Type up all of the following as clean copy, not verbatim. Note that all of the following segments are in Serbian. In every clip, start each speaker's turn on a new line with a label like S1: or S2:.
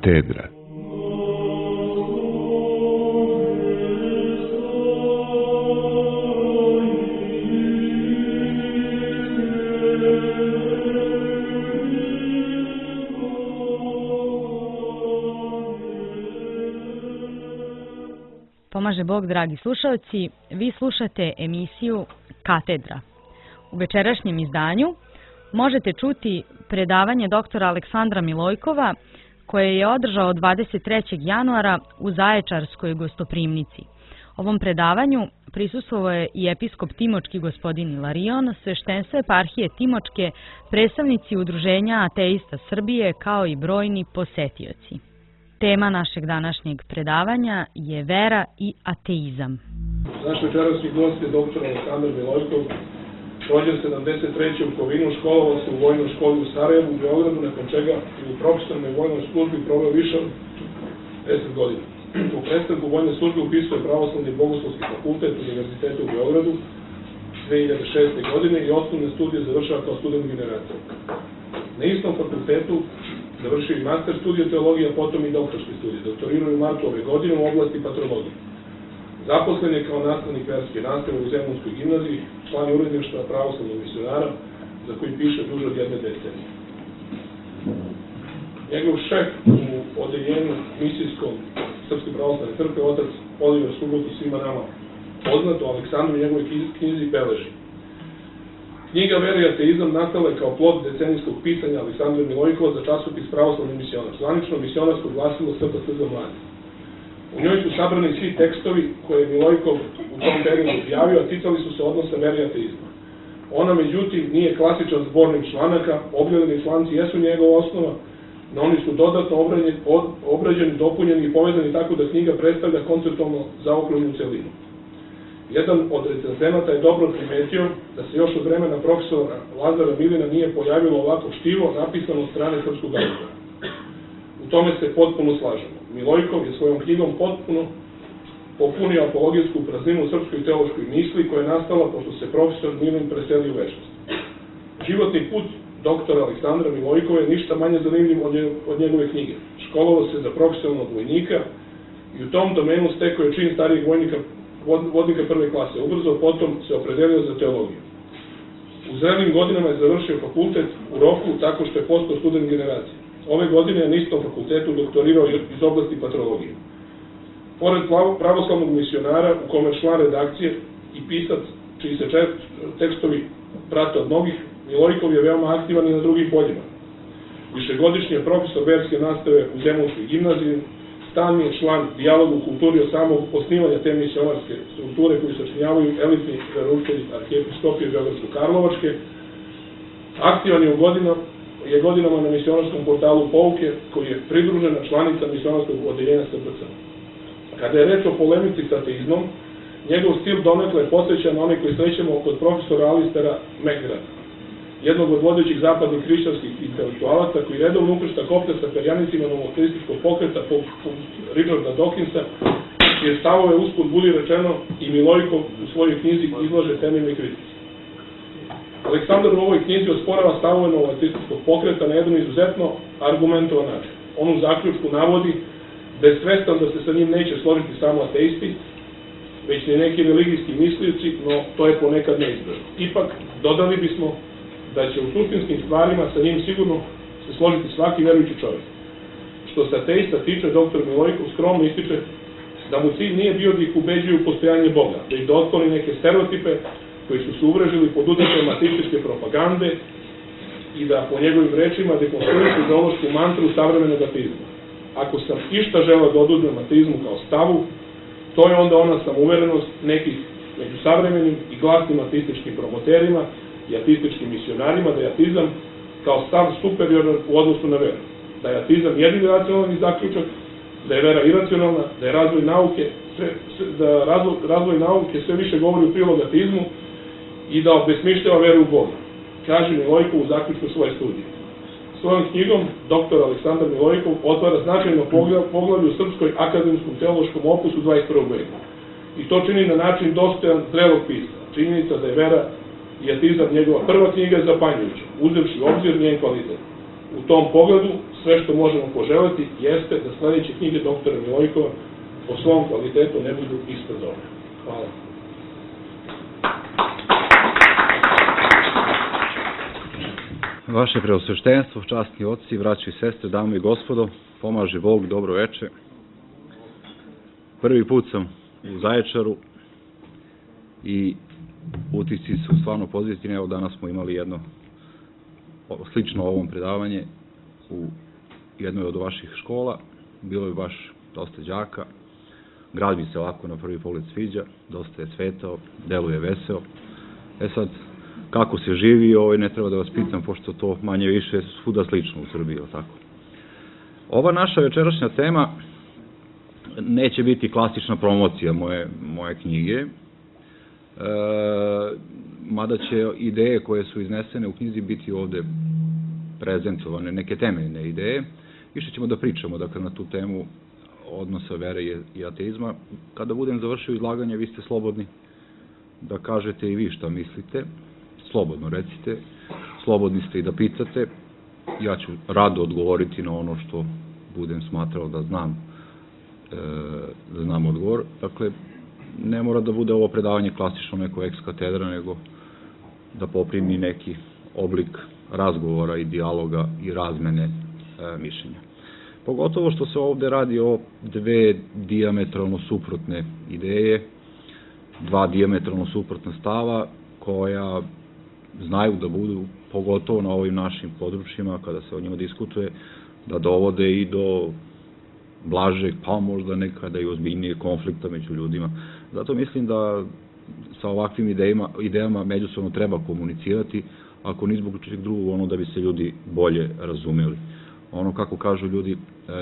S1: Katedra.
S2: Pomaže Bog, dragi slušalci, vi slušate emisiju Katedra. U večerašnjem izdanju možete čuti predavanje doktora Aleksandra Milojkova koje je održao 23. januara u Zaječarskoj gostoprimnici. Ovom predavanju prisustvovao je i episkop Timočki gospodin Ilarion, sveštenstvo eparhije Timočke, predstavnici Udruženja ateista Srbije kao i brojni posetioci. Tema našeg današnjeg predavanja je vera i ateizam.
S3: Naš večerašnji gost je doktor Aleksandar Milojkov, rođen 73. u Kovinu, školovao se u vojnoj školi u Sarajevu, u Beogradu, nakon čega u profesionalnoj vojnoj službi proveo više od 10 godina. U prestanku vojne službe upisao je Pravoslavni bogoslovski fakultet Univerziteta u Beogradu 2006. godine i osnovne studije završava kao student generator. Na istom fakultetu završio i master studije teologije, a potom i doktorski studije. Doktorirao je u martu ove godine u oblasti patrologije. Zaposlen je kao nastavnik verske nastave u Zemunskoj gimnaziji, član je uredništva pravoslavnog misionara, za koji piše duže od 1 decenije. Njegov šef u odeljenju misijskom Srpske pravoslavne crkve, otac Oliver Subot i svima nama poznato, Aleksandru i njegovoj knjizi beleži. Knjiga Vera i ateizam nastala je kao plod decenijskog pisanja Aleksandra Milojkova za časopis Pravoslavni misionar, zvanično misionarsko glasilo SPC za mlade. U njoj su sabrani svi tekstovi koje je Milojkov u tom periodu objavio, a ticali su se odnosa vere i ateizma. Ona, međutim, nije klasičan zbornik članaka, objavljeni članci jesu njegova osnova, no oni su dodatno obrađeni, dopunjeni i povezani tako da knjiga predstavlja konceptualno zaokruženu celinu. Jedan od recenzenata je dobro primetio da se još od vremena profesora Lazara Milina nije pojavilo ovako štivo napisano od strane srpskog autora. U tome se potpuno slažemo. Milojkov je svojom knjigom potpuno popunio apologijsku prazninu u srpskoj teološkoj misli koja je nastala pošto se profesor Milin preselio u večnost. Životni put doktora Aleksandra Milojkova je ništa manje zanimljiv od njegove knjige. Školovao se za profesionalnog vojnika i u tom domenu stekao je čin starijeg vodnika prve klase. Ubrzo potom se opredelio za teologiju. U zrelim godinama je završio fakultet u roku tako što je postao student generacije. Ove godine je na istom fakultetu doktorirao iz oblasti patrologije. Pored pravoslavnog misionara u kome je član redakcije i pisac čiji se tekstovi prate od mnogih, Milojkov je veoma aktivan i na drugim poljima. Višegodišnji je profesor verske nastave u Zemunskoj gimnaziji, stalni je član dijaloga u kulturi od samog osnivanja te misionarske strukture koju sačinjavaju elitni veroučitelji arhijepiskopije Beogradsko-Karlovačke. Aktivan je godinama na misionarskom portalu Pouke, koji je pridružena članica misionarskog odeljenja SPC. Kada je reč o polemici sa ateizmom, njegov stil donekle je posvećan na onaj koji srećemo kod profesora Alistera McGrath, jednog od vodećih zapadnih hrišćanskih intelektualaca koji redovno ukršta kopte sa perjanicima novoteističkog pokreta poput Richarda Dawkinsa, čije stavove usput budi rečeno i Milojkov u svojoj knjizi izlaže temeljnoj kritici. Aleksandar u ovoj knjizi osporava stavove novoteističkog pokreta na jedan izuzetno argumentovan način. On u zaključku navodi da je svestan da se sa njim neće složiti samo ateisti, već ni neki religijski mislioci, no to je ponekad neizbežno. Ipak, dodali bismo da će u suštinskim stvarima sa njim sigurno se složiti svaki verujući čovjek. Što se ateista tiče, doktor Milojkov skromno ističe da mu cilj nije bio da ih ubeđuju u postojanje Boga, već da otkloni neke stereotipe koji su se uvrežili pod uticajem ateističke propagande i da po njegovim rečima dekonstruišu ideološku mantru savremenog ateizma. Ako sam išta želeo da oduzmem ateizmu kao stavu, to je onda ona samouverenost nekih među savremenim i glasnim ateističkim promoterima i ateističkim misionarima da je ateizam kao stav superioran u odnosu na veru. Da je ateizam jedini racionalni zaključak, da je vera iracionalna, da je razvoj nauke sve više govori u prilog ateizmu i da obesmišljava veru u Boga, kaže Milojkov u zaključku svoje studije. Svojom knjigom dr. Aleksandar Milojkov otvara značajno poglavlje u srpskoj akademskom teološkom opusu 21. veka. I to čini na način dostojan zrelog pisma. Činjenica da je vera i ateizam njegova prva knjiga je zapanjujuća, uzevši u obzir njen kvalitet. u tom pogledu sve što možemo poželiti jeste da sledeće knjige doktora Milojkova po svom kvalitetu ne budu ispred ove. Hvala.
S1: Vaše preosveštenstvo, časni oci, braći i sestre, dame i gospodo, pomaže Bog, dobro veče. Prvi put sam u Zaječaru i utisci su stvarno pozitivni. Evo danas smo imali jedno slično ovom predavanje u jednoj od vaših škola. Bilo je baš dosta đaka. Grad mi se ovako na prvi pogled sviđa, dosta je cvetao, deluje veseo. Sad, kako se živi, ne treba da vas pitam, pošto to manje više svuda slično u Srbiji, tako. Ova naša večerašnja tema neće biti klasična promocija moje knjige, mada će ideje koje su iznesene u knjizi biti ovde prezentovane, neke temeljne ideje. Više ćemo da pričamo, dakle, na tu temu odnosa vere i ateizma. Kada budem završio izlaganje, vi ste slobodni da kažete i vi šta mislite. Slobodno recite, slobodni ste i da pitate. Ja ću rado odgovoriti na ono što budem smatrao da znam odgovor. Dakle, ne mora da bude ovo predavanje klasično neko ex katedra, nego da poprimi neki oblik razgovora i dijaloga i razmene mišljenja. Pogotovo što se ovde radi o dve dijametralno suprotne ideje, dva dijametralno suprotna stava koja znaju da budu, pogotovo na ovim našim područjima, kada se o njima diskutuje, da dovode i do blažeg, pa možda nekada i ozbiljnijeg konflikta među ljudima. Zato mislim da sa ovakvim idejama međusobno treba komunicirati, ako ni zbog čeg drugog, da bi se ljudi bolje razumeli. Kako kažu ljudi,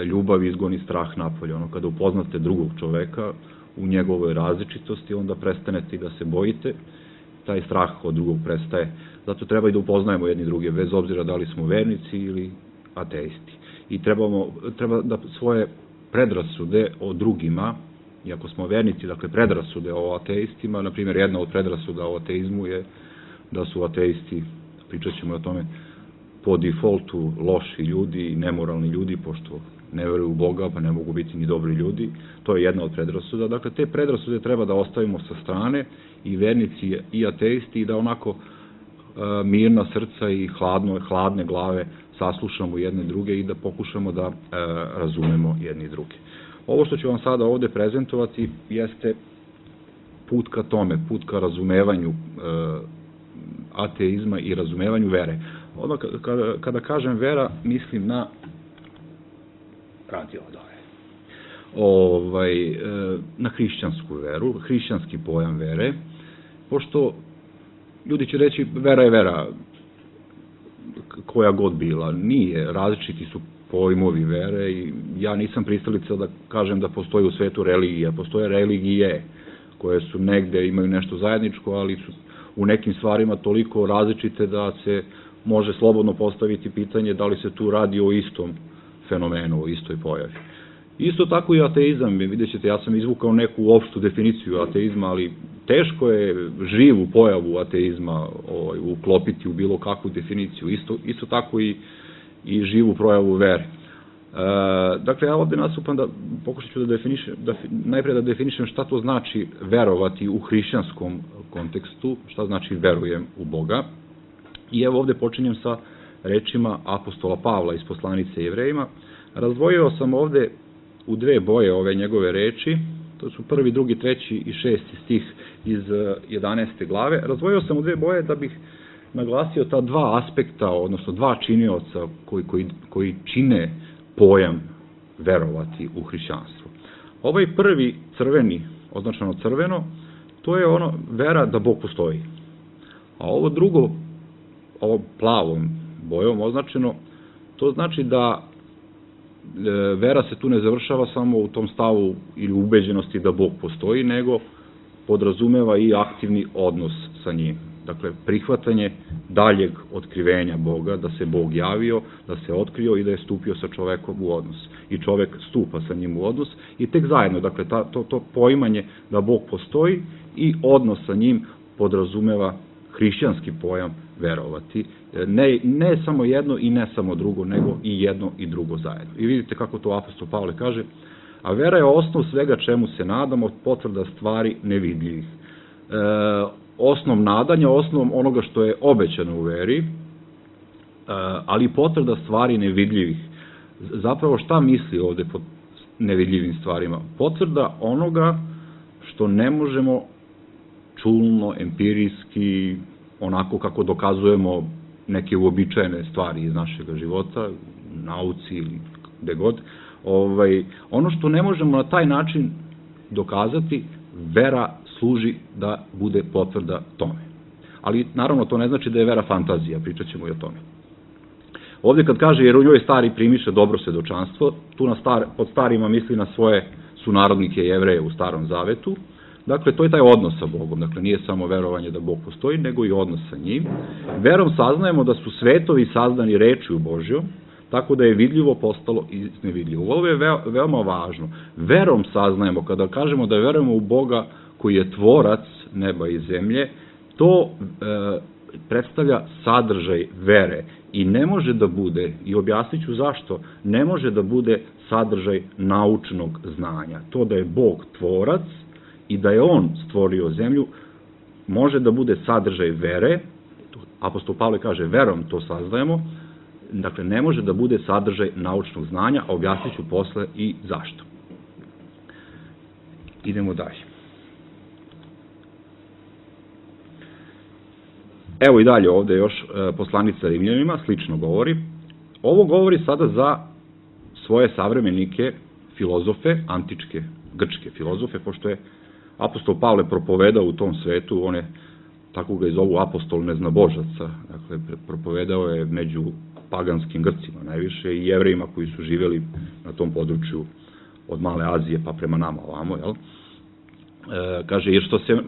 S1: ljubav izgoni strah napolje. Kada upoznate drugog čoveka u njegovoj različitosti, onda prestanete i da se bojite, taj strah od drugog prestaje. Zato treba i da upoznajemo jedni druge, bez obzira da li smo vernici ili ateisti. I treba da svoje predrasude o drugima, iako smo vernici, dakle predrasude o ateistima, na primjer jedna od predrasuda o ateizmu je da su ateisti, pričat ćemo o tome, po defaultu loši ljudi i nemoralni ljudi, pošto ne veruju u Boga, pa ne mogu biti ni dobri ljudi. To je jedna od predrasuda. Dakle, te predrasude treba da ostavimo sa strane, i vernici i ateisti, i da onako mirna srca i hladne glave saslušamo jedne druge i da pokušamo da razumemo jedni druge. Ovo što ću vam sada ovde prezentovati jeste put ka tome, put ka razumevanju ateizma i razumevanju vere. Kada kažem vera, mislim na na hrišćansku veru, hrišćanski pojam vere, pošto ljudi će reći vera je vera, koja god bila. Nije, različiti su pojmovi vere i ja nisam pristalica da kažem da postoji u svetu religija. Postoje religije koje su negde, imaju nešto zajedničko, ali su u nekim stvarima toliko različite da se može slobodno postaviti pitanje da li se tu radi o istom fenomenu, o istoj pojavi. Isto tako i ateizam, vidjet ćete, ja sam izvukao neku opštu definiciju ateizma, ali teško je živu pojavu ateizma uklopiti u bilo kakvu definiciju, isto tako i živu projavu vere. Dakle, ja ovde nastupam da pokušat ću najpre da definišem šta to znači verovati u hrišćanskom kontekstu, šta znači verujem u Boga. I evo ovde počinjem sa rečima apostola Pavla iz poslanice Jevrejima. Razdvojio sam ovde u dve boje ove njegove reči, to su 1., 2., 3. i 6. stih iz 11. glave. Razdvojio sam u dve boje da bih naglasio ta dva aspekta, odnosno dva činioca koji čine pojam verovati u hrišćanstvo. Ovaj prvi crveni, označeno crveno, to je vera da Bog postoji. A ovo drugo, ovo plavom bojom označeno, to znači da vera se tu ne završava samo u tom stavu ili ubeđenosti da Bog postoji, nego podrazumeva i aktivni odnos sa njim. Dakle, prihvatanje daljeg otkrivenja Boga, da se Bog javio, da se otkrio i da je stupio sa čovekom u odnos. I čovek stupa sa njim u odnos i tek zajedno, dakle, to poimanje da Bog postoji i odnos sa njim podrazumeva hrišćanski pojam verovati. Ne samo jedno i ne samo drugo, nego i jedno i drugo zajedno. I vidite kako to apostol Pavle kaže, a vera je osnov svega čemu se nadamo, potvrda stvari nevidljivih. Osnov nadanja, osnov onoga što je obećano u veri, ali potvrda stvari nevidljivih. Zapravo šta misli ovde pod nevidljivim stvarima? Potvrda onoga što ne možemo čulno, empirijski, onako kako dokazujemo neke uobičajene stvari iz našeg života, nauci ili gde god. Ono što ne možemo na taj način dokazati, vera služi da bude potvrda tome. Ali naravno to ne znači da je vera fantazija, pričat ćemo i o tome. Ovde kad kaže jer u njoj stari primiše dobro svedočanstvo, tu pod starima misli na svoje sunarodnike Jevreje u Starom Zavetu. Dakle, to je taj odnos sa Bogom. Dakle, nije samo verovanje da Bog postoji, nego i odnos sa njim. Verom saznajemo da su svetovi sazdani rečju Božjom, tako da je vidljivo postalo i nevidljivo. Ovo je veoma važno. Verom saznajemo, kada kažemo da verujemo u Boga koji je tvorac neba i zemlje, to predstavlja sadržaj vere i ne može da bude, i objasnit ću zašto, ne može da bude sadržaj naučnog znanja. To da je Bog tvorac i da je on stvorio zemlju, može da bude sadržaj vere, apostol Pavle kaže verom to saznajemo, dakle ne može da bude sadržaj naučnog znanja, a objasnit ću posle i zašto. Idemo dalje. Evo i dalje ovde još poslanica Rimljanima, slično govori. Ovo govori sada za svoje savremenike, filozofe, antičke, grčke filozofe, pošto je apostol Pavle propovedao u tom svetu, on je, tako ga i zovu, apostol neznabožaca, dakle, propovedao je među paganskim Grcima najviše i Jevrejima koji su živjeli na tom području od Male Azije pa prema nama ovamo, jel? Kaže, jer što se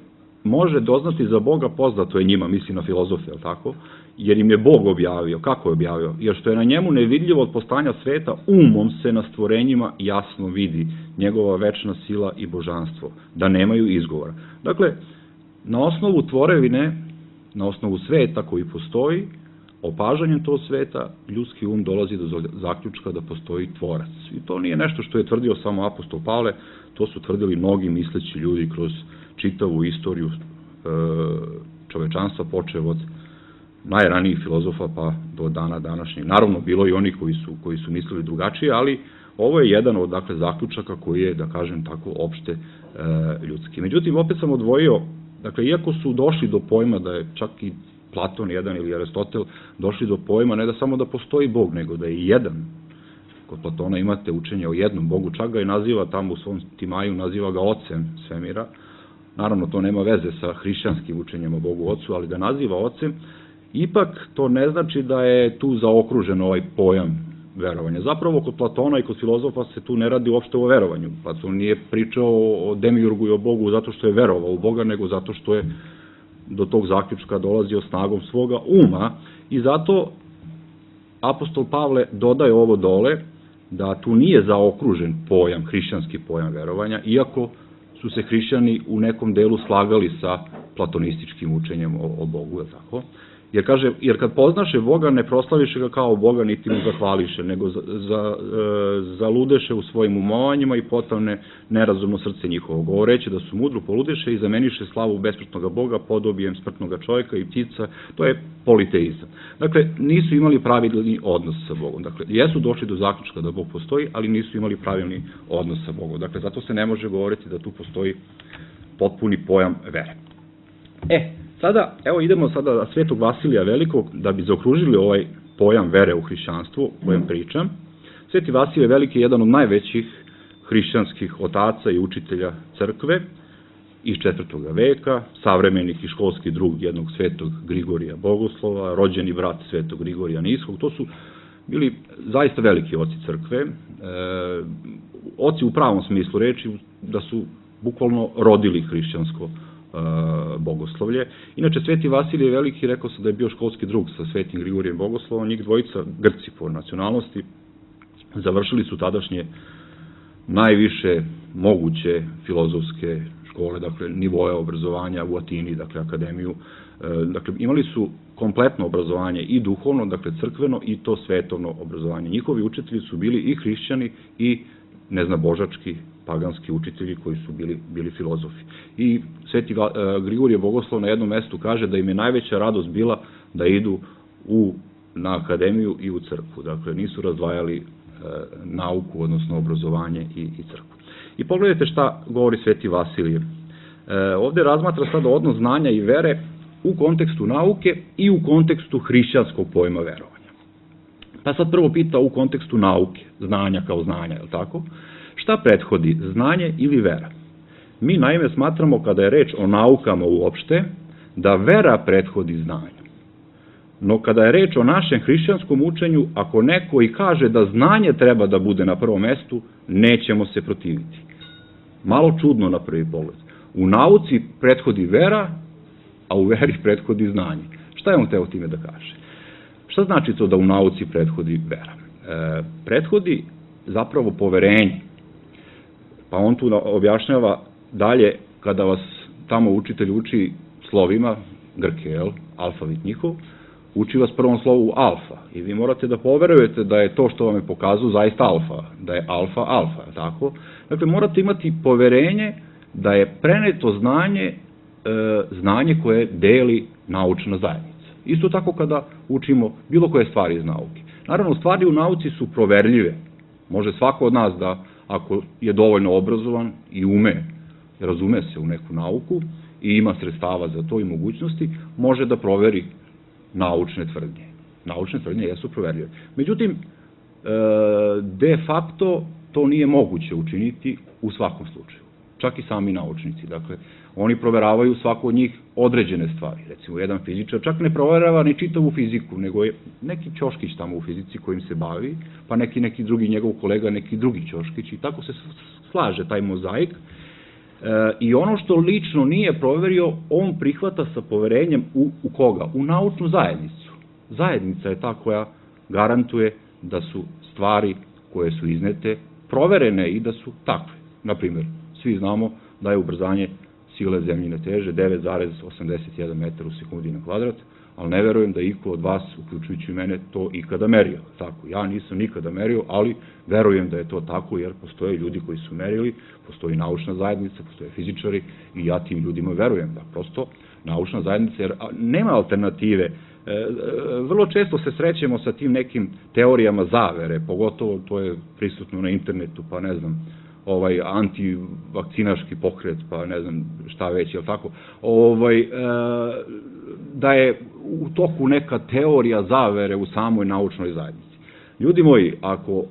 S1: može doznati za Boga poznato je njima, misli na filozofe, jel tako? Jer im je Bog objavio. Kako je objavio? Jer što je na njemu nevidljivo od postanja sveta, umom se na stvorenjima jasno vidi njegova večna sila i božanstvo, da nemaju izgovora. Dakle, na osnovu tvorevine, na osnovu sveta koji postoji, opažanjem tog sveta, ljudski um dolazi do zaključka da postoji tvorac. I to nije nešto što je tvrdio samo apostol Pavle, to su tvrdili mnogi misleći ljudi kroz čitavu istoriju čovečanstva, počev od najranijih filozofa pa do dana današnjeg. Naravno, bilo i oni koji su mislili drugačije, ali ovo je jedan od zaključaka koji je, da kažem tako, opšte ljudski. Međutim, opet sam odvojio, dakle, iako su došli do pojma da je čak i Platon jedan ili Aristotel došli do pojma ne da samo da postoji Bog, nego da je jedan. Kod Platona imate učenje o jednom Bogu, čak ga i naziva tamo u svom Timaju, naziva ga ocem svemira. Naravno, to nema veze sa hrišćanskim učenjem o Bogu ocu, ali ga naziva ocem. Ipak to ne znači da je tu zaokružen ovaj pojam verovanja. Zapravo, kod Platona i kod filozofa se tu ne radi uopšte o verovanju. Platon nije pričao o demiurgu i o Bogu zato što je verovao u Boga, nego zato što je do tog zaključka dolazio snagom svoga uma i zato apostol Pavle dodaje ovo dole da tu nije zaokružen pojam, hrišćanski pojam verovanja, iako su se hrišćani u nekom delu slagali sa platonističkim učenjem o Bogu, je tako? Jer kaže, jer kad poznaše Boga, ne proslaviše ga kao Boga, niti mu zahvališe, nego zaludeše u svojim umovanjima i potavne nerazumno srce njihovo. Govoreći da su mudro poludeše i zameniše slavu besmrtnog Boga podobijem smrtnog čovjeka i ptica, to je politeizam. Dakle, nisu imali pravilni odnos sa Bogom. Dakle, jesu došli do zaključka da Bog postoji, ali nisu imali pravilni odnos sa Bogom. Dakle, zato se ne može govoriti da tu postoji potpuni pojam vere. Sada, evo idemo sada na Svetog Vasilija Velikog, da bi zaokružili ovaj pojam vere u hrišćanstvu, o kojem pričam. Sveti Vasilije Veliki je jedan od najvećih hrišćanskih otaca i učitelja crkve iz 4. veka, savremenih i školski drug jednog svetog Grigorija Bogoslova, rođeni brat svetog Grigorija Niskog. To su bili zaista veliki oci crkve, oci u pravom smislu reči, da su bukvalno rodili hrišćansko bogoslovlje. Inače, Sveti Vasilije Veliki, rekao sam da je bio školski drug sa Svetim Grigorijem Bogoslovom, njih dvojica, Grci po nacionalnosti, završili su tadašnje najviše moguće filozofske škole, dakle, nivoje obrazovanja u Atini, dakle, akademiju. Dakle, imali su kompletno obrazovanje i duhovno, dakle crkveno i to svetovno obrazovanje. Njihovi učitelji su bili i hrišćani i neznabožački, paganski učitelji koji su bili filozofi. I Sveti Grigorije Bogoslov na jednom mestu kaže da im je najveća radost bila da idu na akademiju i u crkvu. Dakle, nisu razdvajali nauku, odnosno obrazovanje i crkvu. I pogledajte šta govori Sveti Vasilije. Ovde razmatra sada odnos znanja i vere u kontekstu nauke i u kontekstu hrišćanskog pojma verovanja. Pa sad prvo pita u kontekstu nauke, znanja kao znanja, je li tako? Šta prethodi, znanje ili vera? Mi naime smatramo, kada je reč o naukama uopšte, da vera prethodi znanju. No kada je reč o našem hrišćanskom učenju, ako neko i kaže da znanje treba da bude na prvom mestu, nećemo se protiviti. Malo čudno na prvi pogled. U nauci prethodi vera, a u veri prethodi znanje. Šta je on teo time da kaže? Šta znači to da u nauci prethodi vera? Prethodi zapravo poverenje. Pa on tu objašnjava dalje, kada vas tamo učitelj uči slovima, grke, alfavit njihov, uči vas prvom slovu alfa. I vi morate da poverujete da je to što vam je pokazao zaista alfa, da je alfa, tako? Dakle, morate imati poverenje da je preneto znanje koje deli naučna zajednica. Isto tako kada učimo bilo koje stvari iz nauke. Naravno, stvari u nauci su proverljive. Može svako od nas da, ako je dovoljno obrazovan i razume se u neku nauku i ima sredstava za to i mogućnosti, može da proveri naučne tvrdnje. Naučne tvrdnje jesu proverljive. Međutim, de facto to nije moguće učiniti u svakom slučaju. Čak i sami naučnici. Dakle, oni proveravaju svako od njih određene stvari. Recimo, jedan fizičar čak ne proverava ni čitavu fiziku, nego je neki ćoškić tamo u fizici kojim se bavi, pa neki drugi njegov kolega, neki drugi ćoškić i tako se slaže taj mozaik. I ono što lično nije proverio, on prihvata sa poverenjem u koga? U naučnu zajednicu. Zajednica je ta koja garantuje da su stvari koje su iznete proverene i da su takve. Naprimjer, svi znamo da je ubrzanje sile zemljine teže 9,81 metar u sekundi na kvadrat, ali ne verujem da iko od vas, uključujući mene, to ikada merio. Tako, ja nisam nikada merio, ali verujem da je to tako, jer postoje ljudi koji su merili, postoji naučna zajednica, postoje fizičari i ja tim ljudima verujem. Da prosto naučna zajednica, jer nema alternative. Vrlo često se srećemo sa tim nekim teorijama zavere, pogotovo to je prisutno na internetu, pa ne znam, antivakcinaški pokret, pa ne znam šta već, jel tako, da je u toku neka teorija zavere u samoj naučnoj zajednici. Ljudi moji,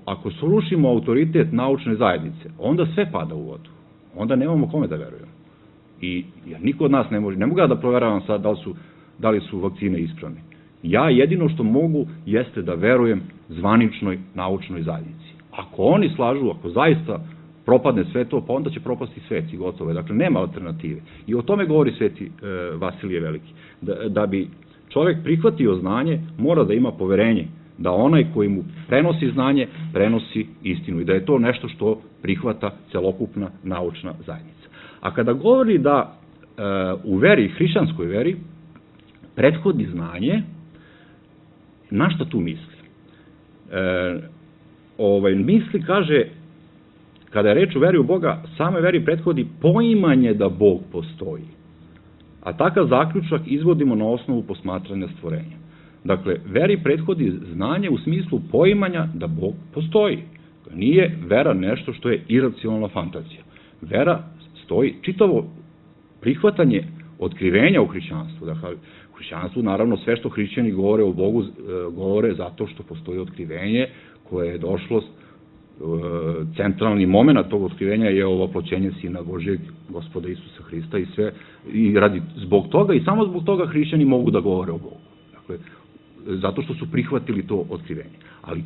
S1: ako srušimo autoritet naučne zajednice, onda sve pada u vodu. Onda nemamo kome da verujemo. I niko od nas ne mogu ja da proveravam sad da li su vakcine ispravne. Ja jedino što mogu jeste da verujem zvaničnoj naučnoj zajednici. Ako oni slažu, ako zaista propadne sve to, pa onda će propasti svet i gotovo. Dakle, nema alternative. I o tome govori Sveti Vasilije Veliki. Da bi čovek prihvatio znanje, mora da ima poverenje da onaj koji mu prenosi znanje, prenosi istinu i da je to nešto što prihvata celokupna naučna zajednica. A kada govori da u veri, hrišćanskoj veri, prethodi znanje, na šta tu misli? Misli, kaže, kada je reč o veri u Boga, samoj veri prethodi poimanje da Bog postoji. A takav zaključak izvodimo na osnovu posmatranja stvorenja. Dakle, veri prethodi znanje u smislu poimanja da Bog postoji. Nije vera nešto što je iracionalna fantazija. Vera stoji, čitavo prihvatanje otkrivenja u hrišćanstvu. Dakle, u hrišćanstvu, naravno, sve što hrišćani govore o Bogu, govore zato što postoji otkrivenje koje je došlo. Centralni moment tog otkrivenja je ovoploćenje Sina Božijeg, Gospoda Isusa Hrista i sve, i zbog toga i samo zbog toga hrišćani mogu da govore o Bogu. Dakle, zato što su prihvatili to otkrivenje. Ali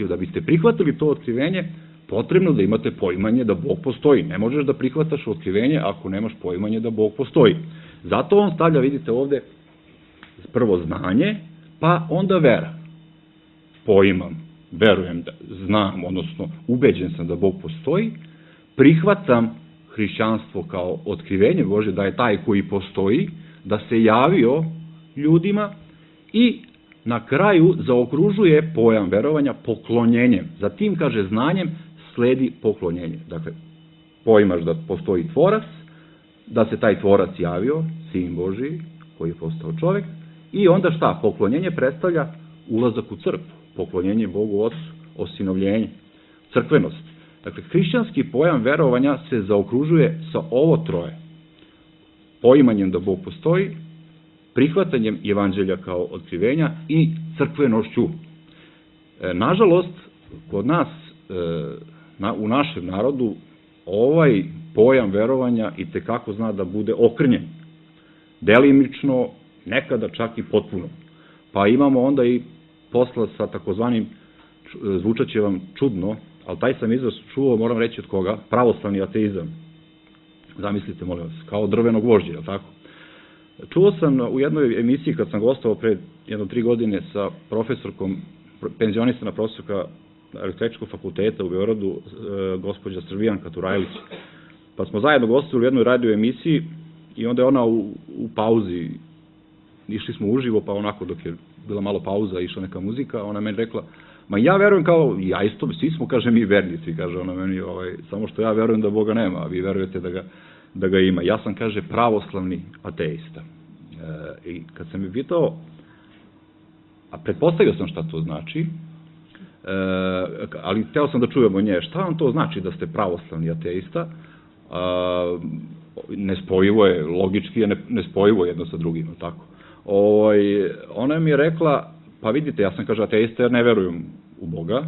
S1: da biste prihvatili to otkrivenje, potrebno da imate poimanje da Bog postoji. Ne možeš da prihvataš otkrivenje ako nemaš poimanje da Bog postoji. Zato on stavlja, vidite ovde, prvo znanje, pa onda vera. Poimam, verujem, znam, odnosno ubeđen sam da Bog postoji, prihvatam hrišćanstvo kao otkrivenje Božje, da je taj koji postoji, da se javio ljudima i na kraju zaokružuje pojam verovanja poklonjenjem. Zatim, kaže, znanjem sledi poklonjenje. Dakle, poimaš da postoji tvorac, da se taj tvorac javio, Sin Božiji, koji je postao čovjek, i onda šta? Poklonjenje predstavlja ulazak u crkvu, poklonjenje Bogu Otcu, osinovljenje, crkvenost. Dakle, hrišćanski pojam verovanja se zaokružuje sa ovo troje. Poimanjem da Bog postoji, prihvatanjem evanđelja kao otkrivenja i crkvenošću. Nažalost, kod nas, u našem narodu, ovaj pojam verovanja i tekako zna da bude okrnjen. Delimično, nekada čak i potpuno. Pa imamo onda i posla sa takozvanim, zvučaće vam čudno, ali taj sam izraz čuo, moram reći od koga, pravoslavni ateizam. Zamislite, molim vas, kao drveno gvožđe, je li tako? Čuo sam u jednoj emisiji, kad sam gostovao pre 3 godine sa profesorkom, penzionisana profesorka Električkog fakulteta u Beogradu, gospođa Srbijanka Turajlić. Pa smo zajedno gostovali u jednoj radio emisiji i onda je ona u pauzi, išli smo uživo, pa onako dok je bila malo pauza, išla neka muzika, ona meni rekla, ma ja verujem kao, ja isto, svi smo, kaže, mi vernici, kaže ona meni, samo što ja verujem da Boga nema, a vi verujete da ga ima. Ja sam, kaže, pravoslavni ateista. I kad sam mi pitao, a pretpostavio sam šta to znači, ali hteo sam da čujem od nje, šta vam to znači da ste pravoslavni ateista? Nespojivo je, logički je nespojivo jedno sa drugim, tako. Ona mi je rekla, pa vidite, ja sam, kaže, ateista jer ne verujem u Boga,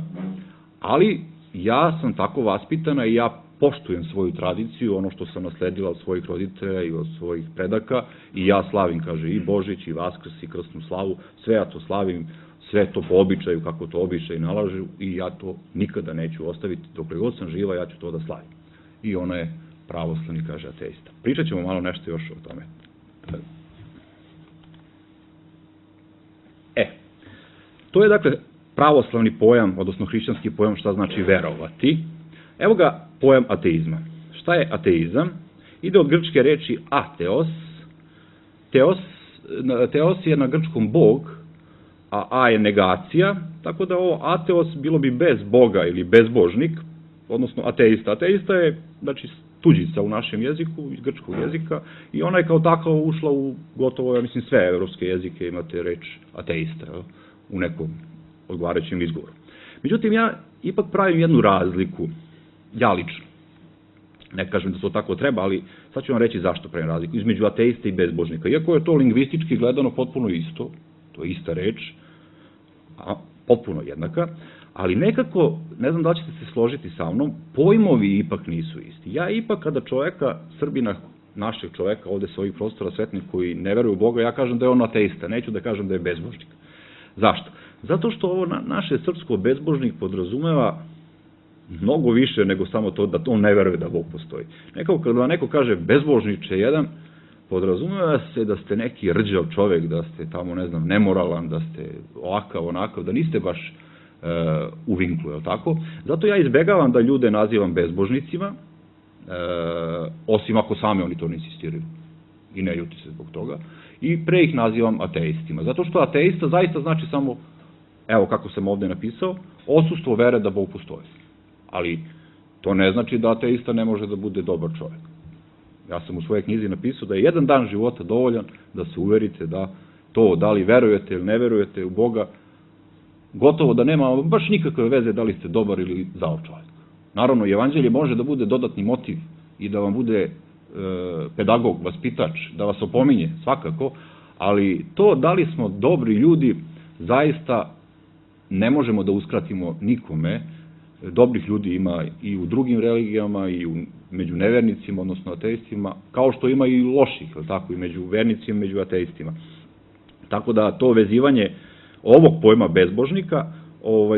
S1: ali ja sam tako vaspitana i ja poštujem svoju tradiciju, ono što sam nasledila od svojih roditelja i od svojih predaka, i ja slavim, kaže, i Božić, i Vaskrs, i krsnu slavu, sve ja to slavim, sve to po običaju, kako to običaj nalažu, i ja to nikada neću ostaviti, dokle god sam živa, ja ću to da slavim. I ona je pravoslavni, kaže, ateista. Pričat ćemo malo nešto još o tome. To je, dakle, pravoslavni pojam, odnosno hrišćanski pojam, šta znači verovati. Evo ga pojam ateizma. Šta je ateizam? Ide od grčke reči ateos. Teos je na grčkom bog, a je negacija, tako da ovo ateos bilo bi bez Boga ili bezbožnik, odnosno ateista. Ateista je, znači, tuđica u našem jeziku, iz grčkog jezika, i ona je kao takva ušla u gotovo, ja mislim, sve evropske jezike imate reč ateista, u nekom odgovarajućem izgovoru. Međutim, ja ipak pravim jednu razliku, ja lično. Ne kažem da to tako treba, ali sad ću vam reći zašto pravim razliku, između ateista i bezbožnika. Iako je to lingvistički gledano potpuno isto, to je ista reč, potpuno jednaka, ali nekako, ne znam da li ćete se složiti sa mnom, pojmovi ipak nisu isti. Ja ipak kada čoveka, Srbina, našeg čoveka ovde sa ovih prostora svetnih koji ne veruju u Boga, ja kažem da je on ateista, neću da kažem da je bezbožnik. Zašto? Zato što ovo naše srpsko bezbožnik podrazumeva mnogo više nego samo to da on ne veruje da Bog postoji. Nekako kada vam neko kaže bezbožniče jedan, podrazumeva se da ste neki rđav čovek, da ste tamo, ne znam, nemoralan, da ste ovakav, onakav, da niste baš u vinklu, je li tako? Zato ja izbegavam da ljude nazivam bezbožnicima, osim ako sami oni to ne insistiraju i ne ljuti se zbog toga, i pre ih nazivam ateistima. Zato što ateista zaista znači samo, evo kako sam ovde napisao, odsustvo vere da Bog postoji. Ali to ne znači da ateista ne može da bude dobar čovjek. Ja sam u svojoj knjizi napisao da je jedan dan života dovoljan da se uverite da to, da li verujete ili ne verujete u Boga, gotovo da nema baš nikakve veze da li ste dobar ili zao čovjek. Naravno, evanđelje može da bude dodatni motiv i da vam bude pedagog, vaspitač, da vas opominje, svakako, ali to da li smo dobri ljudi, zaista ne možemo da uskratimo nikome. Dobrih ljudi ima i u drugim religijama, i među nevernicima, odnosno ateistima, kao što ima i loših, tako, i među vernicima, među ateistima. Tako da to vezivanje ovog pojma bezbožnika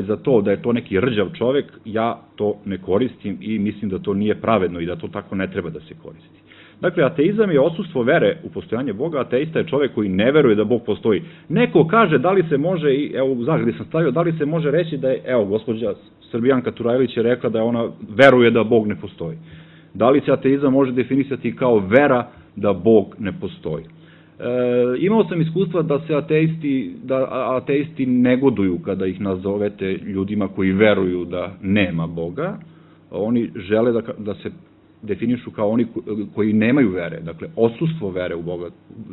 S1: za to da je to neki rđav čovek, ja to ne koristim i mislim da to nije pravedno i da to tako ne treba da se koristi. Dakle, ateizam je odsustvo vere u postojanje Boga, ateista je čovek koji ne veruje da Bog postoji. Neko kaže da li se može, evo u zagradi sam stavio, da li se može reći da je, evo, gospođa Srbijanka Turajlić je rekla da ona veruje da Bog ne postoji. Da li se ateizam može definisati kao vera da Bog ne postoji? Imao sam iskustva da se ateisti negoduju kada ih nazovete ljudima koji veruju da nema Boga. Oni žele da se definišu kao oni koji nemaju vere, dakle, odsustvo vere u Boga,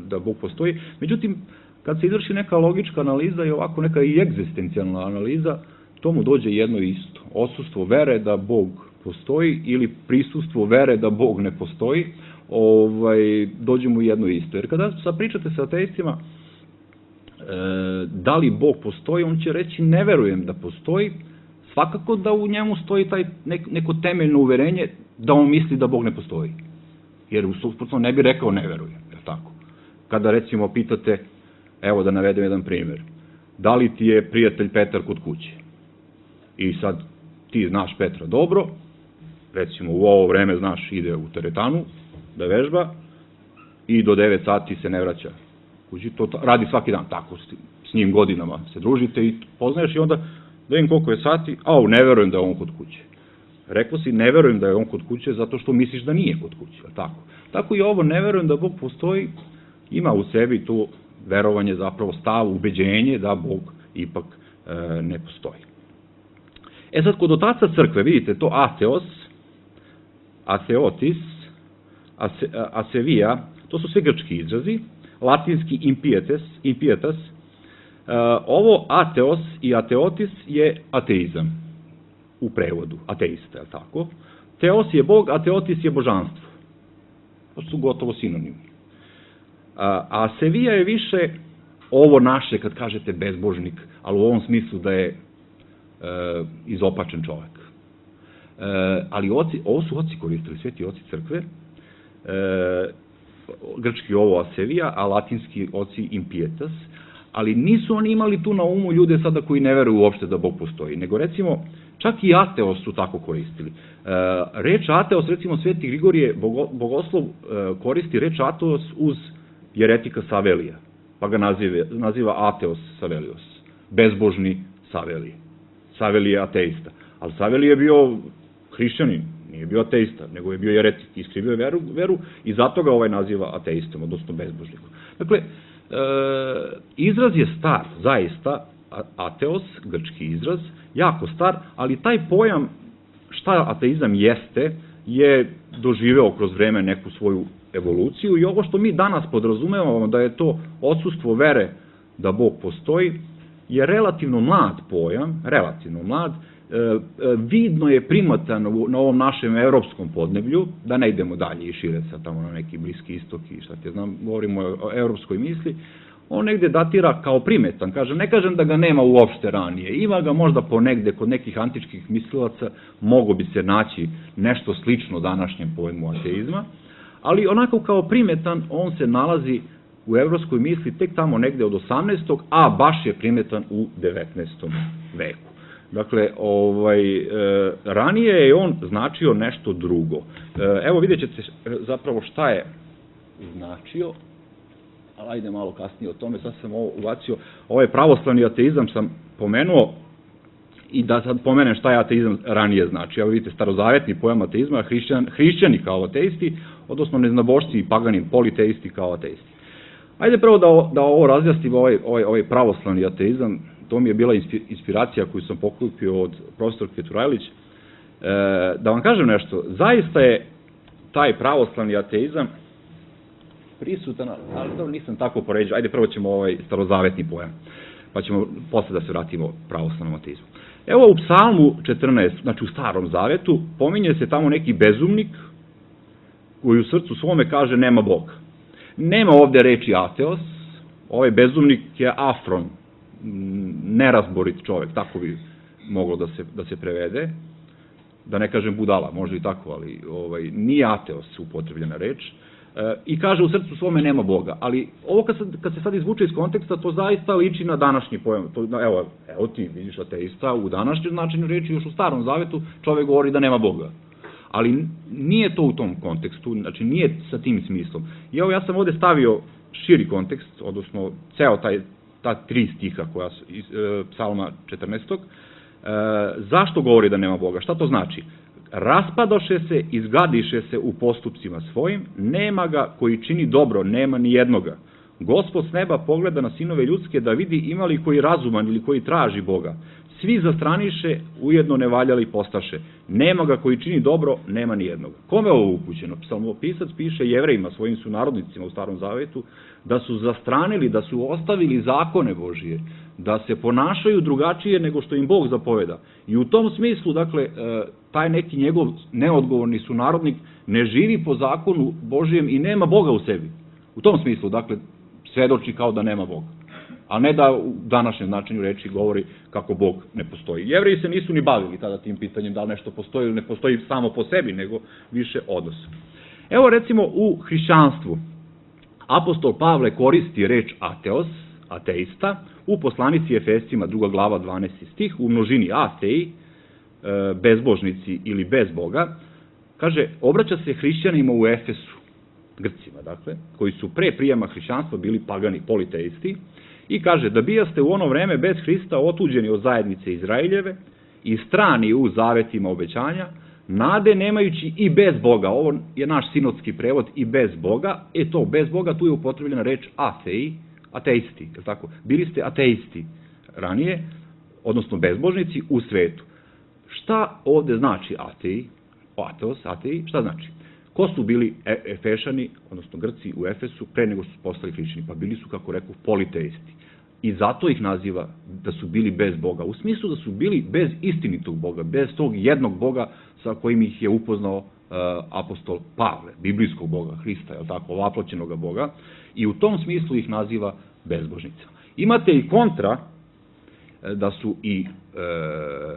S1: da Bog postoji. Međutim, kad se izvrši neka logička analiza i ovako neka i egzistencijalna analiza, tomu dođe jedno isto. Odsustvo vere da Bog postoji ili prisustvo vere da Bog ne postoji, dođe mu jedno isto. Jer kada sad pričate sa ateistima, da li Bog postoji, on će reći ne verujem da postoji, svakako da u njemu stoji neko temeljno uverenje da on misli da Bog ne postoji. Jer u suprotno ne bi rekao ne verujem, je li tako? Kada recimo pitate, evo da navedem jedan primjer, da li ti je prijatelj Petar kod kuće? I sad ti znaš Petra dobro, recimo u ovo vreme znaš ide u teretanu da vežba i do 9 sati se ne vraća kući, to radi svaki dan, tako s njim godinama se družite i poznaješ i onda da vidim koliko je sati, ne verujem da je on kod kuće. Rekao si ne verujem da je on kod kuće zato što misliš da nije kod kuće, tako? Tako i ovo ne verujem da Bog postoji, ima u sebi to verovanje, zapravo stav, ubeđenje da Bog ipak ne postoji. Sad, kod otaca crkve, vidite, to ateos, ateotis, asevija, to su sve grčki izrazi, latinski impietas, ovo ateos i ateotis je ateizam, u prevodu, ateista, je li tako? Teos je Bog, ateotis je božanstvo. To su gotovo sinonimi. A asevija je više ovo naše, kad kažete bezbožnik, ali u ovom smislu da je izopačen čovek. Ali ovo su oci koristili, sveti oci crkve, grčki ovo asevija, a latinski oci impietas, ali nisu oni imali tu na umu ljude sada koji ne veruju uopšte da Bog postoji, nego recimo, čak i ateos su tako koristili. Reč ateos, recimo sveti Grigorije Bogoslov koristi reč ateos uz jeretika Savelija, pa ga naziva ateos Savelios, bezbožni Savelije. Savelije je ateista, ali Savelije je bio hrišćanin, nije bio ateista, nego je bio jeretik, iskrivio je veru i zato ga naziva ateistom, odnosno bezbožnikom. Dakle, izraz je star, zaista, ateos, grčki izraz, jako star, ali taj pojam šta ateizam jeste, je doživeo kroz vreme neku svoju evoluciju i ovo što mi danas podrazumevamo da je to odsustvo vere da Bog postoji, je relativno mlad pojam, relativno mlad, vidno je primatan na ovom našem evropskom podneblju, da ne idemo dalje i šire sad tamo na neki Bliski istok i šta te znam, govorimo o evropskoj misli, on negde datira kao primetan, ne kažem da ga nema uopšte ranije, ima ga možda ponegde kod nekih antičkih mislilaca, mogo bi se naći nešto slično današnjem pojmu ateizma, ali onako kao primetan on se nalazi u evropskoj misli tek tamo negde od 18. a baš je primetan u 19. veku. Dakle, ranije je on značio nešto drugo. Evo vidjet ćete zapravo šta je značio, ali ajde malo kasnije o tome, sad sam ovo ubacio, ovaj pravoslavni ateizam sam pomenuo i da sad pomenem šta je ateizam ranije znači. Evo vidite, starozavetni pojam ateizma, hrišćani kao ateisti, odnosno neznabošci i pagani politeisti kao ateisti. Ajde prvo da ovo razjasnim, ovaj pravoslavni ateizam, to mi je bila inspiracija koju sam pokupio od profesorke Turajlić. Da vam kažem nešto, zaista je taj pravoslavni ateizam prisutan, ali to nisam tako poređao. Ajde prvo ćemo ovaj starozavetni pojam, pa ćemo posle da se vratimo pravoslavnom ateizmu. Evo u Psalmu 14, znači u Starom Zavetu, pominje se tamo neki bezumnik koji u srcu svome kaže nema Boga. Nema ovde reči ateos, ovaj bezumnik je afron, nerazborit čovek, tako bi moglo da se prevede, da ne kažem budala, može i tako, ali nije ateos upotrebljena reč, i kaže u srcu svome nema Boga, ali ovo kad se sad izvuče iz konteksta, to zaista liči na današnji pojam, evo ti vidiš ateista, u današnjem značenju reči, još u Starom Zavetu čovek govori da nema Boga. Ali nije to u tom kontekstu, znači nije sa tim smislom. I evo ja sam ovde stavio širi kontekst, odnosno ceo ta 3 stiha koja su iz Psalma 14. Zašto govori da nema Boga? Šta to znači? Raspadoše se, izgadiše se u postupcima svojim, nema ga koji čini dobro, nema ni jednoga. Gospod s neba pogleda na sinove ljudske da vidi ima li koji razuman ili koji traži Boga. Svi zastraniše, ujedno nevaljali postaše. Nema ga koji čini dobro, nema ni jednog. Kome je ovo upućeno? Psalmopisac piše Jevrejima, svojim sunarodnicima u Starom Zavetu, da su zastranili, da su ostavili zakone Božije, da se ponašaju drugačije nego što im Bog zapoveda. I u tom smislu, dakle, taj neki njegov neodgovorni sunarodnik ne živi po zakonu Božijem i nema Boga u sebi. U tom smislu, dakle, svedoči kao da nema Boga. A ne da u današnjem značenju reči govori kako Bog ne postoji. Jevreji se nisu ni bavili tada tim pitanjem da li nešto postoji ili ne postoji samo po sebi, nego više odnos. Evo recimo u hrišćanstvu. Apostol Pavle koristi reč ateos, ateista, u poslanici Efescima 2. glava 12. stih, u množini atei, bezbožnici ili bez Boga, kaže, obraća se hrišćanima u Efesu, Grcima, dakle, koji su pre prijema hrišćanstva bili pagani politeisti, i kaže, da bijaste u ono vreme bez Hrista otuđeni od zajednice Izraeljeve i strani u zavetima obećanja, nade nemajući i bez Boga. Ovo je naš sinodski prevod, i bez Boga. To, bez Boga, tu je upotrebljena reč atei, ateisti, je li tako? Bili ste ateisti ranije, odnosno bezbožnici u svetu. Šta ovde znači atei, ateos, atei, šta znači? Ko su bili Efešani, odnosno Grci u Efesu, pre nego su postali hrišćani? Pa bili su, kako rekao, politeisti. I zato ih naziva da su bili bez Boga. U smislu da su bili bez istinitog Boga, bez tog jednog Boga sa kojim ih je upoznao apostol Pavle, biblijskog Boga, Hrista, je li tako, ovaploćenog Boga. I u tom smislu ih naziva bezbožnicama. Imate i kontra da su i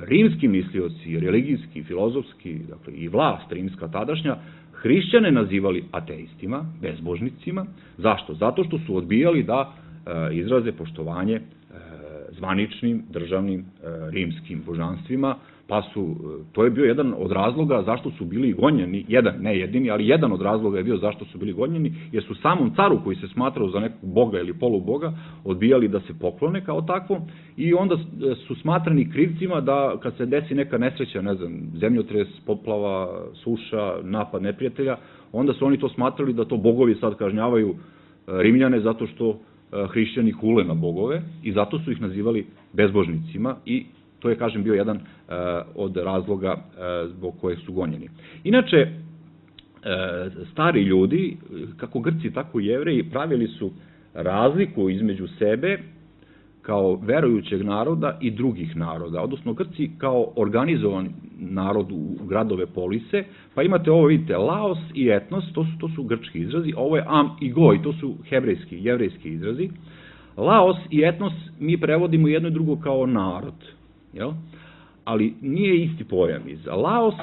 S1: rimski mislioci, religijski, filozofski, dakle i vlast rimska tadašnja, hrišćane nazivali ateistima, bezbožnicima. Zašto? Zato što su odbijali da izraze poštovanje zvaničnim, državnim, rimskim božanstvima, pa to je bio jedan od razloga zašto su bili gonjeni, ne jedini, ali jedan od razloga je bio zašto su bili gonjeni, jer su samom caru koji se smatrao za nekog boga ili poluboga odbijali da se poklone kao takvom i onda su smatrani krivcima da kad se desi neka nesreća, ne znam, zemljotres, poplava, suša, napad neprijatelja, onda su oni to smatrali da to bogovi sad kažnjavaju Rimljane zato što hrišćani hule na bogove i zato su ih nazivali bezbožnicima i to je, kažem, bio jedan od razloga zbog kojeg su gonjeni. Inače, stari ljudi, kako Grci, tako i Jevreji, pravili su razliku između sebe kao verujućeg naroda i drugih naroda, odnosno Grci kao organizovan narod u gradove polise, pa imate ovo, vidite, laos i etnos, to su grčki izrazi, ovo je am i goj, to su hebrejski, jevrejski izrazi. Laos i etnos mi prevodimo jedno i drugo kao narod, jel? Ali nije isti pojam. Laos,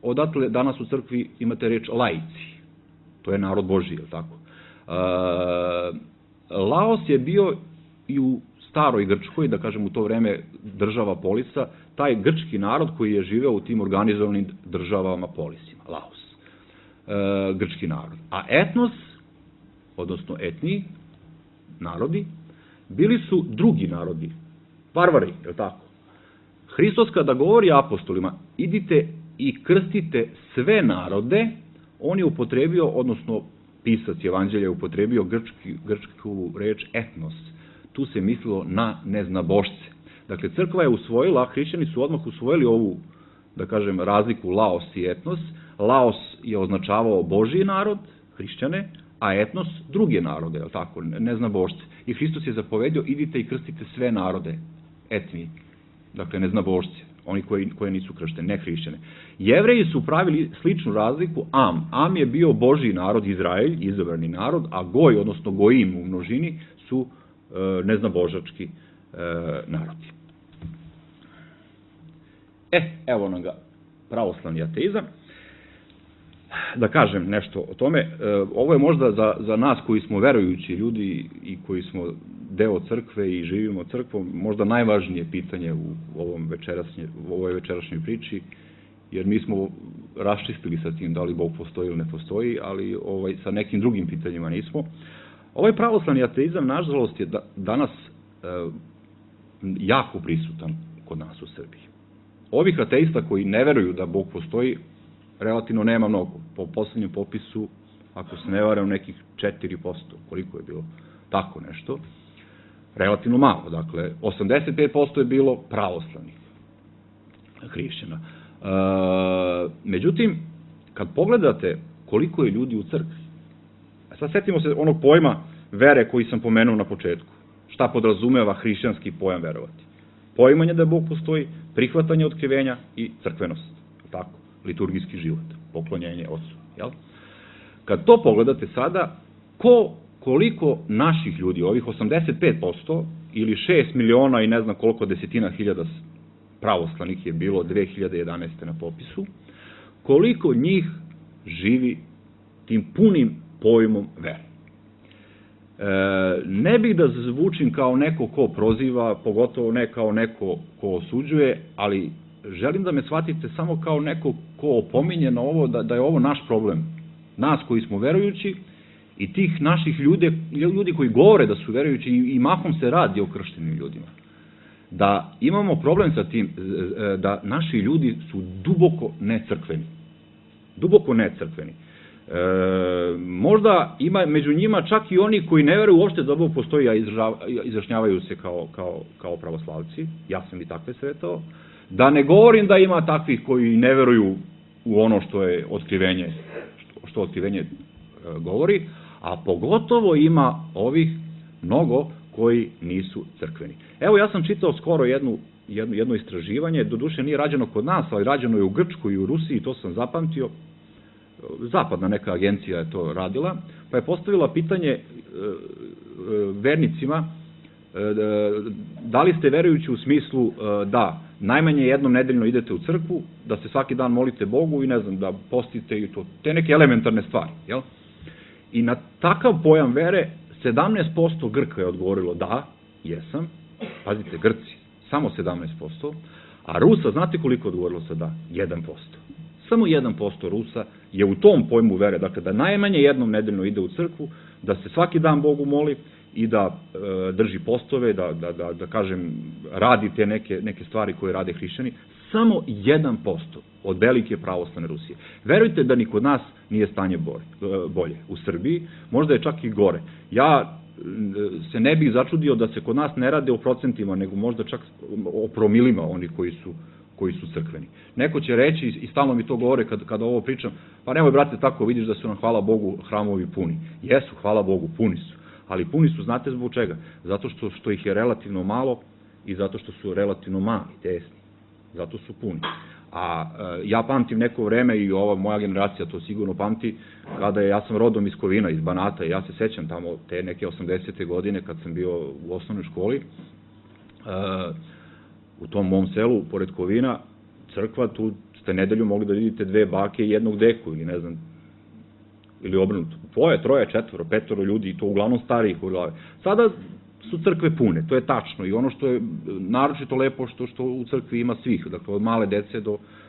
S1: odatle danas u crkvi imate reč laici, to je narod Božji, jel tako? Laos je bio i u staroj Grčkoj, da kažem u to vreme država polisa, taj grčki narod koji je živeo u tim organizovanim državama polisima, Laos, grčki narod. A etnos, odnosno etni, narodi, bili su drugi narodi, varvari, je li tako? Hristos kada govori apostolima, idite i krstite sve narode, on je upotrebio, odnosno pisac Evanđelja je upotrebio grčku reč etnos. Tu se mislilo na neznabošce. Dakle, crkva je usvojila, hrišćani su odmah usvojili ovu, da kažem, razliku laos i etnos. Laos je označavao Božji narod, hrišćane, a etnos druge narode, je li tako, neznabošce. I Hristos je zapovedio, idite i krstite sve narode, etni, dakle, neznabošce, oni koji nisu kršteni, ne hrišćane. Jevreji su pravili sličnu razliku, Am je bio Božji narod, Izraelj, izabrani narod, a Goj, odnosno Gojim u množini, su neznabožački narodi. Evo nam ga pravoslavni ateizam. Da kažem nešto o tome, ovo je možda za nas koji smo verujući ljudi i koji smo deo crkve i živimo crkvom, možda najvažnije pitanje u ovoj večerašnjoj priči, jer mi smo raščistili sa tim da li Bog postoji ili ne postoji, ali sa nekim drugim pitanjima nismo. Ovaj pravoslavni ateizam, nažalost, je danas jako prisutan kod nas u Srbiji. Ovih ateista koji ne veruju da Bog postoji, relativno nema mnogo. Po poslednjem popisu, ako se ne varam, nekih 4%, koliko je bilo tako nešto, relativno malo, dakle, 85% je bilo pravoslavnih hrišćana. Međutim, kad pogledate koliko je ljudi u crkvi, sad setimo se onog pojma vere koji sam pomenuo na početku. Šta podrazumeva hrišćanski pojam verovati? Poimanje da Bog postoji, prihvatanje otkrivenja i crkvenost, tako, liturgijski život, poklonjenje Otcu, jel? Kad to pogledate sada, koliko naših ljudi, ovih 85% ili 6 miliona i ne znam koliko desetina hiljada pravoslavnih je bilo 2011. na popisu, koliko njih živi tim punim pojmom vere. Ne bih da zvučim kao neko ko proziva, pogotovo ne kao neko ko osuđuje, ali želim da me shvatite samo kao neko ko opominje na ovo, da je ovo naš problem. Nas koji smo verujući i tih naših ljudi koji govore da su verujući i mahom se radi o krštenim ljudima. Da imamo problem sa tim, da naši ljudi su duboko necrkveni. Duboko necrkveni. Možda ima među njima čak i oni koji ne veruju uopšte da Bog postoji, a izrašnjavaju se kao pravoslavci. Ja sam i takve sretao. Da ne govorim da ima takvih koji ne veruju u ono što je otkrivenje, što otkrivenje govori, a pogotovo ima ovih mnogo koji nisu crkveni. Evo, ja sam čitao skoro jedno istraživanje, doduše nije rađeno kod nas, ali rađeno je u Grčkoj i u Rusiji, to sam zapamtio. Zapadna neka agencija je to radila, pa je postavila pitanje vernicima da li ste verujući u smislu da najmanje jednom nedeljno idete u crkvu, da se svaki dan molite Bogu i ne znam, da postite i to, te neke elementarne stvari, jel? I na takav pojam vere 17% Grka je odgovorilo da, jesam, pazite, Grci, samo 17%, a Rusa, znate koliko je odgovorilo sa da? 1%. Samo 1% Rusa je u tom pojmu vere, dakle da najmanje jednom nedeljno ide u crkvu, da se svaki dan Bogu moli i da drži postove, da kažem, radi te neke stvari koje rade hrišćani, samo 1% od velike pravoslavne Rusije. Verujte da ni kod nas nije stanje bolje. U Srbiji možda je čak i gore. Ja se ne bih začudio da se kod nas ne rade o procentima, nego možda čak o promilima oni koji su crkveni. Neko će reći, i stalno mi to govore kada ovo pričam, pa nemoj brate tako, vidiš da su nam, hvala Bogu, hramovi puni. Jesu, hvala Bogu, puni su. Ali puni su, znate zbog čega? Zato što ih je relativno malo i zato što su relativno mali, tesni. Zato su puni. A ja pamtim neko vreme i ova moja generacija to sigurno pamti, kada ja sam rodom iz Kovina, iz Banata, i ja se sećam tamo te neke 80. godine kad sam bio u osnovnoj školi, u tom mom selu, pored Kovina, crkva, tu ste nedelju mogli da vidite 2 bake i jednog deku, ili ne znam, ili obrnuto. 2, 3, 4, 5 ljudi, i to uglavnom starijih u glave. Sada su crkve pune, to je tačno, i ono što je naročito lepo što u crkvi ima svih, dakle od male dece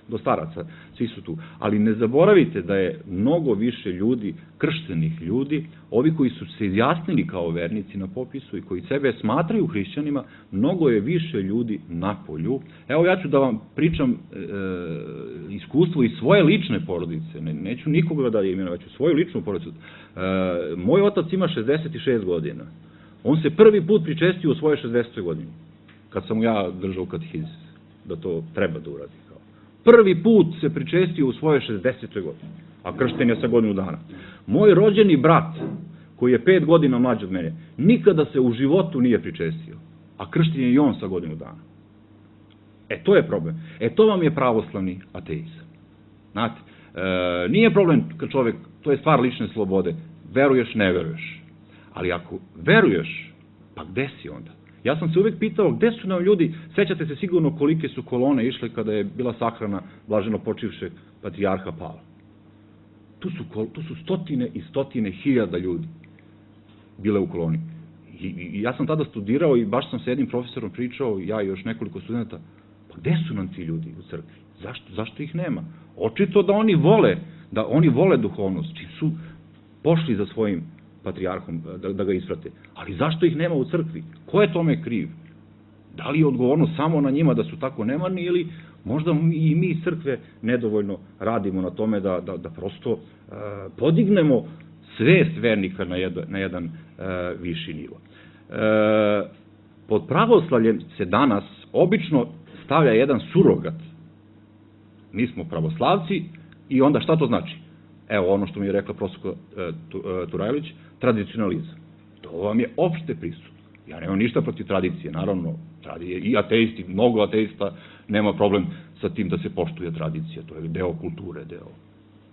S1: do staraca, svi su tu. Ali ne zaboravite da je mnogo više ljudi, krštenih ljudi, ovi koji su se izjasnili kao vernici na popisu i koji sebe smatraju hrišćanima, mnogo je više ljudi na polju. Evo, ja ću da vam pričam iskustvo iz svoje lične porodice, neću nikoga da imenujem, već u svoju ličnu porodicu. Moj otac ima 66 godina. On se prvi put pričestio u svoje 60. godini, kad sam mu ja držao katehizis, da to treba da uradi. Prvi put se pričestio u svoje 60. godini, a kršten je sa godinu dana. Moj rođeni brat, koji je 5 godina mlađi od mene, nikada se u životu nije pričestio, a kršten je i on sa godinu dana. To je problem. To vam je pravoslavni ateizam. Znate, nije problem kad čovek, to je stvar lične slobode, veruješ, ne veruješ. Ali ako veruješ, pa gde si onda? Ja sam se uvek pitao gde su nam ljudi, sećate se sigurno kolike su kolone išle kada je bila sahrana blaženo počivšeg patrijarha Pavla. Tu su stotine i stotine hiljada ljudi bile u koloni. I ja sam tada studirao i baš sam sa jednim profesorom pričao, ja i još nekoliko studenta, pa gde su nam ti ljudi u crkvi? Zašto ih nema? Očito da oni vole duhovnost, čim su pošli za svojim patrijarhom da ga isprate. Ali zašto ih nema u crkvi? Ko je tome kriv? Da li je odgovornost samo na njima da su tako nemarni ili možda i mi iz crkve nedovoljno radimo na tome da prosto podignemo svest vernika na jedan viši nivo. Pod pravoslavljem se danas obično stavlja jedan surogat. Mi smo pravoslavci i onda šta to znači? Evo ono što mi je rekla profesor Turajlić, tradicionalizam. To vam je opšte prisutno. Ja nemam ništa protiv tradicije, naravno, i ateisti, mnogo ateista nema problem sa tim da se poštuje tradicija, to je deo kulture,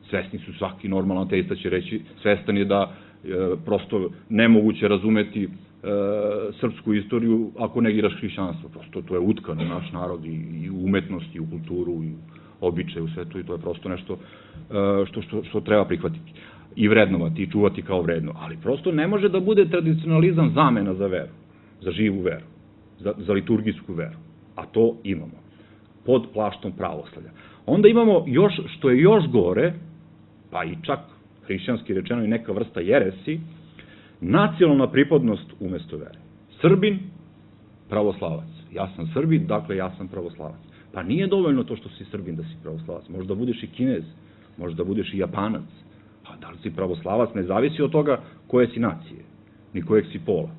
S1: svesni su, svaki normalan ateista će reći, svestan je da prosto nemoguće razumeti srpsku istoriju ako negiraš hrišćanstvo, prosto to je utkano u naš narod i u umetnost, i u kulturu, i u običaju, u svetu, i to je prosto nešto što treba prihvatiti i vrednovati i čuvati kao vredno, ali prosto ne može da bude tradicionalizam zamena za veru, za živu veru, za liturgijsku veru, a to imamo pod plaštom pravoslavlja. Onda imamo još, što je još gore, pa i čak hrišćanski rečeno i neka vrsta jeresi, nacionalna pripadnost umesto vere. Srbin, pravoslavac. Ja sam Srbin, dakle ja sam pravoslavac. Pa nije dovoljno to što si Srbin da si pravoslavac. Možda budeš i Kinez, možda budeš i Japanac. Pa da li si pravoslavac ne zavisi od toga koje si nacije, ni kojeg si pola.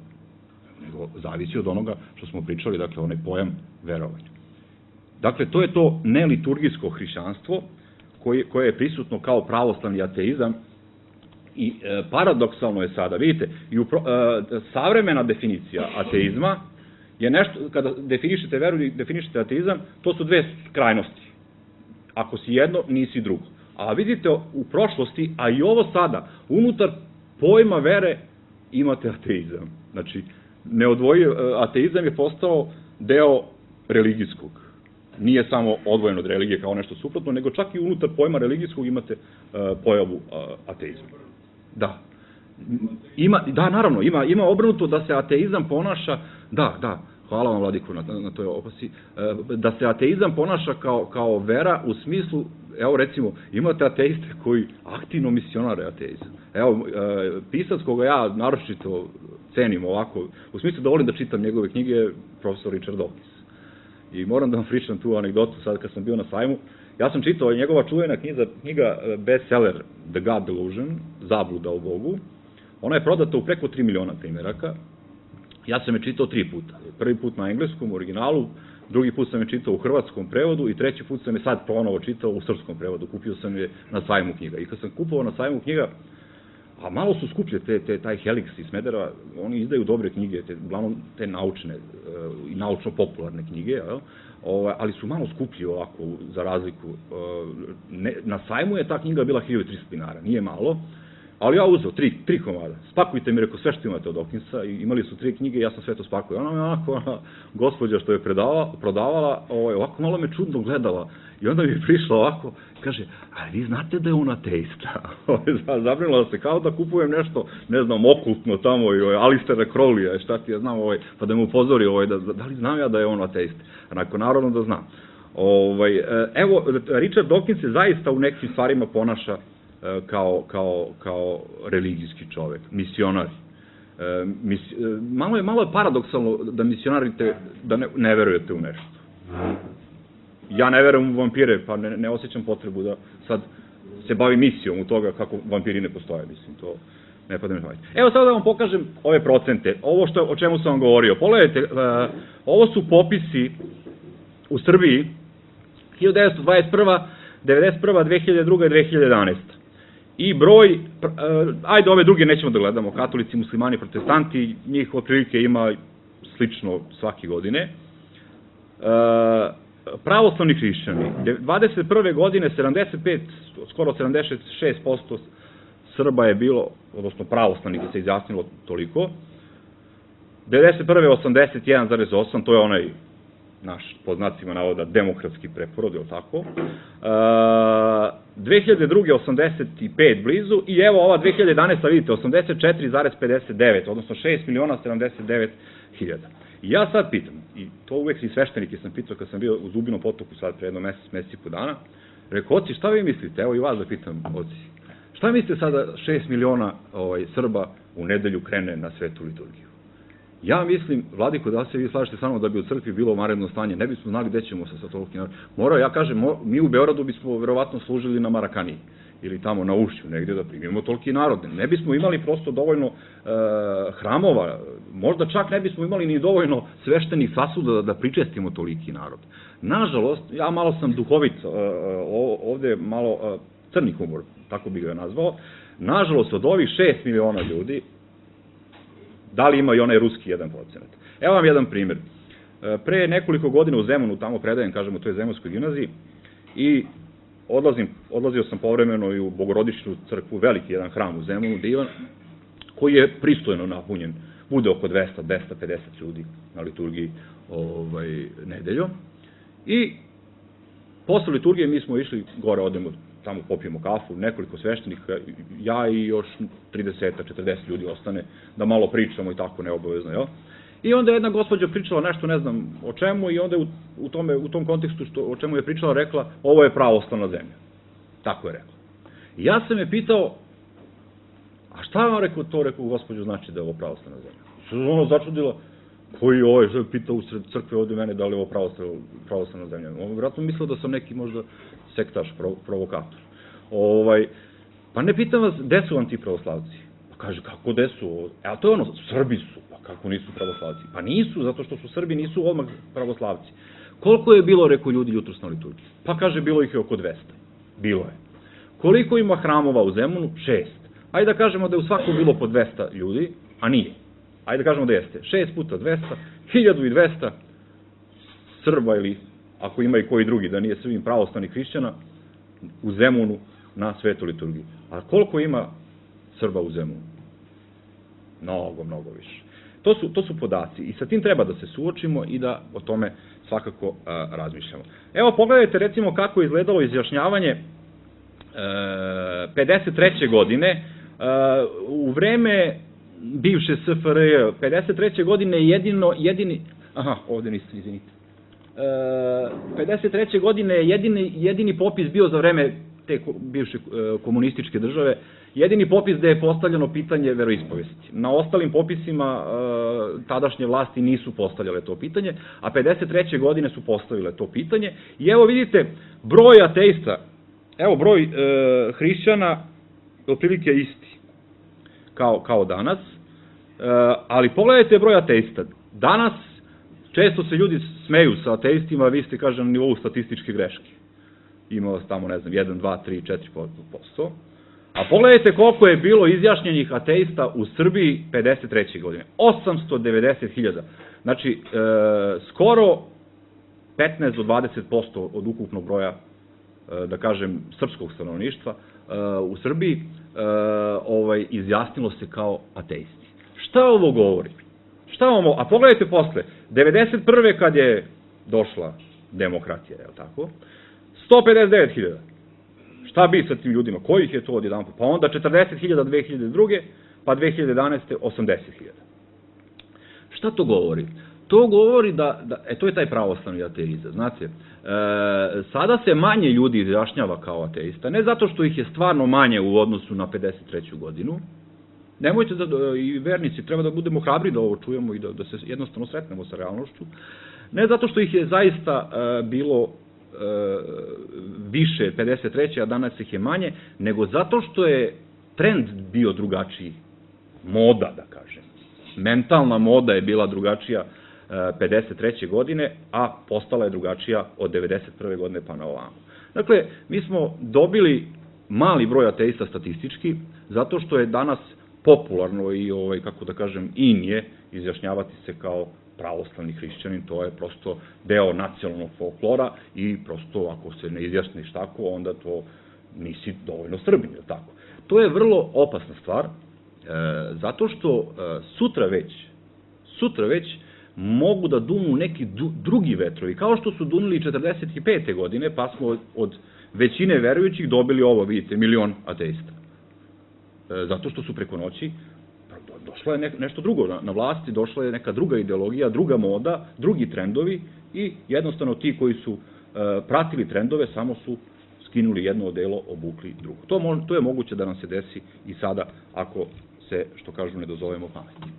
S1: Nego zavisi od onoga što smo pričali, dakle onaj pojam verovanja. Dakle, to je to neliturgijsko hrišćanstvo koje je prisutno kao pravoslavni ateizam i paradoksalno je sada, vidite, savremena definicija ateizma je nešto, kada definišete veru i definišete ateizam, to su dve krajnosti. Ako si jedno, nisi drugo. A vidite, u prošlosti, a i ovo sada, unutar pojma vere imate ateizam. Znači, ateizam je postao deo religijskog. Nije samo odvojeno od religije kao nešto suprotno, nego čak i unutar pojma religijskog imate pojavu ateizma. Da. Da, naravno, ima obrnuto da se ateizam ponaša, da, hvala vam Vladiku na toj opasci, da se ateizam ponaša kao vera u smislu, evo recimo, imate ateiste koji aktivno misionare ateizam. Evo, pisac koga ja naročito cenim ovako, u smislu da volim da čitam njegove knjige, je profesor Richard Dawkins. I moram da vam pričam tu anegdotu sad kad sam bio na sajmu. Ja sam čitao njegova čuvena knjiga bestseller The God Delusion, Zabluda o Bogu. Ona je prodata u preko 3 miliona primjeraka. Ja sam je čitao 3 puta. Prvi put na engleskom, u originalu, drugi put sam je čitao u hrvatskom prevodu i treći put sam je sad ponovo čitao u srpskom prevodu. Kupio sam je na sajmu knjiga. I kad sam kupovao na sajmu knjiga, a malo su skuplje, taj Helix iz Smedereva, oni izdaju dobre knjige, uglavnom te naučne i naučno-popularne knjige, ali su malo skuplji ovako, za razliku. Na sajmu je ta knjiga bila 1300 dinara, nije malo, ali ja uzeo 3 komada. Spakujte mi, rekao, sve što imate od Dawkinsa, imali su 3 knjige, ja sam sve to spakuo. Ona me onako, gospođa što je prodavala, ovako malo me čudno gledala. I onda mi je prišla ovako, kaže, a vi znate da je on ateista? Zabrinula se kao da kupujem nešto, ne znam, okultno tamo, Alistera Crowleya, šta ti ja znam, pa da me upozori, da li znam ja da je on ateista? Onako, naravno da znam. Evo, Richard Dawkins se zaista u nekim stvarima ponaša kao religijski čovek, misionari. Malo je paradoksalno da misionarite, da ne verujete u nešto. Ja ne verujem u vampire, pa ne osjećam potrebu da sad se bavim misijom u toga kako vampiri ne postoje, mislim, to ne pada mi na pamet. Evo sad da vam pokažem ove procente, ovo o čemu sam vam govorio. Pogledajte, ovo su popisi u Srbiji 1921., 1991., 2002. i 2011. I broj, ajde ove druge nećemo da gledamo, katolici, muslimani, protestanti, njih otprilike ima slično svake godine. Pravoslavni hrišćani, 21. godine 75, skoro 76% Srba je bilo, odnosno pravoslavnih se izjasnilo toliko, 91. 81,8, to je onaj naš, pod znacima navoda, demokratski preporod, je li tako? 2002. 85 blizu i evo ova 2011. vidite, 84,59, odnosno 6.079.000. I ja sad pitam, i to uvek i sveštenike sam pitao kad sam bio u Zubinom potoku sad pre jedno mesec i po dana, rekao, oci, šta vi mislite? Evo i vas da pitam, oci. Šta mislite sada 6 miliona Srba u nedelju krene na svetu liturgiju? Ja mislim, Vladiko, da se vi slažete sa mnom da bi u crkvi bilo vanredno stanje, ne bismo znali gde ćemo sa toliki narod. Ja kažem, mi u Beogradu bismo verovatno služili na Marakaniji, ili tamo na Ušću negdje da primimo toliki narod. Ne bismo imali prosto dovoljno hramova, možda čak ne bismo imali ni dovoljno sveštenih sasuda da pričestimo toliki narod. Nažalost, ja malo sam duhovit, ovde malo crni humor, tako bih ga nazvao, nažalost od ovih 6 miliona ljudi, da li ima i onaj ruski 1%? Evo vam jedan primjer. Pre nekoliko godina u Zemunu, tamo predajem, kažem, u toj Zemunskoj gimnaziji, i odlazio sam povremeno i u Bogorodičnu crkvu, veliki jedan hram u Zemunu, divan, koji je pristojno napunjen, bude oko 200-250 ljudi na liturgiji nedeljom. I posle liturgije mi smo išli gore, odemo tamo popijemo kafu, nekoliko sveštenika, ja i još 30-40 ljudi ostane, da malo pričamo i tako neobavezno, jel? I onda je jedna gospođa pričala nešto, ne znam o čemu, i onda je u tom kontekstu o čemu je pričala rekla, ovo je pravoslavna zemlja. Tako je rekla. I ja sam je pitao, a šta vam rekao gospođu znači da je ovo pravoslavna zemlja? I se ona začudila, koji je ovo, što je pitao u sred crkve ovde mene da li je ovo pravoslavna zemlja. On vjerojatno mislio da sam neki možda sektaš, provokator. Pa ne pitam vas, gde su vam ti pravoslavci? Pa kaže, kako gde su? A to je ono, Srbi su. Pa kako nisu pravoslavci? Pa nisu, zato što su Srbi, nisu odmah pravoslavci. Koliko je bilo, rekao ljudi, jutros na liturgiji? Pa kaže, bilo ih je oko 200. Bilo je. Koliko ima hramova u Zemunu? 6. Ajde da kažemo da je u svakom bilo po 200 ljudi, a nije. Ajde da kažemo da jeste. 6 puta 200, 1200 Srba, ili ako ima i koji drugi, da nije Srbim, pravoslavnih hrišćana, u Zemunu na svetoj liturgiji. A koliko ima Srba u Zemunu? Mnogo, mnogo više. To su podaci i sa tim treba da se suočimo i da o tome svakako razmišljamo. Evo, pogledajte recimo kako je izgledalo izjašnjavanje 53. godine u vreme bivše SFRJ. 53. godine jedini... Aha, ovde niste, izvinite. 53. godine je jedini popis bio za vreme te bivše komunističke države, jedini popis gde je postavljeno pitanje veroispovesti. Na ostalim popisima tadašnje vlasti nisu postavljale to pitanje, a 53. godine su postavile to pitanje. I evo vidite, broj ateista, evo broj hrišćana je otprilike isti kao danas, ali pogledajte broj ateista. Danas često se ljudi smeju sa ateistima, vi ste, kažem, na nivou statističke greške. Ima vas tamo, ne znam, 1, 2, 3, 4%. A pogledajte koliko je bilo izjašnjenih ateista u Srbiji 53. godine. 890.000. Znači, skoro 15 do 20% od ukupnog broja, da kažem, srpskog stanovništva u Srbiji izjasnilo se kao ateisti. Šta ovo govori? A pogledajte posle, 91. kad je došla demokratija, je li tako? 159.000. Šta bi sa tim ljudima? Kojih je to odjedan? Pa onda 40.000 2002. pa 2011. 80.000. Šta to govori? To govori to je taj pravoslavni ateizam. Znate, sada se manje ljudi izjašnjava kao ateista, ne zato što ih je stvarno manje u odnosu na 53. godinu. Nemojte i vernici, treba da budemo hrabri da ovo čujemo i da se jednostavno sretnemo sa realnošću. Ne zato što ih je zaista bilo više 53. a danas ih je manje, nego zato što je trend bio drugačiji. Moda, da kažem. Mentalna moda je bila drugačija 53. godine, a postala je drugačija od 91. godine pa na ovamo. Dakle, mi smo dobili mali broj ateista statistički, zato što je danas popularno i, kako da kažem, in je izjašnjavati se kao pravoslavni hrišćanin, to je prosto deo nacionalnog folklora i prosto ako se ne izjasniš tako, onda to nisi dovoljno Srbin, je tako? To je vrlo opasna stvar, zato što sutra već mogu da dunu neki drugi vetrovi, kao što su dunuli 45. godine, pa smo od većine verujućih dobili ovo, vidite, 1 milion ateista. Zato što su preko noći došlo je nešto drugo na vlasti, došla je neka druga ideologija, druga moda, drugi trendovi i jednostavno ti koji su pratili trendove samo su skinuli jedno odelo, obukli drugo. To je moguće da nam se desi i sada ako se, što kažu, ne dozovemo pameti.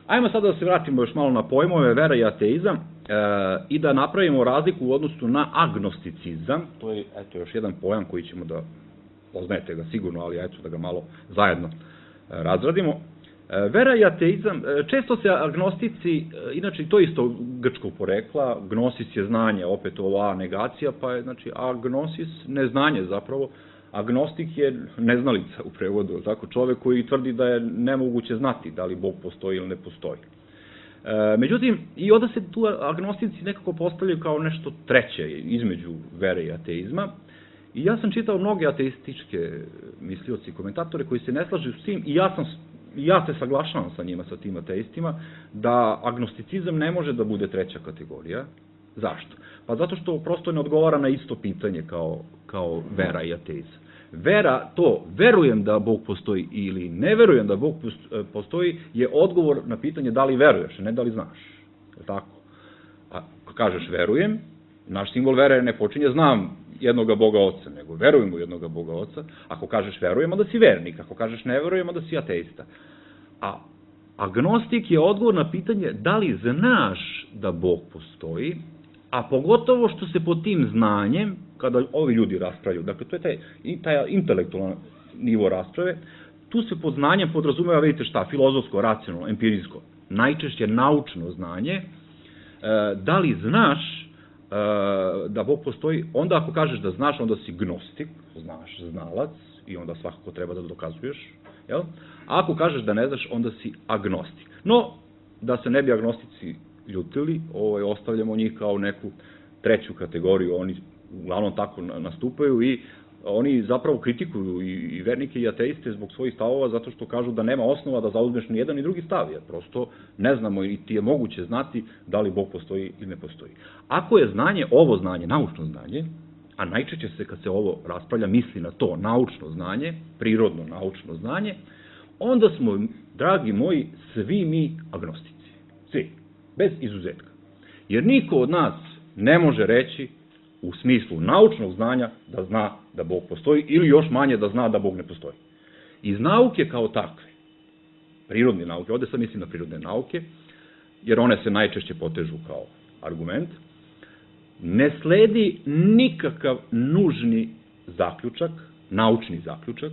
S1: Ajmo sada da se vratimo još malo na pojmove vera i ateizam. i da napravimo razliku u odnosu na agnosticizam, to je još jedan pojam koji ćemo da, poznajete ga sigurno, ali da ga malo zajedno razradimo. Vera i ateizam, često se agnostici, inače to isto grčkog porekla, gnosis je znanje, opet ova negacija, pa je agnosis neznanje zapravo, agnostik je neznalica u prevodu, tako, čovek koji tvrdi da je nemoguće znati da li Bog postoji ili ne postoji. Međutim, i onda se tu agnostici nekako postavljaju kao nešto treće između vere i ateizma. I ja sam čitao mnoge ateističke mislioci i komentatore koji se ne slažu s tim i ja se saglašavam sa njima, sa tim ateistima, da agnosticizam ne može da bude treća kategorija. Zašto? Pa zato što prosto ne odgovara na isto pitanje kao vera i ateizam. Vera, to verujem da Bog postoji ili ne verujem da Bog postoji, je odgovor na pitanje da li veruješ, ne da li znaš. Je tako? Ako kažeš verujem, naš simbol vere ne počinje znam jednoga Boga Oca, nego verujem u jednoga Boga Oca. Ako kažeš verujem, onda si vernik. Ako kažeš ne verujem, onda si ateista. A agnostik je odgovor na pitanje da li znaš da Bog postoji, a pogotovo što se pod tim znanjem, kada ovi ljudi raspravljaju, dakle to je taj intelektualan nivo rasprave, tu se pod znanjem podrazumeva, vidite šta, filozofsko, racionalno, empirijsko, najčešće naučno znanje, da li znaš da Bog postoji, onda ako kažeš da znaš, onda si gnostik, znaš, znalac, i onda svakako treba da dokazuješ, jel? A ako kažeš da ne znaš, onda si agnostik. No, da se ne bi agnostici ljutili, ostavljamo njih kao neku treću kategoriju, oni uglavnom tako nastupaju i oni zapravo kritikuju i vernike i ateiste zbog svojih stavova zato što kažu da nema osnova da zauzmeš ni jedan ni drugi stav, jer prosto ne znamo i ti je moguće znati da li Bog postoji ili ne postoji. Ako je znanje, ovo znanje, naučno znanje, a najčešće se kad se ovo raspravlja misli na to naučno znanje, prirodno naučno znanje, onda smo, dragi moji, svi mi agnostici. Svi. Bez izuzetka. Jer niko od nas ne može reći u smislu naučnog znanja da zna da Bog postoji ili još manje da zna da Bog ne postoji. Iz nauke kao takve, prirodne nauke, ovde sad mislim na prirodne nauke, jer one se najčešće potežu kao argument, ne sledi nikakav nužni zaključak, naučni zaključak,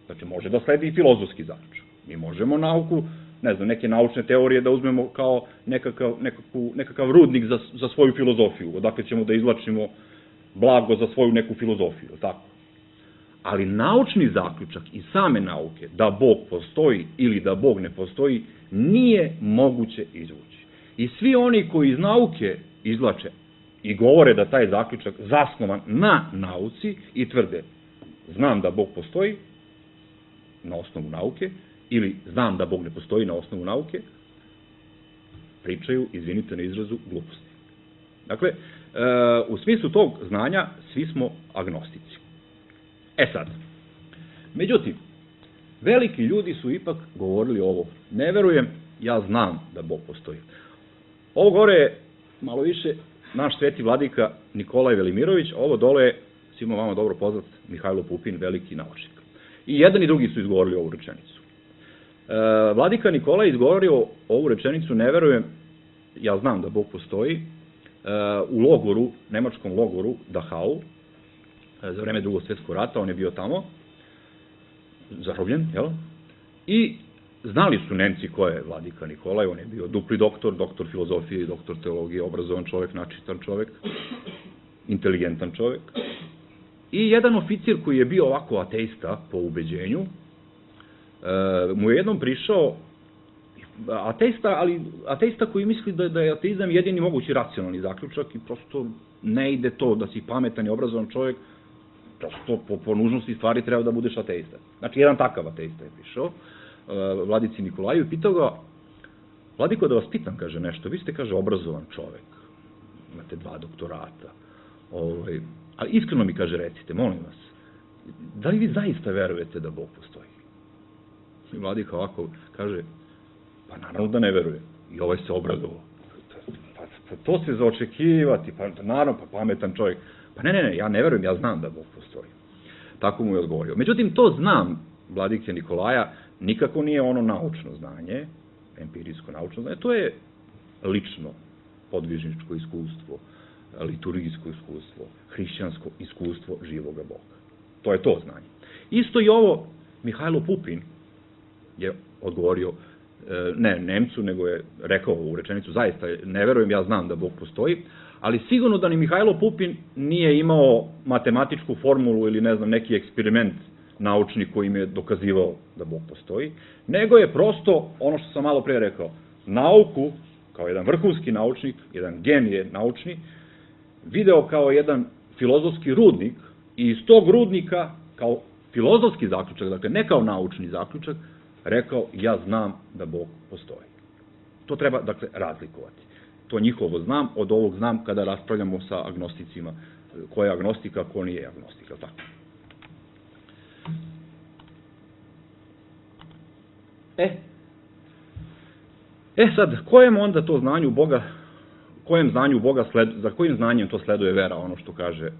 S1: znači može da sledi i filozofski zaključak. Mi možemo nauku, ne znam, neke naučne teorije da uzmemo kao nekakav rudnik za svoju filozofiju, odakle ćemo da izvlačimo blago za svoju neku filozofiju, tako? Ali naučni zaključak i same nauke, da Bog postoji ili da Bog ne postoji, nije moguće izvući. I svi oni koji iz nauke izvlače i govore da taj zaključak zasnovan na nauci i tvrde znam da Bog postoji na osnovu nauke, ili znam da Bog ne postoji na osnovu nauke, pričaju, izvinite na izrazu, gluposti. Dakle, u smislu tog znanja svi smo agnostici. Sad, međutim, veliki ljudi su ipak govorili ovo, ne verujem, ja znam da Bog postoji. Ovo gore je malo više naš sveti vladika Nikolaj Velimirović, ovo dole je svima vama dobro poznat Mihajlo Pupin, veliki naučnik. I jedan i drugi su izgovorili ovu rečenicu. Vladika Nikolaj izgovorio ovu rečenicu, ne verujem, ja znam da Bog postoji, u logoru, nemačkom logoru Dachau, za vreme Drugog svjetskog rata, on je bio tamo, zarobljen, jel? I znali su Nemci ko je vladika Nikolaj, on je bio dupli doktor, doktor filozofije i doktor teologije, obrazovan čovek, načitan čovek, inteligentan čovek. I jedan oficir koji je bio ovako ateista po ubeđenju, mu je jednom prišao ateista koji misli da je ateizam jedini mogući racionalni zaključak i prosto ne ide to da si pametan i obrazovan čovjek, prosto po nužnosti stvari treba da budeš ateista. Znači, jedan takav ateista je prišao vladici Nikolaju i pitao ga, vladiko, da vas pitam, kaže nešto, vi ste, kaže, obrazovan čovjek, imate 2 doktorata, ali iskreno mi, kaže, recite, molim vas, da li vi zaista verujete da Bog postoji? I vladika ovako kaže, pa naravno da ne verujem. I ovaj se obradovao. Pa to se za očekivati, pa naravno, pa pametan čovjek. Pa ne, ja ne verujem, ja znam da Bog postoji. Tako mu je odgovorio. Međutim, to znam vladike Nikolaja, nikako nije ono naučno znanje, empirijsko naučno znanje, to je lično podvižničko iskustvo, liturgijsko iskustvo, hrišćansko iskustvo živoga Boga. To je to znanje. Isto i ovo Mihajlo Pupin je odgovorio, ne Nemcu, nego je rekao u rečenicu, zaista ne verujem, ja znam da Bog postoji, ali sigurno da ni Mihajlo Pupin nije imao matematičku formulu ili ne znam neki eksperiment naučni koji im je dokazivao da Bog postoji, nego je prosto, ono što sam malo pre rekao, nauku, kao jedan vrhunski naučnik, jedan genije naučni, video kao jedan filozofski rudnik i iz tog rudnika, kao filozofski zaključak, dakle ne kao naučni zaključak, rekao, ja znam da Bog postoji. To treba, dakle, razlikovati. To njihovo znam, od ovog znam kada raspravljamo sa agnosticima, ko je agnostika, ko nije agnostika, tako. Sad, kojem onda to znanju Boga, za kojim znanjem to sleduje vera, ono što kaže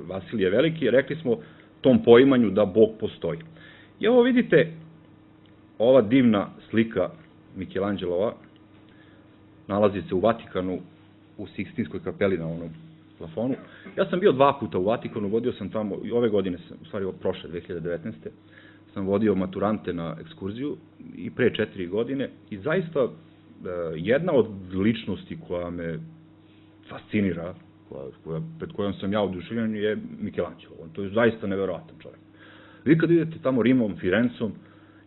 S1: Vasilije Veliki, rekli smo tom poimanju da Bog postoji. I ovo vidite, ova divna slika Mikelanđelova nalazi se u Vatikanu, u Sikstinskoj kapeli na onom plafonu. Ja sam bio 2 puta u Vatikanu, vodio sam tamo, i ove godine, u stvari prošle, 2019. sam vodio maturante na ekskurziju i pre 4 godine i zaista jedna od ličnosti koja me fascinira, pred kojom sam ja oduševljen, je Mikelanđelo. To je zaista neverovatan čovjek. Vi kad idete tamo Rimom, Firencom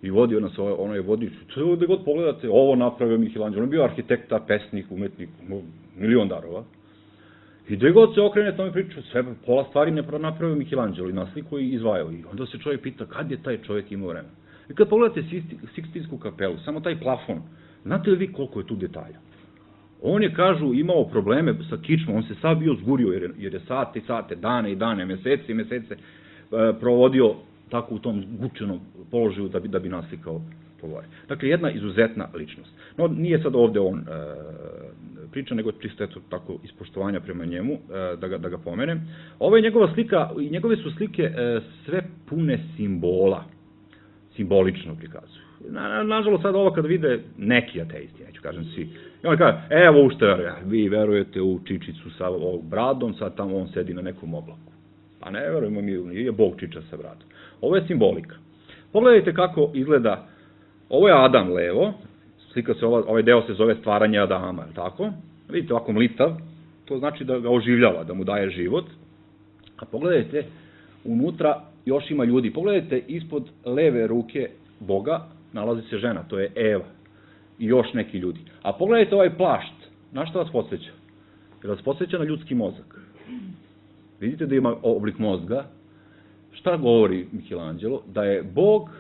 S1: i vodio nas, ono je vodio, gde god pogledate, ovo napravio Mikelanđelo. On je bio arhitekta, pesnik, umetnik, milion darova. I gde god se okrene, to mi priča, sve, pola stvari ne napravio Mikelanđelo i nasliku i izvajao. I onda se čovjek pita kad je taj čovjek imao vremena. I kad pogledate Sikstinsku kapelu, samo taj plafon, znate li vi koliko je tu detalja? On je, kažu, imao probleme sa kičmom, on se sad bio zgurio, jer je sate i sate, dane i dane, mesece i mesece provodio tako u tom gučenom položaju da bi naslikao to gore. Dakle, jedna izuzetna ličnost. No, nije sad ovde on priča, nego čisto eto tako ispoštovanja prema njemu, da ga pomenem. Ovo je njegova slika, i njegove su slike sve pune simbola, simbolično prikazuju. Nažalost, sad ovo kad vide neki ateisti, neću kažem svi, i on kaže, evo u što vi verujete u Čičicu sa ovog bradom, sad tamo on sedi na nekom oblaku. Pa ne verujemo mi, nije Bog Čiča sa bradom. Ovo je simbolika. Pogledajte kako izgleda, ovo je Adam levo, slika se, ovaj deo se zove stvaranje Adama, je li tako? Vidite, ovako mlitav, to znači da ga oživljava, da mu daje život. A pogledajte, unutra još ima ljudi. Pogledajte, ispod leve ruke Boga nalazi se žena, to je Eva. I još neki ljudi. A pogledajte ovaj plašt, na šta vas podsjeća? Jer vas podsjeća na ljudski mozak. Vidite da ima oblik mozga. Šta govori Mikelanđelo? Da je Bog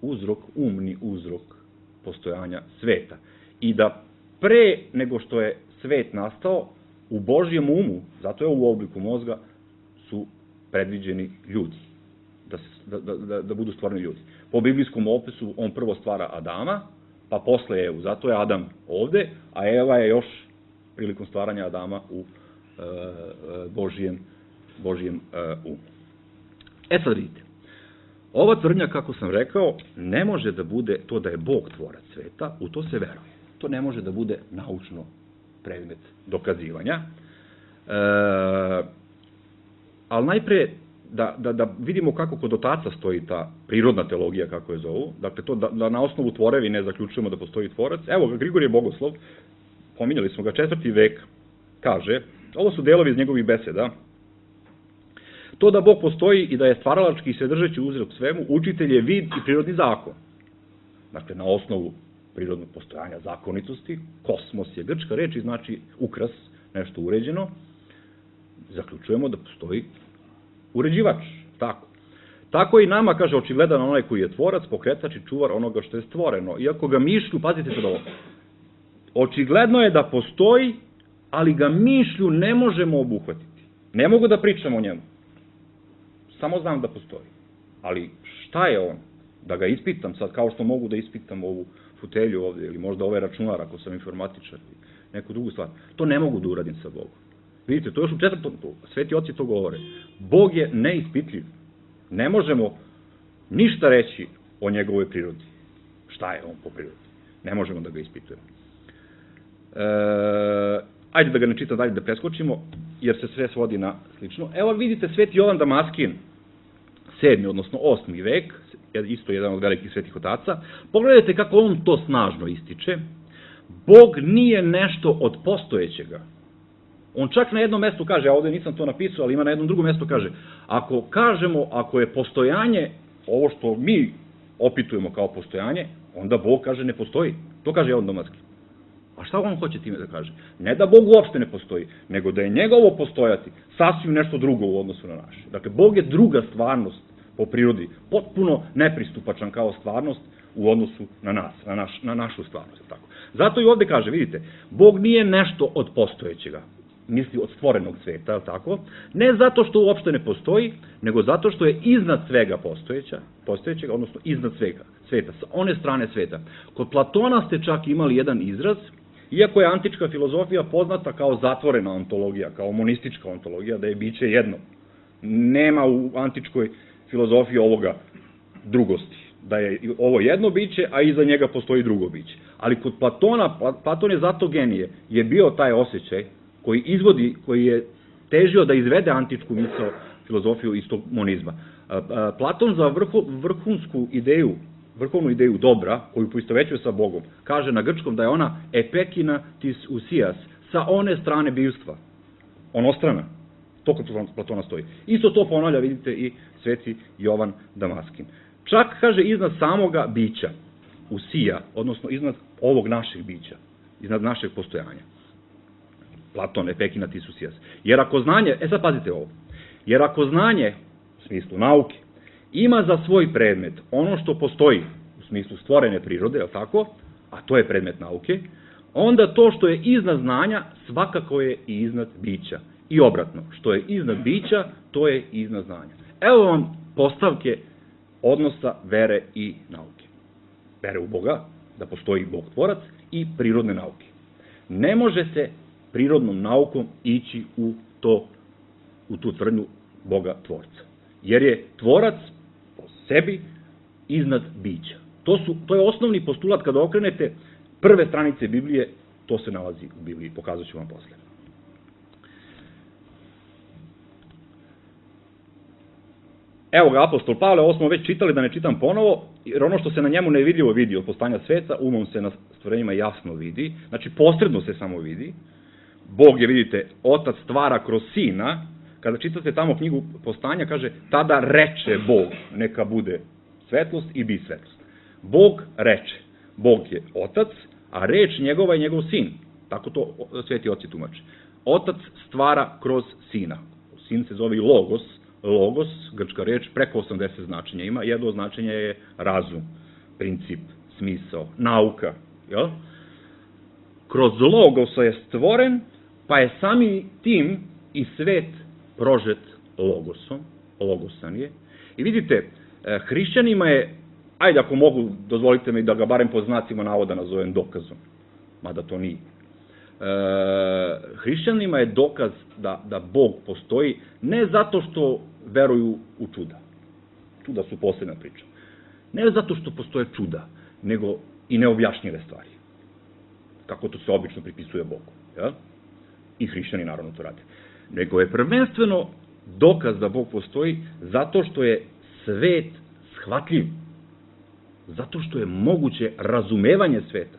S1: uzrok, umni uzrok postojanja sveta. I da pre nego što je svet nastao, u Božjem umu, zato je u obliku mozga, su predviđeni ljudi. Da budu stvarni ljudi. Po biblijskom opisu on prvo stvara Adama, pa posle Evu. Zato je Adam ovde, a Eva je još prilikom stvaranja Adama u Božjem umu. Sad vidite, ova tvrdnja, kako sam rekao, ne može da bude to da je Bog tvorac sveta, u to se veruje. To ne može da bude naučno predmet dokazivanja. Ali najpre da vidimo kako kod otaca stoji ta prirodna teologija, kako je zovu, dakle to da na osnovu tvorevine zaključujemo da postoji tvorac. Evo ga, Grigorije Bogoslov, pominjali smo ga, 4. vek, kaže, ovo su delovi iz njegovih beseda, to da Bog postoji i da je stvaralački i svedržeći uzrok svemu, učitelj je vid i prirodni zakon. Dakle, na osnovu prirodnog postojanja zakonitosti, kosmos je grčka reč i znači ukras, nešto uređeno, zaključujemo da postoji uređivač, tako. Tako i nama, kaže, očigledan onaj koji je tvorac, pokretač i čuvar onoga što je stvoreno. Iako ga mišlju, pazite sad ovo, očigledno je da postoji, ali ga mišlju ne možemo obuhvatiti. Ne mogu da pričam o njemu. Samo znam da postoji. Ali šta je on? Da ga ispitam sad, kao što mogu da ispitam ovu fotelju ovde, ili možda ovaj računar, ako sam informatičar, neku drugu stvar. To ne mogu da uradim sa Bogom. Vidite, to još u 4. Sveti oci to govore. Bog je neispitljiv. Ne možemo ništa reći o njegovoj prirodi. Šta je on po prirodi? Ne možemo da ga ispitujemo. Ajde da ga ne čitam dalje, da preskočimo, jer se sve svodi na slično. Evo vidite Sveti Jovan Damaskin, 7. odnosno 8. vek, isto jedan od velikih svetih otaca. Pogledajte kako on to snažno ističe. Bog nije nešto od postojećega. On čak na jednom mestu kaže, a ovde nisam to napisao, ali ima na jednom drugom mestu kaže, ako kažemo, ako je postojanje, ovo što mi opitujemo kao postojanje, onda Bog kaže ne postoji. To kaže Jovan Damaskin. A šta on hoće time da kaže? Ne da Bog uopšte ne postoji, nego da je njegovo postojati sasvim nešto drugo u odnosu na naše. Dakle, Bog je druga stvarnost po prirodi, potpuno nepristupačan kao stvarnost u odnosu na nas, na našu stvarnost. Tako. Zato i ovde kaže, vidite, Bog nije nešto od postojećega, misli od stvorenog sveta, tako? Ne zato što uopšte ne postoji, nego zato što je iznad svega postojećega, odnosno iznad sveta, sa one strane sveta. Kod Platona ste čak imali jedan izraz, iako je antička filozofija poznata kao zatvorena ontologija, kao monistička ontologija, da je biće jedno. Nema u antičkoj filozofiji ovoga drugosti, da je ovo jedno biće, a iza njega postoji drugo biće. Ali kod Platona, Platon je zato genije, je bio taj osjećaj koji je težio da izvede antičku misao, filozofiju iz tog monizma. Platon za vrhovnu ideju dobra, koju poistovećuje sa Bogom, kaže na grčkom da je ona epekina tis usijas, sa one strane bivstva, onostrana. To kod Platona stoji. Isto to ponavlja, vidite, i Sveti Jovan Damaskin. Čak, kaže, iznad samoga bića, usija, odnosno iznad ovog našeg bića, iznad našeg postojanja. Platon, epekina tis usijas. Jer ako znanje, sad pazite ovo, jer ako znanje, u smislu nauke, ima za svoj predmet ono što postoji u smislu stvorene prirode, je tako, a to je predmet nauke, onda to što je iznad znanja svakako je i iznad bića. I obratno, što je iznad bića, to je iznad znanja. Evo vam postavke odnosa vere i nauke. Vere u Boga, da postoji Bog tvorac, i prirodne nauke. Ne može se prirodnom naukom ići u tu tvrdnju Boga tvorca. Jer je tvorac po sebi iznad bića. To je osnovni postulat kada okrenete prve stranice Biblije, to se nalazi u Bibliji, pokazat ću vam posle. Evo ga, apostol Pavle, ovo smo već čitali, da ne čitam ponovo, jer ono što se na njemu nevidljivo vidi od postanja sveta, umom se na stvorenjima jasno vidi, znači posredno se samo vidi. Bog je, vidite, otac stvara kroz sina. Kada čitate tamo knjigu Postanja, kaže, tada reče Bog, neka bude svetlost i bi svetlost. Bog reče. Bog je otac, a reč njegova je njegov sin. Tako to sveti oci tumače. Otac stvara kroz sina. Sin se zove i logos. Logos, grčka reč, preko 80 značenja ima. Jedno značenje je razum, princip, smisao, nauka. Jel? Kroz logosa je stvoren, pa je sami tim i svet prožet logosom, logosan je. I vidite, hrišćanima je, ajde ako mogu, dozvolite mi da ga barem po znacima navoda nazovem dokazom, mada to nije. Hrišćanima je dokaz da Bog postoji, ne zato što veruju u čuda. Čuda su posebna priča. Ne zato što postoje čuda, nego i neobjašnjive stvari. Kako to se obično pripisuje Bogu. Ja? I hrišćani naravno to rade. Nego je prvenstveno dokaz da Bog postoji zato što je svet shvatljiv. Zato što je moguće razumevanje sveta.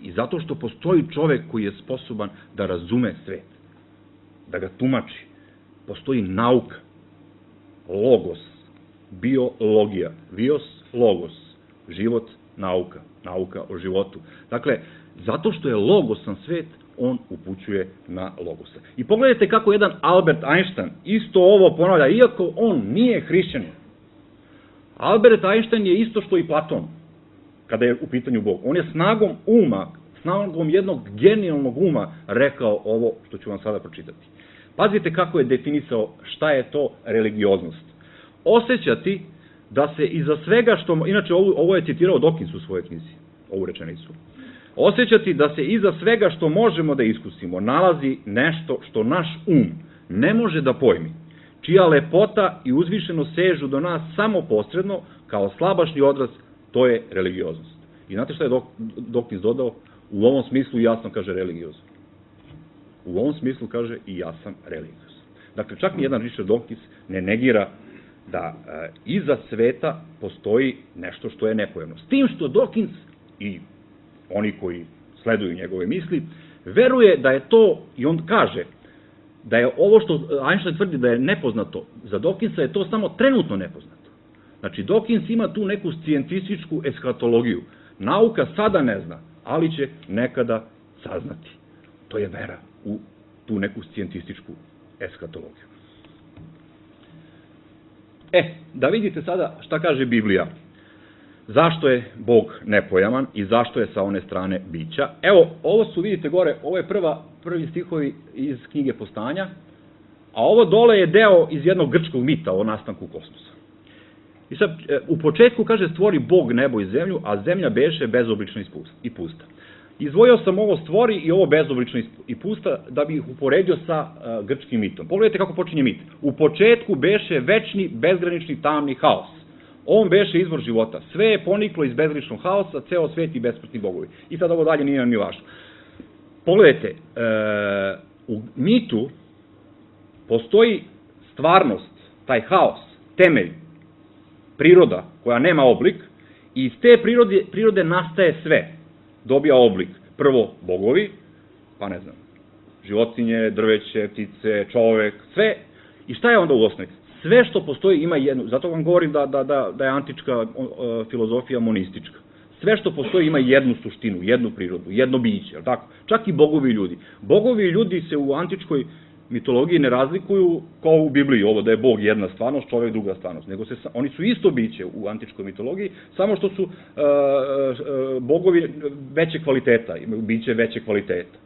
S1: I zato što postoji čovek koji je sposoban da razume svet. Da ga tumači. Postoji nauka. Logos. Biologija. Bios, logos. Život, nauka. Nauka o životu. Dakle, zato što je logosan svet, on upućuje na logosa. I pogledajte kako jedan Albert Einstein isto ovo ponavlja, iako on nije hrišćanin. Albert Einstein je isto što i Platon, kada je u pitanju Bog. On je snagom jednog genijalnog uma rekao ovo što ću vam sada pročitati. Pazite kako je definisao šta je to religioznost. Osjećati da se iza svega što, inače ovo je citirao Dawkins u svojoj knjizi, ovu rečenicu, osjećati da se iza svega što možemo da iskusimo nalazi nešto što naš ne može da pojmi, čija lepota i uzvišeno sežu do nas samo posredno, kao slabašni odraz, to je religioznost. I znate šta je Dawkins dodao? U ovom smislu jasno kaže religiozan. U ovom smislu kaže i ja sam religiozan. Dakle, čak ni jedan Richard Dawkins ne negira da iza sveta postoji nešto što je nepojemno. S tim što Dawkins i oni koji sleduju njegove misli, veruje da je to, i on kaže, da je ovo što Einstein tvrdi da je nepoznato, za Dawkinsa je to samo trenutno nepoznato. Znači, Dawkins ima tu neku scijentističku eskatologiju. Nauka sada ne zna, ali će nekada saznati. To je vera u tu neku scijentističku eskatologiju. Da vidite sada šta kaže Biblija. Zašto je Bog nepojaman i zašto je sa one strane bića. Evo, ovo su, vidite gore, ovo je prvi stihovi iz knjige Postanja, a ovo dole je deo iz jednog grčkog mita o nastanku kosmosa. I sad, u početku kaže stvori Bog nebo i zemlju, a zemlja beše bezoblična i pusta. Izdvojio sam ovo stvori i ovo bezoblično i pusta da bi ih uporedio sa grčkim mitom. Pogledajte kako počinje mit. U početku beše večni, bezgranični, tamni haos. On beše izvor života. Sve je poniklo iz bezgraničnog haosa, ceo svet i besmrtni bogovi. I sad ovo dalje nije nam ni važno. Pogledajte, u mitu postoji stvarnost, taj haos, temelj, priroda koja nema oblik i iz te prirode nastaje sve. Dobija oblik. Prvo bogovi, pa ne znam, životinje, drveće, ptice, čovek, sve. I šta je onda u osnovi? Sve što postoji ima jednu, zato vam govorim da je antička filozofija monistička. Sve što postoji ima jednu suštinu, jednu prirodu, jedno biće, tako? Čak i bogovi i ljudi. Bogovi i ljudi se u antičkoj mitologiji ne razlikuju kao u Bibliji, ovo da je Bog jedna stvarnost, čovek druga stvarnost, nego oni su isto biće u antičkoj mitologiji, samo što su bogovi veće kvaliteta, imaju biće veće kvaliteta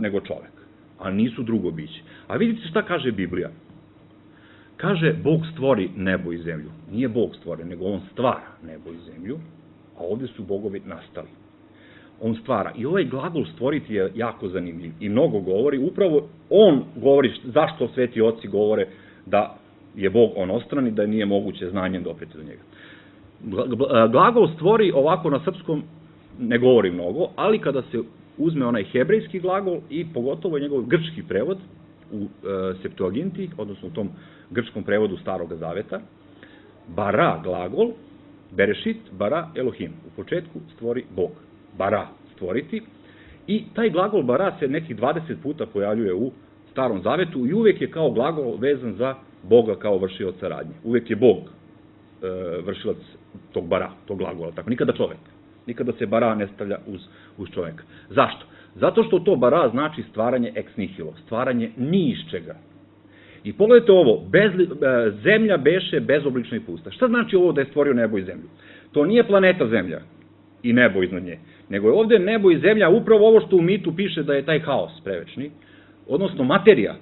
S1: nego čovek, a nisu drugo biće. A vidite šta kaže Biblija. Kaže, Bog stvori nebo i zemlju. Nije Bog stvori, nego on stvara nebo i zemlju, a ovde su bogovi nastali. On stvara. I ovaj glagol stvoriti je jako zanimljiv i mnogo govori. Upravo on govori zašto sveti oci govore da je Bog onostran i da nije moguće znanjem dopreti do njega. Glagol stvori ovako na srpskom ne govori mnogo, ali kada se uzme onaj hebrejski glagol i pogotovo njegov grčki prevod u Septuaginti, odnosno u tom grčkom prevodu Starog Zaveta, bara glagol, berešit, bara Elohim. U početku stvori Bog. Bara, stvoriti. I taj glagol bara se nekih 20 puta pojavljuje u Starom Zavetu i uvek je kao glagol vezan za Boga kao vršioca radnje. Uvek je Bog vršilac tog bara, tog glagola. Tako, nikada čovek. Nikada se bara ne stavlja uz čoveka. Zašto? Zato što to bara znači stvaranje ex nihilo, stvaranje ni iz čega. I pogledajte ovo, zemlja beše bezoblična i pusta. Šta znači ovo da je stvorio nebo i zemlju? To nije planeta Zemlja i nebo iznad nje, nego je ovde nebo i zemlja upravo ovo što u mitu piše da je taj haos prevečni, odnosno materija.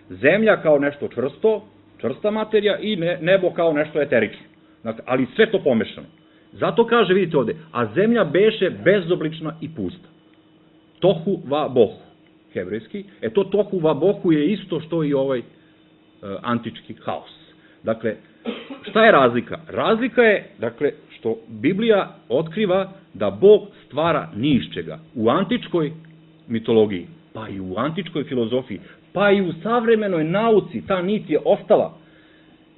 S1: Zemlja kao nešto čvrsto, čvrsta materija i nebo kao nešto eterično. Dakle, ali sve to pomešano. Zato kaže, vidite ovde, a zemlja beše bezoblična i pusta. Tohu va bohu, hebrejski. To tohu va bohu je isto što i ovaj antički haos. Dakle, šta je razlika? Razlika je, dakle, što Biblija otkriva da Bog stvara ni iz čega. U antičkoj mitologiji, pa i u antičkoj filozofiji, pa i u savremenoj nauci, ta nit je ostala.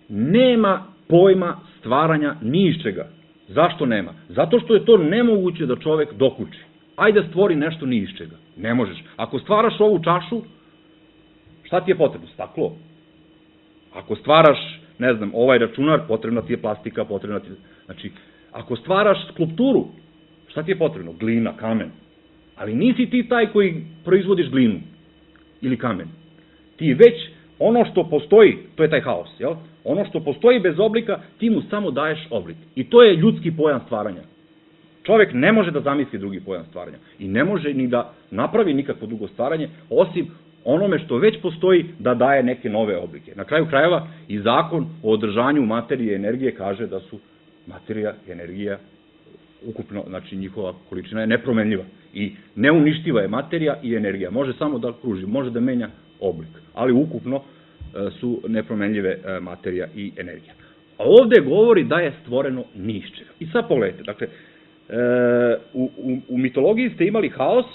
S1: Nema pojma stvaranja ni iz čega. Zašto nema? Zato što je to nemoguće da čovek dokuči. Ajde stvori nešto ni iz čega. Ne možeš. Ako stvaraš ovu čašu, šta ti je potrebno? Staklo. Ako stvaraš, ne znam, ovaj računar, potrebna ti je plastika, potrebna ti je... Znači, ako stvaraš skulpturu, šta ti je potrebno? Glina, kamen. Ali nisi ti taj koji proizvodiš glinu ili kamen. Ti već ono što postoji, to je taj haos, jel? Ono što postoji bez oblika, ti mu samo daješ oblik. I to je ljudski pojam stvaranja. Čovek ne može da zamisli drugi pojam stvaranja. I ne može ni da napravi nikakvo drugo stvaranje, osim onome što već postoji da daje neke nove oblike. Na kraju krajeva i zakon o održanju materije i energije kaže da su materija i energija ukupno, znači njihova količina je nepromenljiva i neuništiva je materija i energija. Može samo da kruži, može da menja oblik, ali ukupno su nepromenljive materija i energija. A ovde govori da je stvoreno ni iz čega. I sad pogledajte, dakle,
S4: U mitologiji ste imali haos,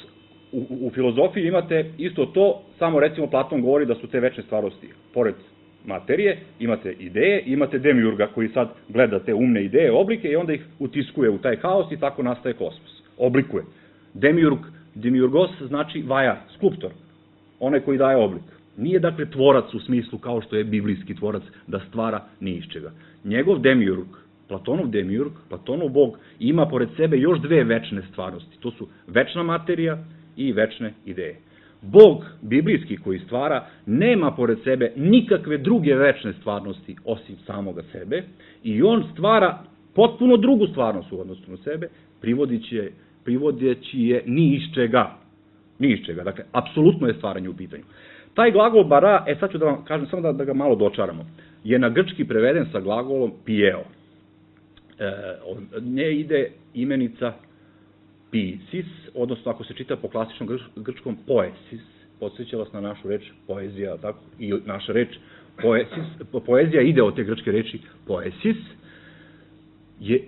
S4: u filozofiji imate isto to, samo recimo Platon govori da su te večne stvarnosti, pored materije, imate ideje, imate demiurga koji sad gleda te umne ideje, oblike i onda ih utiskuje u taj haos i tako nastaje kosmos. Oblikuje. Demiurgos znači vajar, skulptor, onaj koji daje oblik. Nije dakle tvorac u smislu kao što je biblijski tvorac da stvara ni iz čega. Njegov demiurg, Platonov bog, ima pored sebe još dve večne stvarnosti. To su večna materija i večne ideje. Bog biblijski koji stvara nema pored sebe nikakve druge večne stvarnosti osim samoga sebe i on stvara potpuno drugu stvarnost u odnosu na sebe, privodeći je ni iz čega. Ni iz čega. Dakle, apsolutno je stvaranje u pitanju. Taj glagol bara, sad ću da vam kažem, samo da ga malo dočaramo, je na grčki preveden sa glagolom pieo. Od nje ide imenica pisis, odnosno ako se čita po klasičnom grčkom poesis, podsjeća vas na našu reč poezija, tako? I naša reč poezija ide od te grčke reči poesis,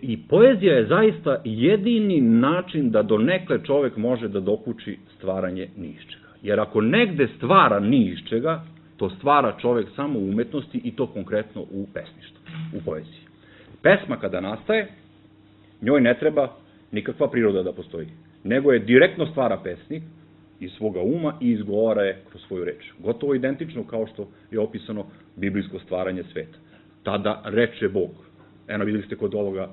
S4: i poezija je zaista jedini način da donekle čovek može da dokuči stvaranje ni iz čega. Jer ako negde stvara ni iz čega, to stvara čovek samo u umetnosti i to konkretno u pesništvu, u poeziji. Pesma kada nastaje, njoj ne treba nikakva priroda da postoji, nego je direktno stvara pesnik iz svoga uma i izgovara je kroz svoju reč. Gotovo identično kao što je opisano biblijsko stvaranje sveta. Tada reče Bog. Eno, videli ste kod ovoga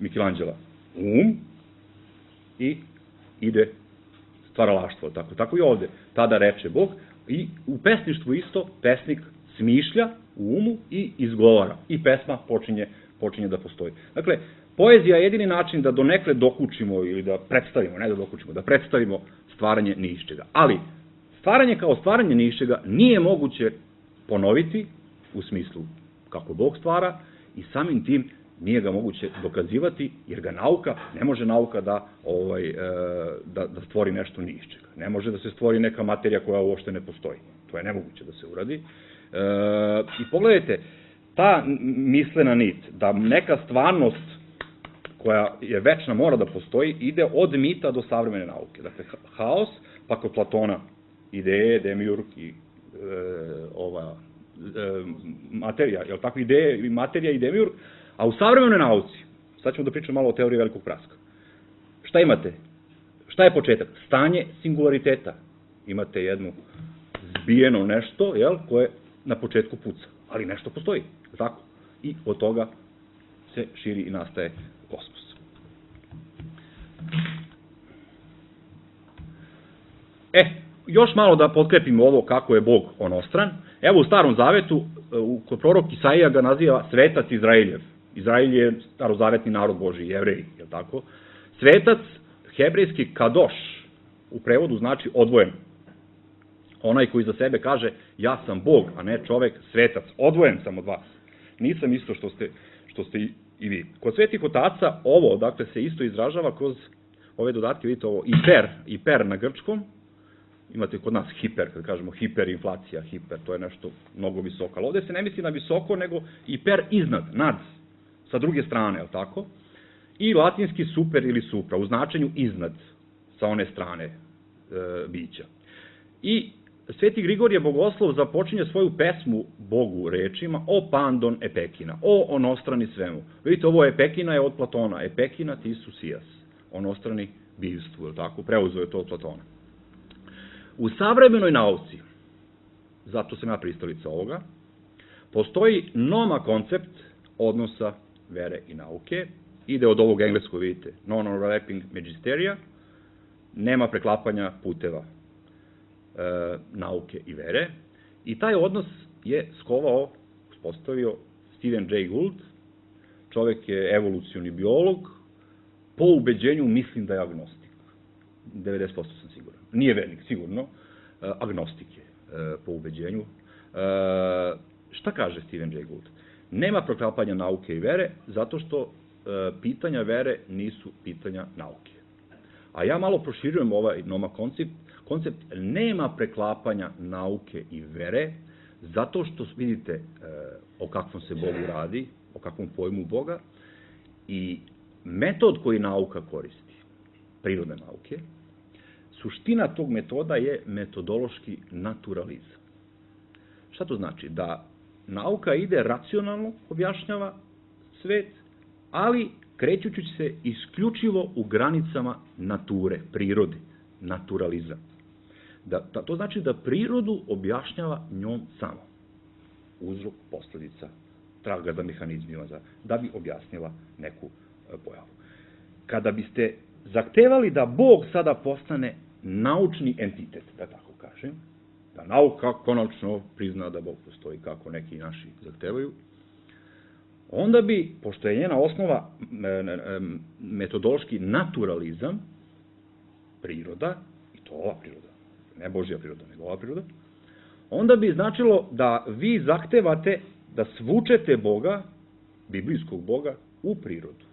S4: Michelangela. I ide stvaralaštvo. Tako i ovde. Tada reče Bog. I u pesništvu isto pesnik smišlja u umu i izgovara. I pesma počinje da postoji. Dakle, poezija je jedini način da donekle dokučimo ili da predstavimo, ne da dokučimo, da predstavimo stvaranje ni iz čega. Ali, stvaranje kao stvaranje ni iz čega nije moguće ponoviti u smislu kako Bog stvara i samim tim nije ga moguće dokazivati, jer ga ne može nauka da stvori nešto ni iz čega. Ne može da se stvori neka materija koja uopšte ne postoji. To je nemoguće da se uradi. I pogledajte, ta mislena nit, da neka stvarnost koja je večna mora da postoji, ide od mita do savremene nauke. Dakle, haos, pa kod Platona ideje, demiurg i materija, je li tako, ideje, materija i demiurg, a u savremenoj nauci, sad ćemo da pričamo malo o teoriji velikog praska. Šta imate? Šta je početak? Stanje singulariteta. Imate jedno zbijeno nešto, koje na početku puca, ali nešto postoji, tako? I od toga se širi i nastaje kosmos. Još malo da potkrepimo ovo kako je Bog onostran. Evo u Starom Zavetu, kod prorok Isaija ga naziva svetac Izraeljev. Izrael je starozavetni narod Božiji, Jevreji, je li tako? Svetac, hebrejski kadoš, u prevodu znači odvojen. Onaj koji za sebe kaže, ja sam Bog, a ne čovek, svetac, odvojen sam od vas. Nisam isto što ste i vi. Kod svetih otaca ovo, dakle, se isto izražava kroz ove dodatke, vidite ovo, hiper na grčkom, imate kod nas hiper, kad kažemo hiperinflacija, to je nešto mnogo visoko, ali ovde se ne misli na visoko, nego hiper iznad, nad, sa druge strane, je li tako? I latinski super ili supra, u značenju iznad, sa one strane bića. I Sveti Grigorije Bogoslov započinje svoju pesmu Bogu rečima o pandon epekina, o onostrani svemu. Vidite, ovo epekina je od Platona, epekina ti su sijas, onostrani bivstvu, je li tako? Preuzeo je to od Platona. U savremenoj nauci, zato sam ja pristalica ovoga, postoji noma koncept odnosa vere i nauke, ide od ovog engleskog, vidite, non-overlapping magisteria, nema preklapanja puteva nauke i vere, i taj odnos je uspostavio Stephen Jay Gould, čovek je evolucioni biolog, po ubeđenju mislim da je agnostik, 90% sam siguran, nije vernik, sigurno, agnostik je po ubeđenju. Šta kaže Stephen Jay Gould? Nema preklapanja nauke i vere, zato što pitanja vere nisu pitanja nauke. A ja malo proširujem ovaj noma koncept, nema preklapanja nauke i vere, zato što vidite o kakvom se Bogu radi, o kakvom pojmu Boga, i metod koji nauka koristi, prirodne nauke, suština tog metoda je metodološki naturalizam. Šta to znači? Da nauka ide racionalno, objašnjava svet, ali krećući se isključivo u granicama nature, prirode, naturalizam. To znači da prirodu objašnjava njom samo. Uzrok, posledica, traga za mehanizmima, da bi objasnila neku pojavu. Kada biste zahtevali da Bog sada postane naučni entitet, da tako kažem, da nauka konačno prizna da Bog postoji kako neki naši zahtevaju, onda bi, pošto je njena osnova metodološki naturalizam, priroda, i to ova priroda, ne Božja priroda, nego ova priroda, onda bi značilo da vi zahtevate da svučete Boga, biblijskog Boga, u prirodu.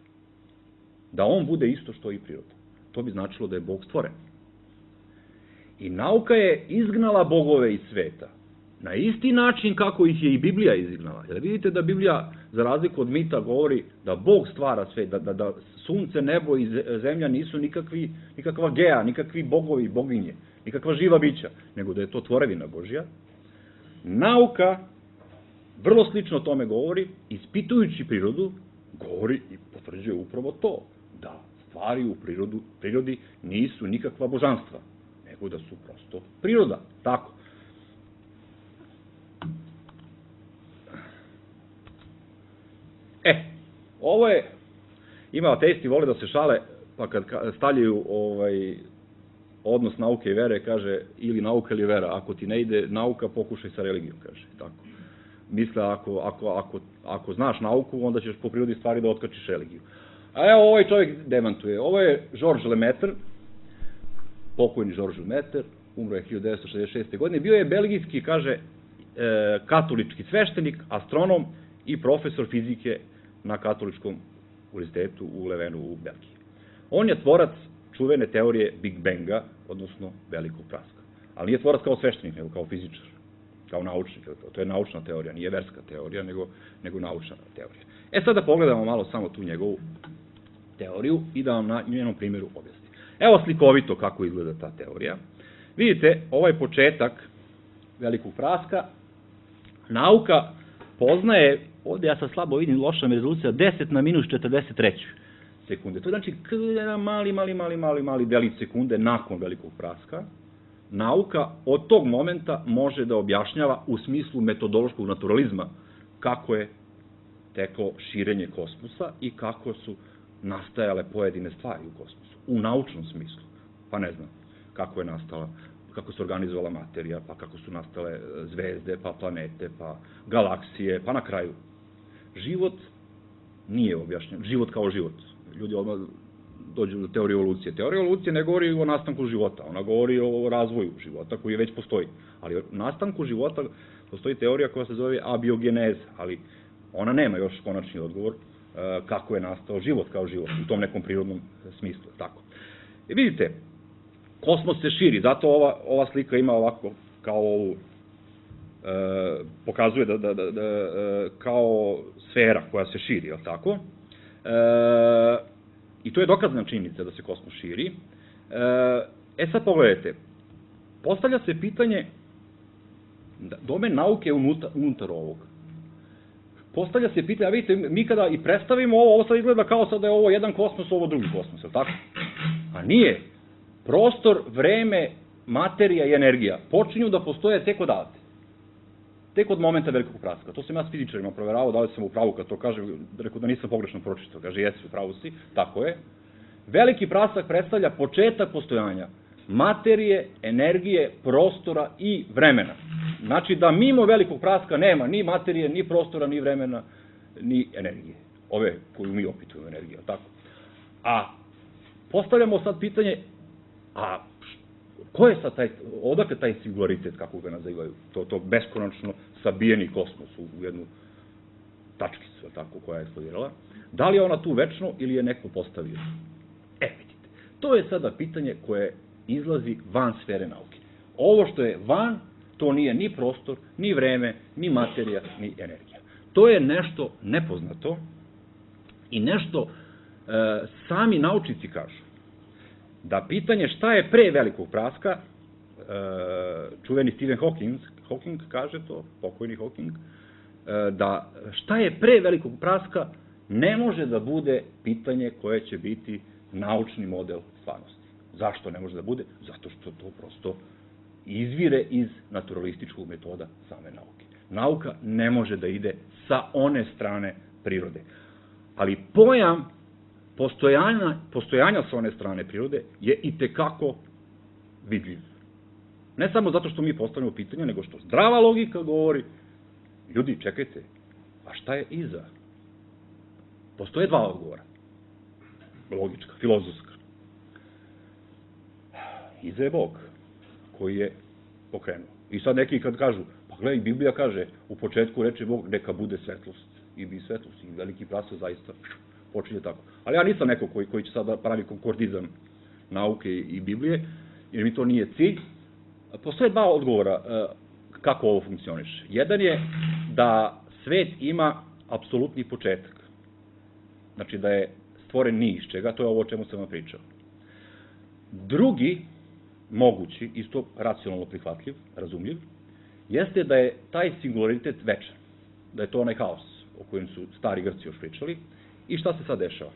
S4: Da on bude isto što i priroda. To bi značilo da je Bog stvoren. I nauka je izgnala bogove iz sveta. Na isti način kako ih je i Biblija izgnala. Jer vidite da Biblija, za razliku od mita, govori da Bog stvara svet, da sunce, nebo i zemlja nisu nikakva gea, nikakvi bogovi, boginje, nikakva živa bića, nego da je to tvorevina Božja. Nauka vrlo slično tome govori, ispitujući prirodu, govori i potvrđuje upravo to, da stvari u prirodi nisu nikakva božanstva, nego da su prosto priroda. Tako. Ovo je, ima ateisti vole da se šale, pa kad stavljaju odnos nauke i vere, kaže, ili nauka ili vera, ako ti ne ide nauka, pokušaj sa religijom, kaže, tako. Misle, ako znaš nauku, onda ćeš po prirodi stvari da otkačiš religiju. A evo, ovaj čovjek demantuje. Ovo je Georges Lemaitre, pokojni Georges Lemaitre, umro je 1966. godine, bio je belgijski, kaže, katolički sveštenik, astronom i profesor fizike na katoličkom univerzitetu u Levenu u Belgiji. On je tvorac čuvene teorije Big Banga, odnosno velikog praska. Ali nije tvorac kao sveštenik, nego kao fizičar, kao naučnik. To je naučna teorija, nije verska teorija, nego naučna teorija. Sada pogledamo malo samo tu njegovu teoriju i da vam na njenom primjeru objasnim. Evo slikovito kako izgleda ta teorija. Vidite, ovaj početak velikog praska, nauka poznaje, ovde ja sad slabo vidim, loša mi rezolucija, 10 na minus 43 sekunde. To je znači jedan mali delić sekunde nakon velikog praska. Nauka od tog momenta može da objašnjava u smislu metodološkog naturalizma kako je teklo širenje kosmosa i kako su nastajale pojedine stvari u kosmosu, u naučnom smislu. Pa ne znam kako je nastala, kako se organizovala materija, pa kako su nastale zvezde, pa planete, pa galaksije, pa na kraju. Život nije objašnjen, život kao život. Ljudi odmah dođu do teorije evolucije. Teorija evolucije ne govori o nastanku života, ona govori o razvoju života koji već postoji. Ali o nastanku života postoji teorija koja se zove abiogeneza, ali ona nema još konačni odgovor kako je nastao život kao život, u tom nekom prirodnom smislu. Tako. I vidite, kosmos se širi, zato ova slika ima ovako, kao ovu, pokazuje kao sfera koja se širi, je li tako? I to je dokazana činjenica da se kosmos širi. Sad pogledajte, postavlja se pitanje, domen nauke je unutar ovog. Postavlja se pitanje, a vidite, mi kada i predstavimo ovo sad izgleda kao sad da je ovo jedan kosmos, ovo drugi kosmos, je li tako? A nije. Prostor, vreme, materija i energija počinju da postoje tek odavde. Tek od momenta velikog praska. To sam ja s fizičarima proveravao, da li sam u pravu kad to kažem, rekao da nisam pogrešno pročitao. Kaže, jesi, u pravu si, tako je. Veliki prasak predstavlja početak postojanja materije, energije, prostora i vremena. Znači da mimo velikog praska nema ni materije, ni prostora, ni vremena, ni energije. Ove koju mi opitujemo energije, tako. A postavljamo sad pitanje, a ko je sad odakle taj singularitet, kako ga nazivaju, to beskonačno sabijeni kosmos u jednu tačkicu, tako, koja je eksplodirala. Da li je ona tu večno ili je neko postavio? Vidite, to je sada pitanje koje izlazi van sfere nauke. Ovo što je van, to nije ni prostor, ni vreme, ni materija, ni energija. To je nešto nepoznato i nešto sami naučnici kažu da pitanje šta je pre velikog praska, čuveni Stephen Hawking kaže to, pokojni Hawking, da šta je pre velikog praska ne može da bude pitanje koje će biti naučni model stvarnosti. Zašto ne može da bude? Zato što to prosto izvire iz naturalističkog metoda same nauke. Nauka ne može da ide sa one strane prirode. Ali pojam postojanja sa one strane prirode je i tekako vidljiv. Ne samo zato što mi postavljamo pitanja, nego što zdrava logika govori, ljudi, čekajte, a šta je iza? Postoje dva odgovora. Logička, filozofska. Iza je Bog, koji je pokrenuo. I sad neki kad kažu, pa gledaj, Biblija kaže, u početku reče Bog, neka bude svetlost. I bi svetlost, i veliki prasak zaista počinje tako. Ali ja nisam neko koji će sad pravi konkordizam nauke i Biblije, jer mi to nije cilj. Postoje dva odgovora kako ovo funkcioniše. Jedan je da svet ima apsolutni početak. Znači da je stvoren ni iz čega, to je ovo o čemu sam vam pričao. Drugi, mogući, isto racionalno prihvatljiv, razumljiv, jeste da je taj singularitet večan. Da je to onaj haos o kojem su stari Grci još pričali. I šta se sad dešava?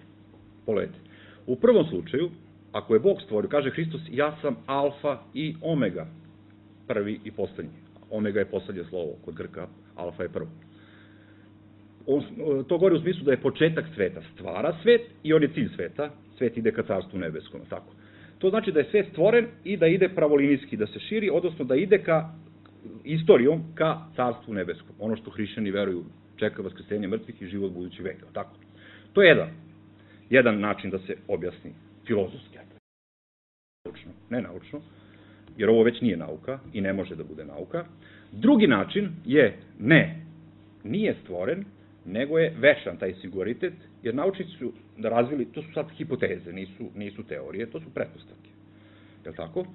S4: Pogledajte. U prvom slučaju, ako je Bog stvorio, kaže Hristos, ja sam alfa i omega, prvi i poslednji. Omega je poslednje slovo kod Grka, alfa je prvo. To govori u smislu da je početak sveta, stvara svet i on je cilj sveta, svet ide ka carstvu nebeskom, tako. To znači da je svet stvoren i da ide pravolinijski, da se širi, odnosno da ide ka istorijom ka carstvu nebeskom. Ono što hrišćani veruju, čeka vaskrsenje mrtvih i život budući veka, tako. To je jedan način da se objasni filozofski. Ne naučno, jer ovo već nije nauka i ne može da bude nauka. Drugi način je nije stvoren, nego je večan taj singularitet, jer naučnici su razvili, to su sad hipoteze, nisu teorije, to su pretpostavke. Je li tako?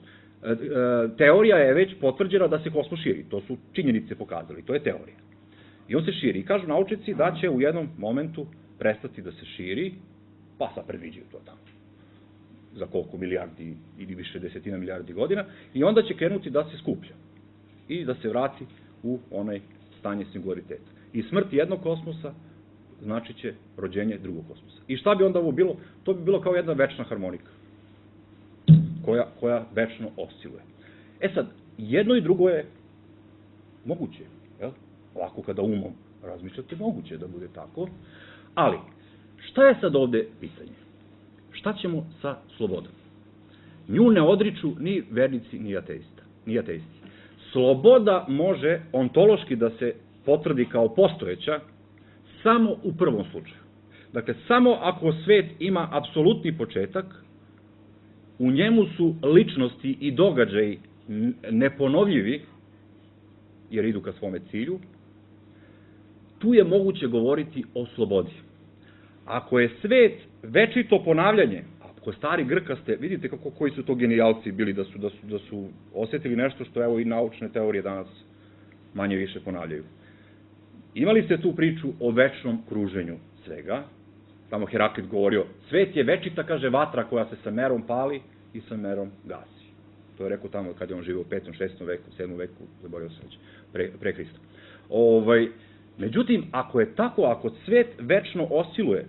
S4: Teorija je već potvrđena da se kosmos širi, to su činjenice pokazali, to je teorija. I on se širi i kažu naučnici da će u jednom momentu prestati da se širi, pa sad predviđaju to tamo, za koliko milijardi ili više desetina milijardi godina, i onda će krenuti da se skuplja i da se vrati u onaj stanje singulariteta. I smrt jednog kosmosa znači će rođenje drugog kosmosa. I šta bi onda ovo bilo? To bi bilo kao jedna večna harmonika, koja večno osciluje. E sad, jedno i drugo je moguće, jel? Ovako kada umom razmišljate, moguće da bude tako, ali šta je sad ovde pitanje? Šta ćemo sa slobodom? Nju ne odriču ni vernici, ni ateisti. Sloboda može ontološki da se potvrdi kao postojeća samo u prvom slučaju. Dakle, samo ako svet ima apsolutni početak, u njemu su ličnosti i događaji neponovljivi, jer idu ka svome cilju, tu je moguće govoriti o slobodi. Ako je svet večito ponavljanje, ako stari Grkaste, vidite koji su to genijalci bili da su osetili nešto što evo i naučne teorije danas manje više ponavljaju. Imali ste tu priču o večnom kruženju svega, tamo Heraklit govorio, svet je večita, kaže, vatra koja se sa merom pali i sa merom gasi. To je rekao tamo kad je on živio u 5., 6. veku, 7. veku, zaboravio sam već, pre Hrista. Međutim, ako je tako, ako svet večno osciluje,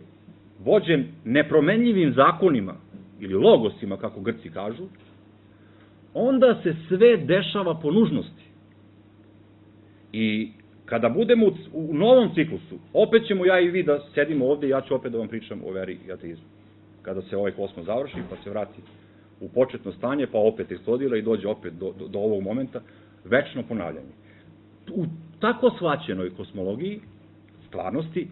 S4: vođen nepromenljivim zakonima, ili logosima, kako Grci kažu, onda se sve dešava po nužnosti. I kada budemo u novom ciklusu, opet ćemo ja i vi da sedimo ovde i ja ću opet da vam pričam o veri i ateizmu. Kada se ovaj kosmos završi, pa se vrati u početno stanje, pa opet eksplodira i dođe opet do ovog momenta, večno ponavljanje. U tako shvaćenoj kosmologiji, stvarnosti,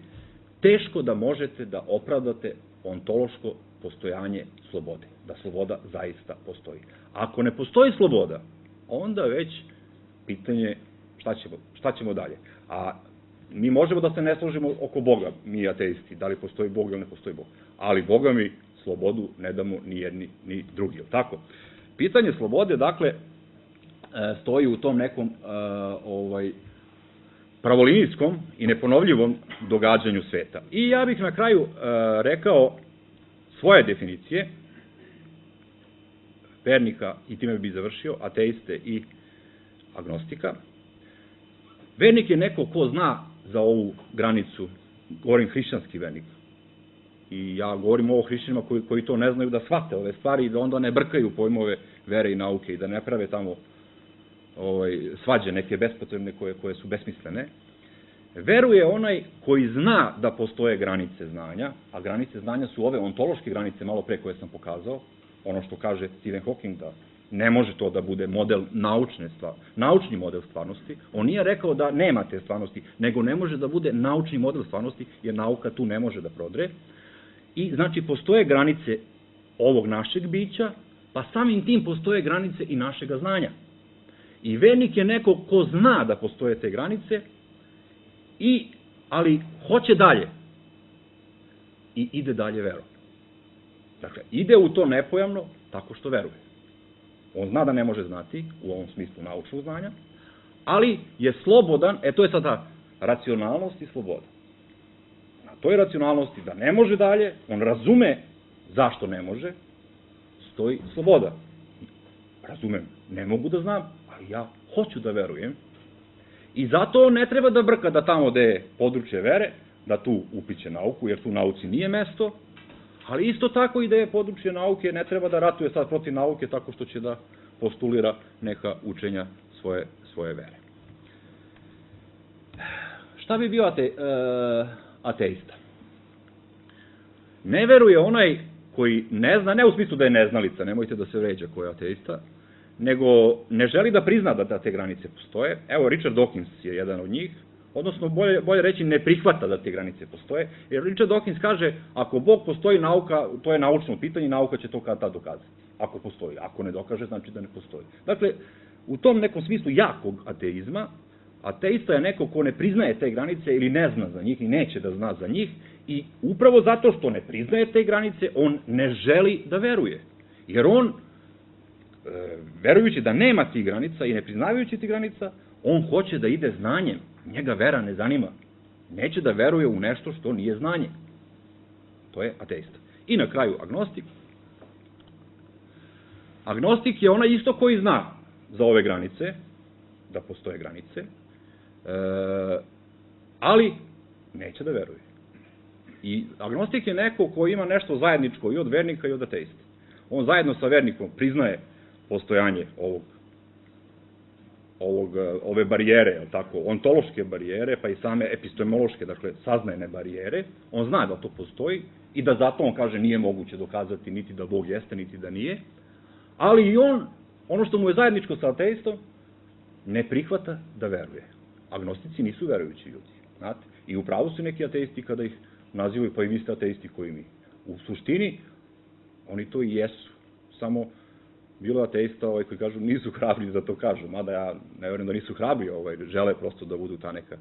S4: teško da možete da opravdate ontološko postojanje slobode, da sloboda zaista postoji. Ako ne postoji sloboda, onda već pitanje šta ćemo dalje. A mi možemo da se ne složimo oko Boga, mi ateisti, da li postoji Bog ili ne postoji Bog. Ali Boga mi slobodu ne damo ni jedni ni drugi, je li tako? Pitanje slobode, dakle, stoji u tom nekom pravolinijskom i neponovljivom događanju sveta. I ja bih na kraju rekao svoje definicije vernika, i time bi završio, ateiste i agnostika. Vernik je neko ko zna za ovu granicu, govorim hrišćanski vernik, i ja govorim o hrišćanima koji to ne znaju da shvate ove stvari i da onda ne brkaju pojmove vere i nauke i da ne prave tamo svađe neke bespotrebne koje su besmislene. Veruje onaj koji zna da postoje granice znanja, a granice znanja su ove ontološke granice, malo pre koje sam pokazao, ono što kaže Stephen Hawking, da ne može to da bude model naučni model stvarnosti. On nije rekao da nema te stvarnosti, nego ne može da bude naučni model stvarnosti, jer nauka tu ne može da prodre. I znači postoje granice ovog našeg bića, pa samim tim postoje granice i našega znanja. I vernik je neko ko zna da postoje te granice, ali hoće dalje i ide dalje verom. Dakle, ide u to nepojamno tako što veruje. On zna da ne može znati, u ovom smislu naučnog znanja, ali je slobodan, to je sada racionalnost i sloboda. Na toj racionalnosti da ne može dalje, on razume zašto ne može, stoji sloboda. Razumem, ne mogu da znam, ali ja hoću da verujem. I zato ne treba da brka da tamo gde je područje vere, da tu upliće nauku, jer tu nauci nije mesto, ali isto tako i da je područje nauke, ne treba da ratuje sad protiv nauke tako što će da postulira neka učenja svoje vere. Šta bi bio ateista? Ne veruje onaj koji ne zna, ne u smislu da je neznalica, nemojte da se vređa ko je ateista, nego ne želi da prizna da te granice postoje. Evo, Richard Dawkins je jedan od njih, odnosno bolje reći ne prihvata da te granice postoje, jer Richard Dawkins kaže, ako Bog postoji, nauka, to je naučno pitanje, nauka će to kad tad dokazati, ako postoji. Ako ne dokaže, znači da ne postoji. Dakle, u tom nekom smislu jakog ateizma, ateista je neko ko ne priznaje te granice ili ne zna za njih i neće da zna za njih, i upravo zato što ne priznaje te granice, on ne želi da veruje. Jer on, verujući da nema tih granica i ne priznavajući tih granica, on hoće da ide znanjem. Njega vera ne zanima. Neće da veruje u nešto što nije znanje. To je ateista. I na kraju agnostik. Agnostik je onaj isto koji zna za ove granice, da postoje granice, ali neće da veruje. I agnostik je neko koji ima nešto zajedničko i od vernika i od ateista. On zajedno sa vernikom priznaje postojanje ove barijere, ontološke barijere, pa i same epistemološke, dakle, saznajne barijere. On zna da to postoji i da zato on kaže nije moguće dokazati niti da Bog jeste, niti da nije, ali i on, ono što mu je zajedničko sa ateistom, ne prihvata da veruje. Agnostici nisu verujući ljudi, znate, i upravo su neki ateisti kada ih nazivaju, pa i vi ste ateisti koji mi. U suštini, oni to i jesu, samo bilo ateista koji kažu nisu hrabri da to kažu, mada ja ne verujem da nisu hrabri, žele prosto da budu ta neka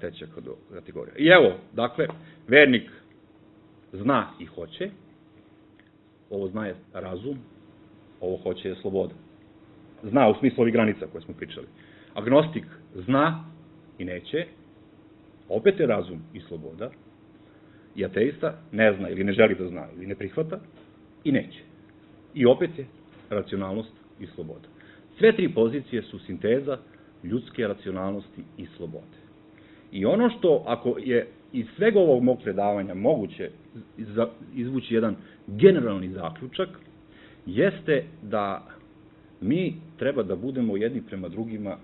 S4: treća kategorija. I evo, dakle, vernik zna i hoće, ovo zna je razum, ovo hoće je sloboda. Zna u smislu ovih granica koje smo pričali. Agnostik zna i neće, opet je razum i sloboda, i ateista ne zna ili ne želi da zna ili ne prihvata i neće. I opet je racionalnost i sloboda. Sve tri pozicije su sinteza ljudske racionalnosti i slobode. I ono što, ako je iz svega ovog mog predavanja moguće izvući jedan generalni zaključak, jeste da mi treba da budemo jedni prema drugima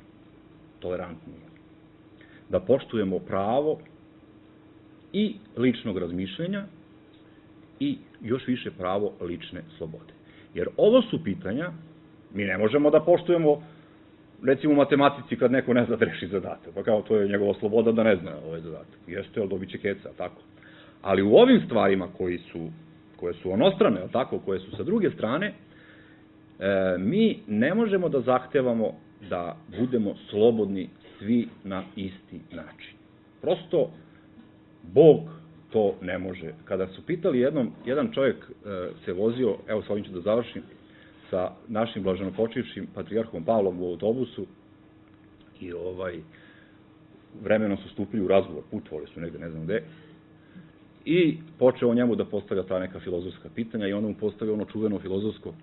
S4: tolerantniji. Da poštujemo pravo i ličnog razmišljanja i još više pravo lične slobode. Jer ovo su pitanja, mi ne možemo da poštujemo, recimo u matematici kad neko ne zna da reši zadatak, pa kao to je njegova sloboda da ne zna ovaj zadatak. Jeste, ali dobit će keca, tako. Ali u ovim stvarima koje su onostrane, tako, koje su sa druge strane, mi ne možemo da zahtevamo da budemo slobodni svi na isti način. Prosto, Bog to ne može. Kada su pitali jedan čovjek se vozio, evo s ovim ću da završim, sa našim blaženopočivšim patrijarhom Pavlom u autobusu i vremenom su stupili u razgovor, putovali su negde, ne znam gde, i počeo njemu da postavlja ta neka filozofska pitanja i onda mu postavio ono čuveno filozofsko.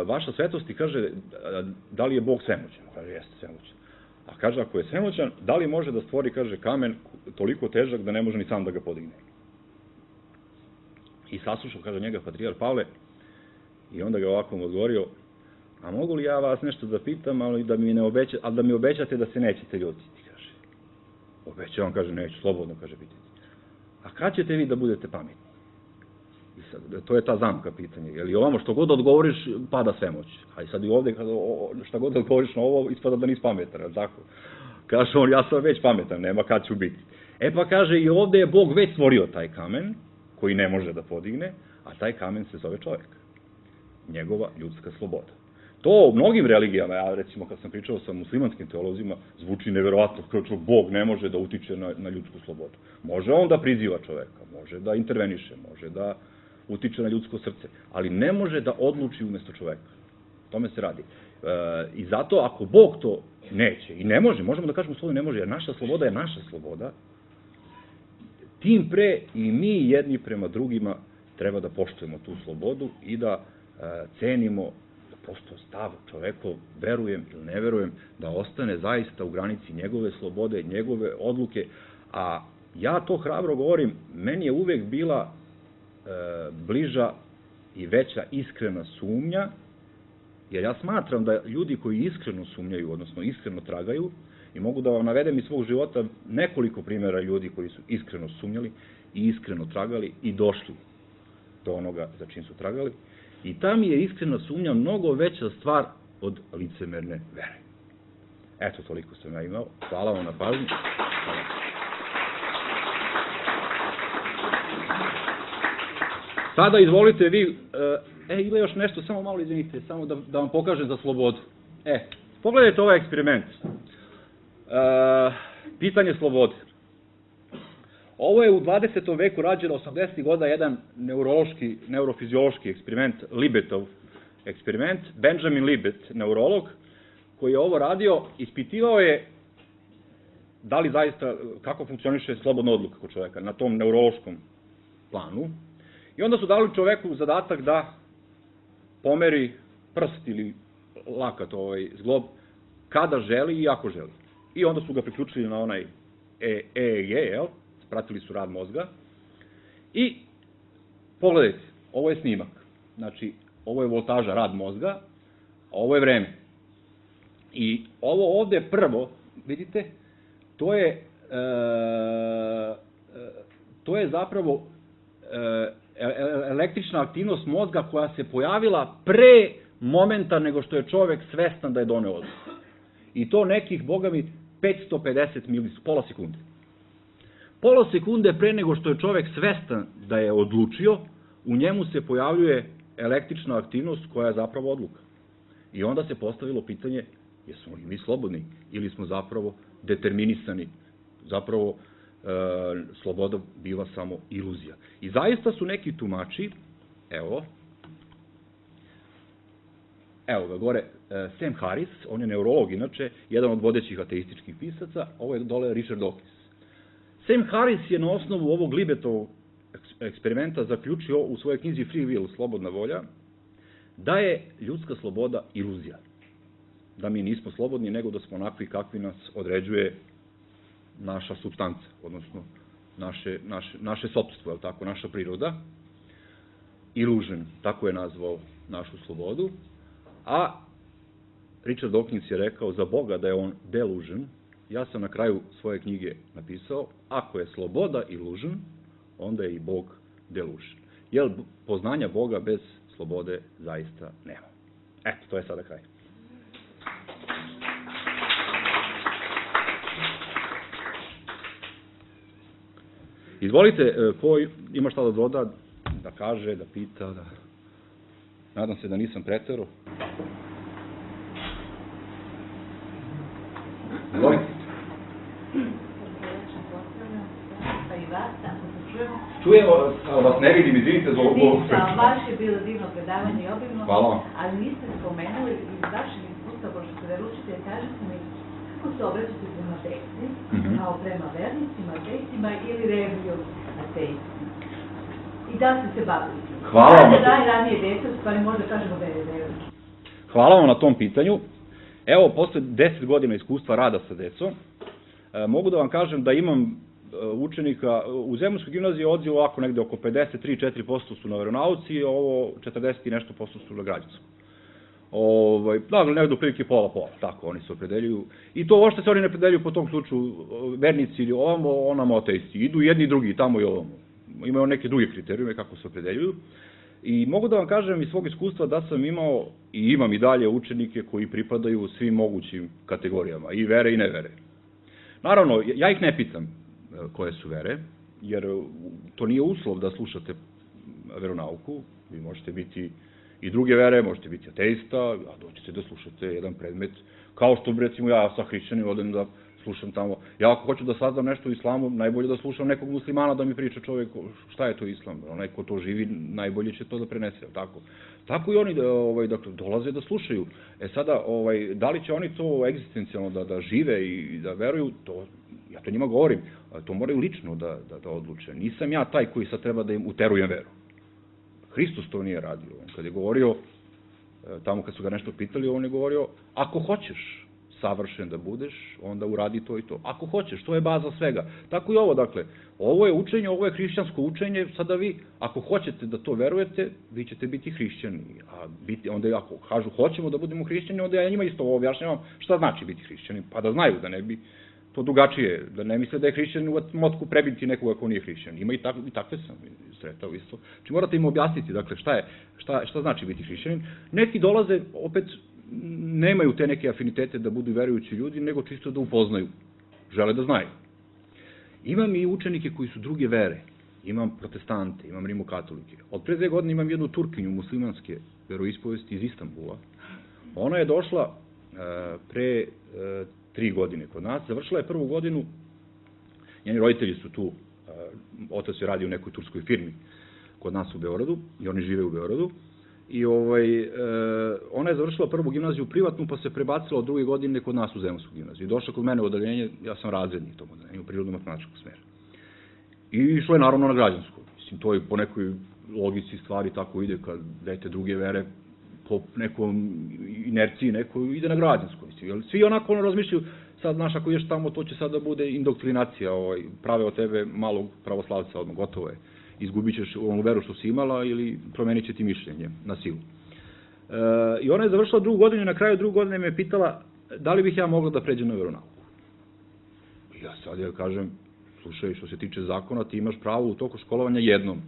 S4: Vaša svetosti, kaže, da li je Bog svemoćan? Kaže, jeste svemoćan. A kaže, ako je svemoćan, da li može da stvori, kaže, kamen toliko težak da ne može ni sam da ga podigne? I saslušao, kaže, njega patrijar Pavle i onda ga ovako mu odgovorio, a mogu li ja vas nešto da pitam, ali da mi obećate da se nećete ljutiti, kaže. Obećavam, kaže, neću, slobodno, kaže, pitati. A kad ćete vi da budete pametni? I sad, to je ta zamka pitanja. Jer i ovamo što god odgovoriš, pada svemoć. A i sad i ovde, šta god odgovoriš na ovo, ispada da nisi pametan, ali tako? Kaže on, ja sam već pametan, nema kad ću biti. E pa kaže, i ovde je Bog već stvorio taj kamen, koji ne može da podigne, a taj kamen se zove čovjek. Njegova ljudska sloboda. To u mnogim religijama, ja recimo kad sam pričao sa muslimanskim teolozima, zvuči neverovatno, kao što Bog ne može da utiče na ljudsku slobodu. Može on da priziva čoveka, može da interveniše, može da utiče na ljudsko srce, ali ne može da odluči umesto čoveka. O tome se radi. I zato ako Bog to neće, i ne može, možemo da kažemo slobodno ne može, jer naša sloboda je naša sloboda, tim pre i mi jedni prema drugima treba da poštujemo tu slobodu i da cenimo da prosto stav čovekov, verujem ili ne verujem, da ostane zaista u granici njegove slobode, njegove odluke, a ja to hrabro govorim, meni je uvek bila bliža i veća iskrena sumnja, jer ja smatram da ljudi koji iskreno sumnjaju, odnosno iskreno tragaju, i mogu da vam navedem iz svog života nekoliko primjera ljudi koji su iskreno sumnjali i iskreno tragali i došli do onoga za čim su tragali, i ta mi je iskrena sumnja mnogo veća stvar od licemerne vere. Eto, toliko sam ja imao. Hvala vam na pažnju. Sada izvolite vi, ima još nešto, samo malo izvinite, samo da vam pokažem za slobodu. Pogledajte ovaj eksperiment. Pitanje slobode. Ovo je u 20. veku rađeno 80. godina jedan neurofiziološki eksperiment, Libetov eksperiment, Benjamin Libet, neurolog, koji je ovo radio, ispitivao je da li zaista, kako funkcioniše slobodna odluka kod čoveka na tom neurološkom planu. I onda su dali čoveku zadatak da pomeri prst ili lakat, zglob, kada želi i ako želi. I onda su ga priključili na onaj EEG, pratili su rad mozga. I pogledajte, ovo je snimak. Znači, ovo je voltaža, rad mozga, a ovo je vreme. I ovo ovde prvo, vidite, to je zapravo električna aktivnost mozga koja se pojavila pre momenta nego što je čovek svestan da je doneo odluku. I to nekih, boga mi, 550 milisekunde, pola sekunde. Pola sekunde pre nego što je čovek svestan da je odlučio, u njemu se pojavljuje električna aktivnost koja je zapravo odluka. I onda se postavilo pitanje, jesmo li mi slobodni ili smo zapravo determinisani, zapravo sloboda biva samo iluzija. I zaista su neki tumači, evo ga gore, Sam Harris, on je neurolog inače, jedan od vodećih ateističkih pisaca, ovo je dole Richard Dawkins. Sam Harris je na osnovu ovog Libetovog eksperimenta zaključio u svojoj knjizi Free Will, Slobodna volja, da je ljudska sloboda iluzija. Da mi nismo slobodni, nego da smo onakvi kakvi nas određuje naša supstanca, odnosno naše sopstvo, je li tako, naša priroda. Illusion, tako je nazvao našu slobodu. A Richard Dawkins je rekao za Boga da je on delusion. Ja sam na kraju svoje knjige napisao, ako je sloboda illusion, onda je i Bog delusion. Jer poznanja Boga bez slobode zaista nema. Eto, to je sada kraj. Izvolite, ko ima šta da doda, da kaže, da pita, da... Nadam se da nisam preterao. Izvolite. Čujemo vas, ne vidim, izvinite za ovo.
S5: Baš je bilo divno predavanje i obimno,
S4: Hvala vam.
S5: ali niste spomenuli iz vašeg iskustva, pošto ste veručitelj, kažete mi, kako kako se obraćate prema deci, kao prema vernicima, ateistima ili revijom ateistima? I da ste se bavili?
S4: Hvala vam.
S5: Da je ranije dete, u stvari možda kažemo da je revijom.
S4: Hvala vam na tom pitanju. Evo, posle 10 godina iskustva rada sa decom, mogu da vam kažem da imam učenika, u Zemunskoj gimnaziji odziv ovako negde oko 53-4% su na veronauci, ovo 40 i nešto posto su na građanskom. Dakle, negde u prilike pola, tako oni se opredeljuju. I to uopšte se oni ne opredeljuju po tom slučaju vernici ili ovamo, onamo ateisti. Idu jedni i drugi, tamo i ovamo. Imaju neke druge kriterijume kako se opredeljuju. I mogu da vam kažem iz svog iskustva da sam imao i imam i dalje učenike koji pripadaju svim mogućim kategorijama, i vere i nevere. Naravno, ja ih ne pitam koje su vere, jer to nije uslov da slušate veronauku. Vi možete biti i druge vere, možete biti ateista, a doćete da slušate jedan predmet, kao što, recimo, ja sa hrišćanim odem da slušam tamo. Ja ako hoću da saznam nešto o islamu, najbolje da slušam nekog muslimana da mi priča čovjek šta je to islam. Onaj ko to živi, najbolje će to da prenese, tako? Tako i oni dakle, dolaze da slušaju. Sada, da li će oni to egzistencijalno da žive i da veruju, ja to njima govorim, to moraju lično da odluče. Nisam ja taj koji sad treba da im uterujem veru. Hristos to nije radio. Kad je govorio, tamo kad su ga nešto pitali, on je govorio, ako hoćeš savršen da budeš, onda uradi to i to. Ako hoćeš, to je baza svega. Tako i ovo, dakle, ovo je učenje, ovo je hrišćansko učenje, sada vi, ako hoćete da to verujete, vi ćete biti hrišćani. A onda ako kažu, hoćemo da budemo hrišćani, onda ja njima isto ovo objašnjavam šta znači biti hrišćani, pa da znaju, da ne bi to drugačije, da ne misle da je hrišćan u motku prebiti nekoga ko nije hrišćan. Ima i takve sam sretao isto. Znači morate im objasniti, dakle, šta znači biti hrišćanin. Neki dolaze, opet, nemaju te neke afinitete da budu verujući ljudi, nego čisto da upoznaju. Žele da znaju. Imam i učenike koji su druge vere. Imam protestante, imam rimokatolike. Od pre 2 godine imam jednu Turkinju muslimanske veroispovesti iz Istanbula. Ona je došla pre 3 godine kod nas, završila je 1. godinu, njeni roditelji su tu, otac je radio u nekoj turskoj firmi kod nas u Beogradu i oni žive u Beogradu. I ona je završila 1. gimnaziju privatnu, pa se prebacila od 2. godine kod nas u Zemunsku gimnaziju. Došla kod mene u odeljenje, ja sam razrednik u tom odeljenju, prirodno-matematičkog smjera. I išla je naravno na građansko. Mislim, to je po nekoj logici stvari tako ide, kad dete druge vere, po nekom inerciji neko ide na građansko. Svi onako razmišljaju, sad, znaš, ako ješ tamo, to će sad da bude indoktrinacija, prave od tebe malog pravoslavca, odmah, gotovo je. Izgubit ćeš onu veru što si imala ili promenit će ti mišljenje na silu. I ona je završila 2. godinu i na kraju 2. godine me pitala da li bih ja mogla da pređem na veronauku. Ja sad joj kažem, slušaj, što se tiče zakona, ti imaš pravo u toku školovanja jednom,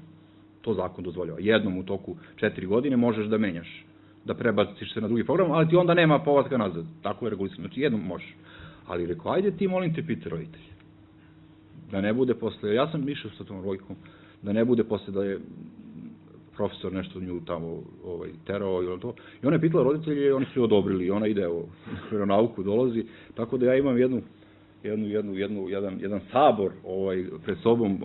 S4: to zakon dozvoljava, jednom u toku 4 godine možeš da menjaš, da prebaciš se na drugi program, ali ti onda nema povratka nazad. Tako je regulisano, znači jednom možeš. Ali rekao, ajde ti, molim te, pite roditelje. Da ne bude posle, ja sam išao sa tom logikom, da ne bude posle da je profesor nešto nju tamo terao ili to. I ona je pitala roditelje i oni su je odobrili i ona ide u veronauku, dolazi. Tako da ja imam jedan sabor pred sobom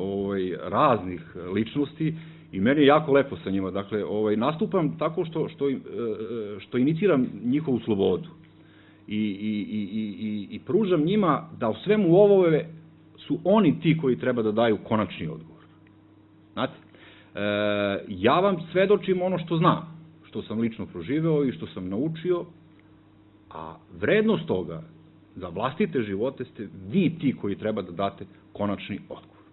S4: raznih ličnosti i meni je jako lepo sa njima. Dakle, nastupam tako što iniciram njihovu slobodu i pružam njima da u svemu ovome su oni ti koji treba da daju konačni odgovor. Znate, ja vam svedočim ono što znam, što sam lično proživeo i što sam naučio, a vrednost toga za vlastite živote ste vi ti koji treba da date konačni odgovor.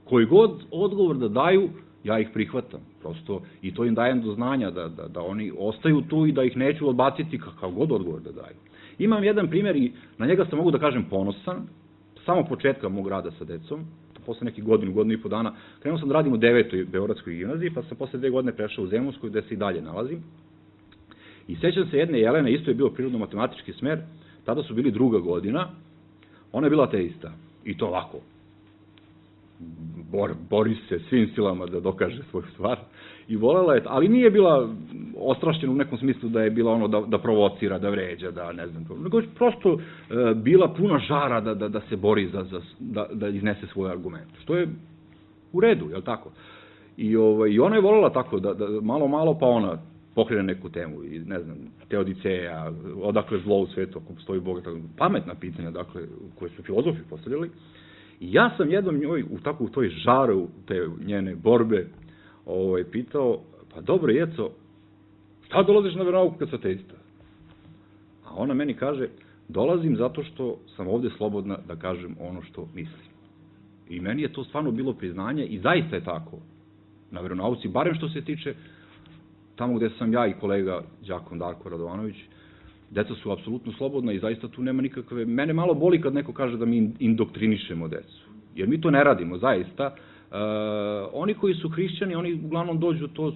S4: Koji god odgovor da daju, ja ih prihvatam, prosto, i to im dajem do znanja da oni ostaju tu i da ih neću odbaciti kakav god odgovor da daju. Imam jedan primjer i na njega sam, mogu da kažem, ponosan, samo početka mog rada sa decom, posle nekih godinu i po dana, krenuo sam da radim u 9. Beogradskoj gimnaziji, pa sam posle 2 godine prešao u Zemunsku, gde se i dalje nalazim. I sećam se jedne Jelene, isto je bio prirodno-matematički smer, tada su bili 2. godina, ona je bila ateista, i to ovako. Bori se svim silama da dokaže svoju stvar, i volela je, ali nije bila ostrašćena u nekom smislu da je bila ono da provocira, da vređa, da ne znam, nego prosto bila puna žara da se bori da iznese svoje argumente, što je u redu, je li tako? I ona je volela tako, da malo, pa ona
S1: pokrene neku temu, i ne znam, Teodiceja, odakle zlo u svetu, ako postoji Bog, pametna pitanja, dakle, koje su filozofi postavljali. I ja sam jednom njoj, u toj žaru, te njene borbe, pitao, pa dobro, Jeco, šta dolaziš na veronauku kad si ateista? A ona meni kaže, dolazim zato što sam ovde slobodna da kažem ono što mislim. I meni je to stvarno bilo priznanje i zaista je tako na veronauci, barem što se tiče tamo gde sam ja i kolega đakon Darko Radovanović, deca su apsolutno slobodna i zaista tu nema nikakve... Mene malo boli kad neko kaže da mi indoktrinišemo decu, jer mi to ne radimo, zaista. Oni koji su hrišćani, oni uglavnom dođu to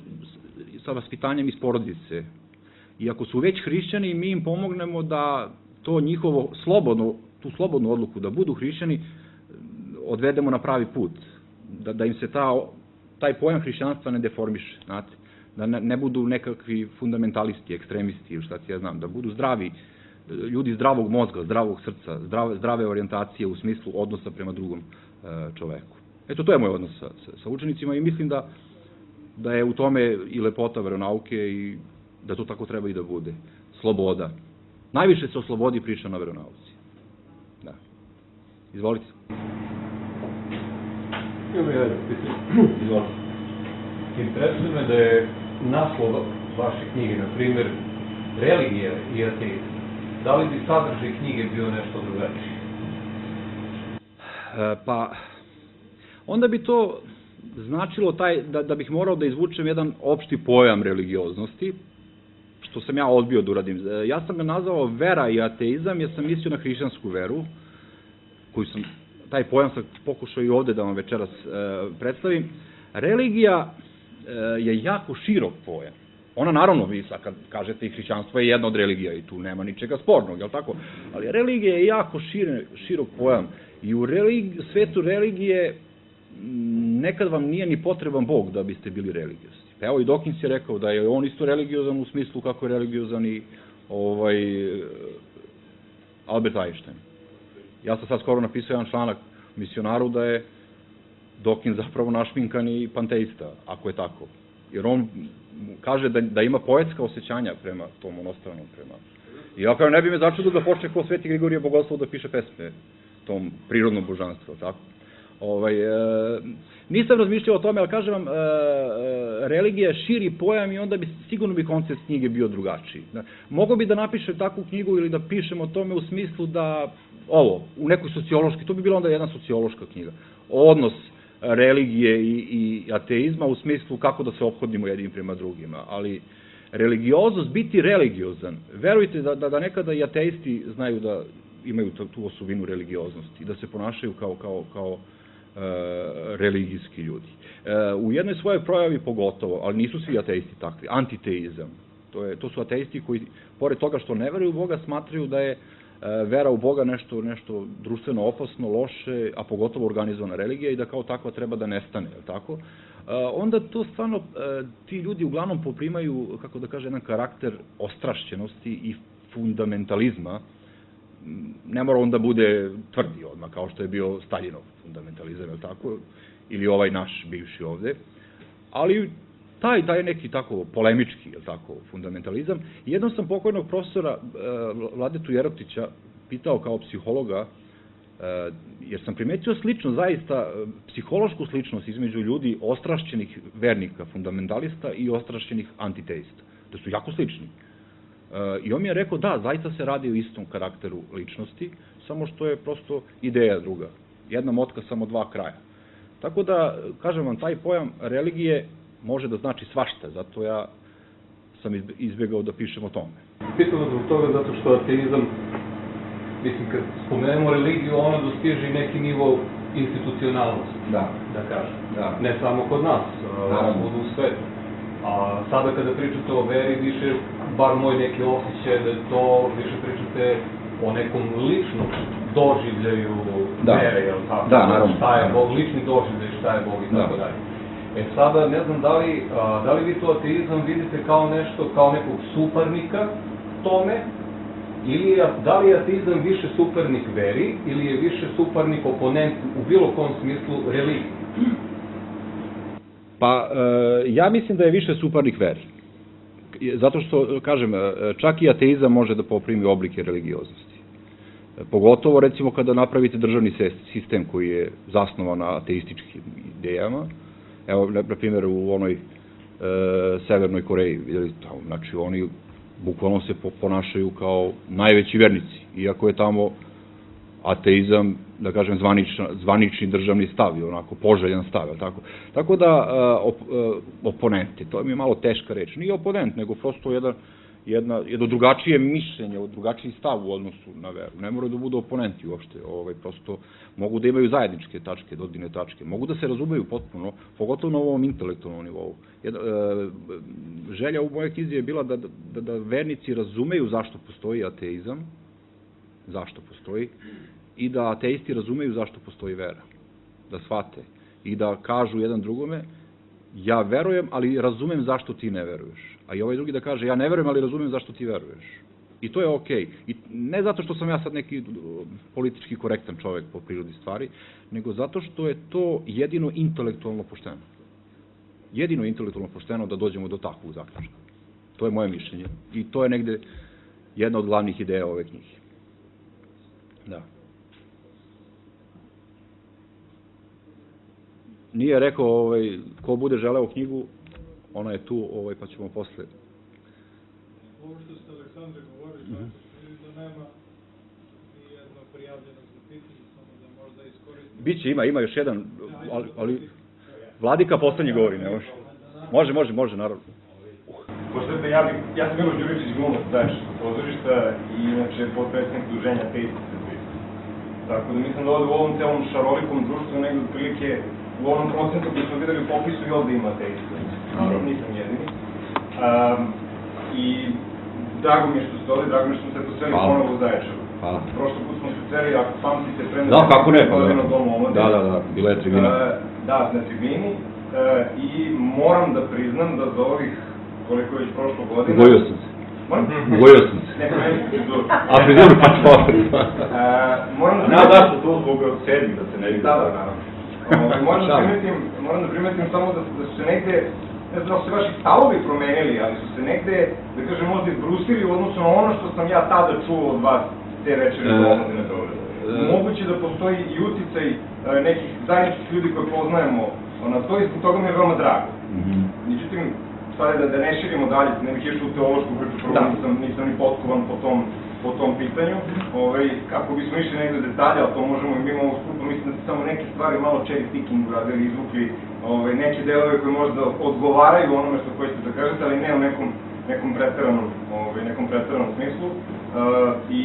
S1: sa vaspitanjem iz porodice. I ako su već hrišćani, mi im pomognemo da to njihovo tu slobodnu odluku da budu hrišćani odvedemo na pravi put. Da im se taj pojam hrišćanstva ne deformiše, znate. Da ne budu nekakvi fundamentalisti, ekstremisti ili šta ti ja znam, da budu zdravi, ljudi zdravog mozga, zdravog srca, zdrave orijentacije u smislu odnosa prema drugom čoveku. Eto, to je moj odnos sa učenicima i mislim da je u tome i lepota veronauke i da to tako treba i da bude. Sloboda. Najviše se o slobodi priča na veronauci. Da. Izvolite.
S6: Izvolite. Interesuje me da je naslov vaše knjige, na primjer, religija i ateizam. Da li bi sadržaj knjige bio nešto drugačije?
S1: Pa, onda bi to značilo da bih morao da izvučem jedan opšti pojam religioznosti, što sam ja odbio da uradim. Ja sam ga nazvao vera i ateizam, jer sam mislio na hrišćansku veru, taj pojam sam pokušao i ovde da vam večeras predstavim. Religija je jako širok pojam. Ona, naravno, vi sad kad kažete i hrišćanstvo je jedna od religija i tu nema ničega spornog, je li tako? Ali religija je jako širok pojam i u svetu religije nekad vam nije ni potreban Bog da biste bili religiozni. Evo i Dawkins je rekao da je on isto religiozan u smislu kako je religiozan i Albert Einstein. Ja sam sad skoro napisao jedan članak u Misionaru da je Dawkins zapravo našminkani panteista, ako je tako. Jer on kaže da ima poetska osjećanja prema tom onostranom, I ja kao ne bi me začudo da počne kao Sveti Grigorije Bogoslov da piše pesme tom prirodnom božanstvu, tako? Nisam razmišljao o tome, ali kažem vam, religija je širi pojam i onda sigurno bi koncept knjige bio drugačiji. Mogu bi da napišem takvu knjigu ili da pišem o tome u smislu da, u nekoj sociološki, to bi bila onda jedna sociološka knjiga, odnos religije i ateizma u smislu kako da se ophodimo jednim prema drugima, ali religioznost, biti religiozan, verujte da nekada i ateisti znaju da imaju tu osobinu religioznosti, da se ponašaju kao religijski ljudi. U jednoj svojoj projavi pogotovo, ali nisu svi ateisti takvi, antiteizam. To su ateisti koji, pored toga što ne veruju u Boga, smatraju da je vera u Boga nešto društveno opasno, loše, a pogotovo organizovana religija i da kao takva treba da nestane, je li tako? Onda to stvarno, ti ljudi uglavnom poprimaju, kako da kaže, jedan karakter ostrašćenosti i fundamentalizma. Ne mora on da bude tvrdi odmah, kao što je bio Staljinov fundamentalizam, je li tako? Ili ovaj naš bivši ovde. Ali taj neki tako polemički, je li tako, fundamentalizam. Jednom sam pokojnog profesora Vladetu Jerotića pitao kao psihologa, jer sam primetio sličnost, zaista psihološku sličnost između ljudi ostrašćenih vernika, fundamentalista i ostrašćenih antiteista. Da su jako slični. I on mi je rekao, da, zaista se radi o istom karakteru ličnosti, samo što je prosto ideja druga. Jedna motka, samo dva kraja. Tako da, kažem vam, taj pojam religije može da znači svašta, zato ja sam izbjegao da pišem o tome.
S6: Pitam vas zbog toga zato što ateizam, mislim, kad spomenemo religiju, ona dostiže i neki nivo institucionalnosti, da kažem. Ne samo kod nas, u svetu. A sada kada pričate o veri, više, bar moj neki osjećaj da to više pričate o nekom ličnom doživljaju vere, jel tako?
S1: Da, naravno.
S6: Šta je Bog, lični doživljaj, šta je Bog i tako dalje. Sada, ne znam, da li vi to ateizam vidite kao nešto, kao nekog suparnika tome, ili da li je ateizam više suparnik veri, ili je više suparnik oponent u bilo kom smislu religiji?
S1: Pa, ja mislim da je više suparnik veri. Zato što, kažem, čak i ateizam može da poprimi oblike religioznosti. Pogotovo, recimo, kada napravite državni sistem koji je zasnovan na ateističkim idejama. Evo, na primjer, u onoj Severnoj Koreji, znači, oni bukvalno se ponašaju kao najveći vernici, iako je tamo ateizam, da kažem, zvanični državni stav, onako, poželjan stav, tako? Tako da, oponenti, to mi je malo teška reč, nije oponent, nego prosto jedno drugačije mišljenje, drugačiji stav u odnosu na veru. Ne moraju da budu oponenti uopšte, prosto mogu da imaju zajedničke tačke, dodirne tačke, mogu da se razumeju potpuno, pogotovo na ovom intelektualnom nivou. Želja u mojoj knjizi je bila da vernici razumeju zašto postoji ateizam, zašto postoji, i da ateisti razumeju zašto postoji vera, da shvate i da kažu jedan drugome, ja verujem, ali razumem zašto ti ne veruješ. A i ovaj drugi da kaže, ja ne verujem, ali razumem zašto ti veruješ. I to je okej. I ne zato što sam ja sad neki politički korektan čovek po prirodi stvari, nego zato što je to jedino intelektualno pošteno. Jedino intelektualno pošteno da dođemo do takvog zaključka. To je moje mišljenje. I to je negde jedna od glavnih ideja ove knjige. Da. Nije rekao, ko bude želeo knjigu, ona je tu, pa ćemo posle.
S7: Ovo što ste, Aleksandre, govorili, da nema ni jedno prijavljeno za pitanje, samo da možda iskoristimo.
S4: Biće, ima još jedan, ali Vladika poslednji govori, ne može. Može, naravno.
S8: Pošto ja sam Miloš Đuričić, glumac Zaječarskog pozorišta i inače potpredsjednik Udruženja Ateisti Srbije. Tako da mislim da ovde u ovom celom šarolikom društvu negde otprilike u onom procentu koji smo videli u popisu i ovde ima ateista. Naravno, nisam jedini. I drago mi je što ste ovde, drago mi je što smo se poseli ponovo u Zaječaru.
S1: Hvala.
S8: Prošlo put smo se poseli, ako pamtite, pre
S1: da, kako ne,
S8: na Domu omladine.
S1: Da, bila je tribina.
S8: Da, na tribini. I moram da priznam da za ovih, koliko je već prošlo godina...
S1: Ugojio sam se. Ugojio sam se.
S8: Ne, promeniti frizuru.
S1: A frizuru pa čovjek.
S8: Moram da to zbog sebi, da se ne vidi. Da, naravno. Moram da primetim samo da su se negde, ne znam da se vaši stavovi promenili, ali su se negde, da kažem, možda izbrusili u odnosu na ono što sam ja tada čuo od vas te večeri do omladine Beograda. Moguće da postoji i uticaj nekih zajedničkih ljudi koje poznajemo na to i zbog toga mi je veoma drago. Međutim, stvari da ne širimo dalje, ne bih išao u teološku priču, prvo nisam ni potkovan po tom pitanju, kako bismo išli negde detalje, ali to možemo i mimo ovog skupa, mislim da ste samo neke stvari malo cherry picking uradili, izvukli neke delove koje možda odgovaraju onome što hoćete da kažete, ali ne u nekom preteranom smislu. I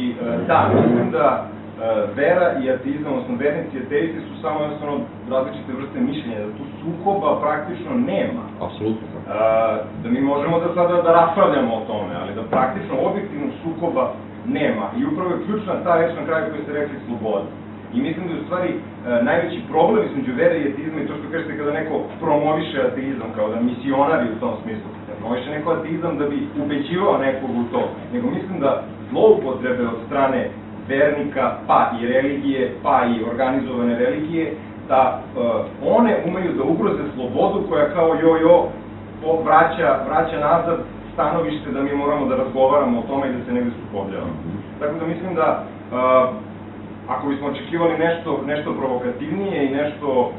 S8: da, mislim da vera i ateizam, odnosno vernici i ateisti su samo jednostavno različite vrste mišljenja, da tu sukoba praktično nema.
S1: Apsolutno.
S8: Da mi možemo da sada da raspravljamo o tome, ali da praktično objektivnog sukoba nema. I upravo je ključna ta reč na kraju koju ste rekli, sloboda. I mislim da je u stvari najveći problem između vere i ateizma i to što kažete kada neko promoviše ateizam, kao da misionari u tom smislu, promoviše neko ateizam da bi ubeđivao nekog u to, nego mislim da zloupotrebe od strane vernika, pa i religije, pa i organizovane religije, da one umeju da ugroze slobodu koja kao vraća nazad stanovište da mi moramo da razgovaramo o tome i da se negde sukobljavamo. Tako da mislim da ako bismo očekivali nešto provokativnije i nešto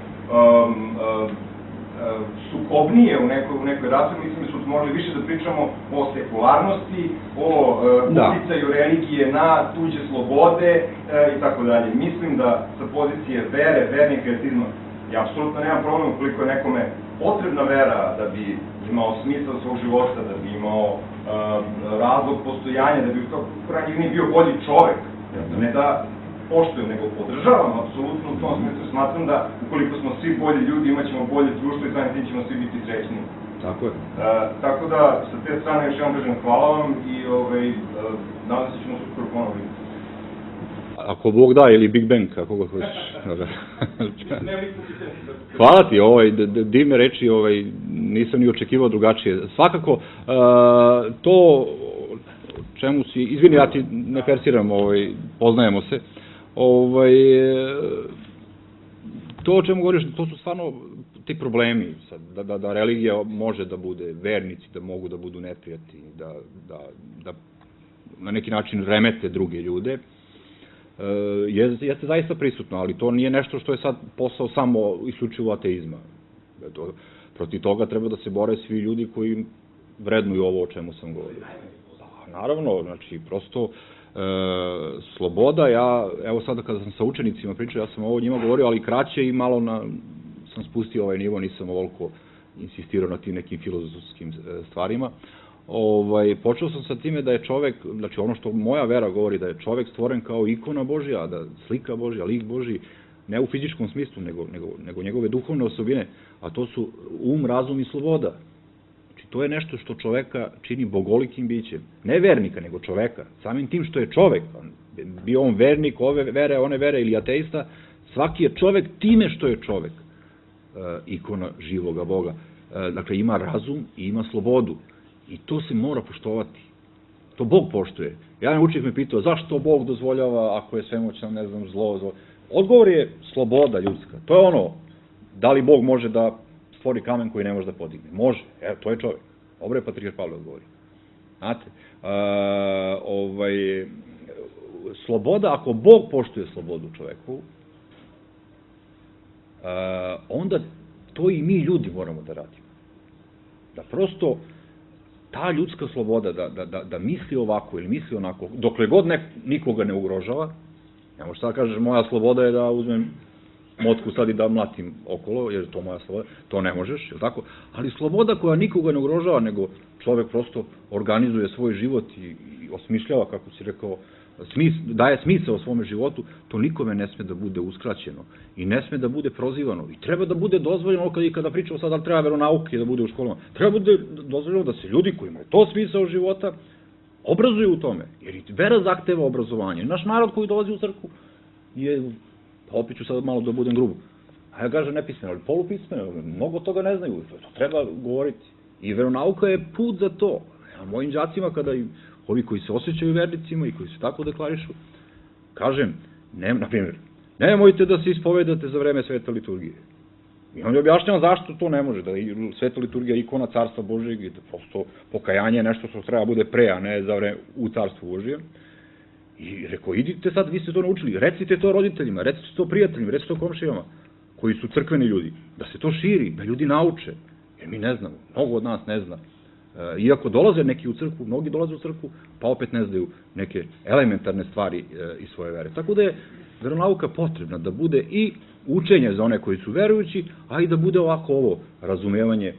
S8: sukobnije u nekoj raspravi, mislim da smo morali više da pričamo o sekularnosti, o uticaju religije na tuđe slobode i tako dalje. Mislim da sa pozicije vere, vernika i ateizma, ja apsolutno nemam problem ukoliko je nekome potrebna vera da bi imao smisao svog života, da bi imao razlog postojanja, da bi u krajnjih bio bolji čovek. Ne da poštujem, nego podržavam apsolutno u tom smislu. Smatram da ukoliko smo svi bolji ljudi, imat ćemo bolje društvo i samim tim ćemo svi biti srećni.
S1: Tako je.
S8: Tako da, sa te strane još jednom kažem hvala vam i nadam se ćemo se uskoro ponovo vidjeti.
S1: Ako Bog da, ili Big Bang, kako ga hoćeš. Hvala ti, divne reči, nisam ni očekivao drugačije. Svakako, to čemu si, izvini, ja ti ne persiram, poznajemo se, to o čemu govoriš, to su stvarno ti problemi, da religija može da bude, vernici da mogu da budu neprijatelji, da na neki način remete druge ljude, jeste zaista prisutno, ali to nije nešto što je sad posao samo isključivo ateizma. Protiv toga treba da se bore svi ljudi koji vrednuju ovo o čemu sam govorio. Naravno, znači, prosto sloboda, evo sada kada sam sa učenicima pričao, ja sam ovo njima govorio, ali kraće i malo sam spustio ovaj nivo, nisam ovoliko insistirao na tim nekim filozofskim stvarima. Počeo sam sa time da je čovek, znači ono što moja vera govori, da je čovek stvoren kao ikona Božja, da slika Božja, lik Božji, ne u fizičkom smislu, nego njegove duhovne osobine, a to su razum i sloboda. Znači, to je nešto što čoveka čini bogolikim bićem. Ne vernika, nego čoveka. Samim tim što je čovek, bio on vernik ove vere, one vere ili ateista, svaki je čovek time što je čovek, ikona živoga Boga. Dakle, ima razum i ima slobodu. I to se mora poštovati. To Bog poštuje. Jedan učenik me pitao, zašto Bog dozvoljava ako je svemoćan, ne znam, zlo. Odgovor je sloboda ljudska. To je ono, da li Bog može da stvori kamen koji ne može da podigne? Može, evo, to je čovjek. Dobro je Patrijarh Pavle odgovori. Znate, sloboda, ako Bog poštuje slobodu čoveku, onda to i mi ljudi moramo da radimo. Da prosto ta ljudska sloboda, da misli ovako ili misli onako, dokle god nikoga ne ugrožava, ne možeš sad kažeš, moja sloboda je da uzmem motku sad i da mlatim okolo, jer je to moja sloboda, to ne možeš, je li tako? Ali sloboda koja nikoga ne ugrožava, nego čovek prosto organizuje svoj život i osmišljava, kako si rekao, daje smisao svome životu, to nikome ne sme da bude uskraćeno i ne sme da bude prozivano i treba da bude dozvoljeno, kada pričamo sad da li treba veronauke da bude u školama, treba da bude dozvoljeno da se ljudi koji imaju to smisao života obrazuju u tome, jer i vera zahteva obrazovanje. Naš narod koji dolazi u crkvu je, opet ću sad malo da budem grubo, a ja kažem nepismeno, ali polupismeno, mnogo toga ne znaju, to treba govoriti. I veronauka je put za to. Mojim đacima, kada ovi koji se osjećaju vernicima i koji se tako deklarišu, kažem, na primjer, nemojte da se ispovedate za vreme svete liturgije. I on je objašnjava zašto to ne može, da je sveta liturgija ikona carstva Božijeg i da prosto pokajanje je nešto što treba bude pre, a ne za vreme u carstvu Božijem. I rekao, idite sad, vi ste to naučili, recite to roditeljima, recite to prijateljima, recite to komšijama, koji su crkveni ljudi, da se to širi, da ljudi nauče, jer mi ne znamo, mnogo od nas ne zna. Iako dolaze neki u crkvu, mnogi dolaze u crkvu, pa opet ne znaju neke elementarne stvari iz svoje vere. Tako da je veronauka potrebna da bude i učenje za one koji su verujući, a i da bude ovako ovo razumevanje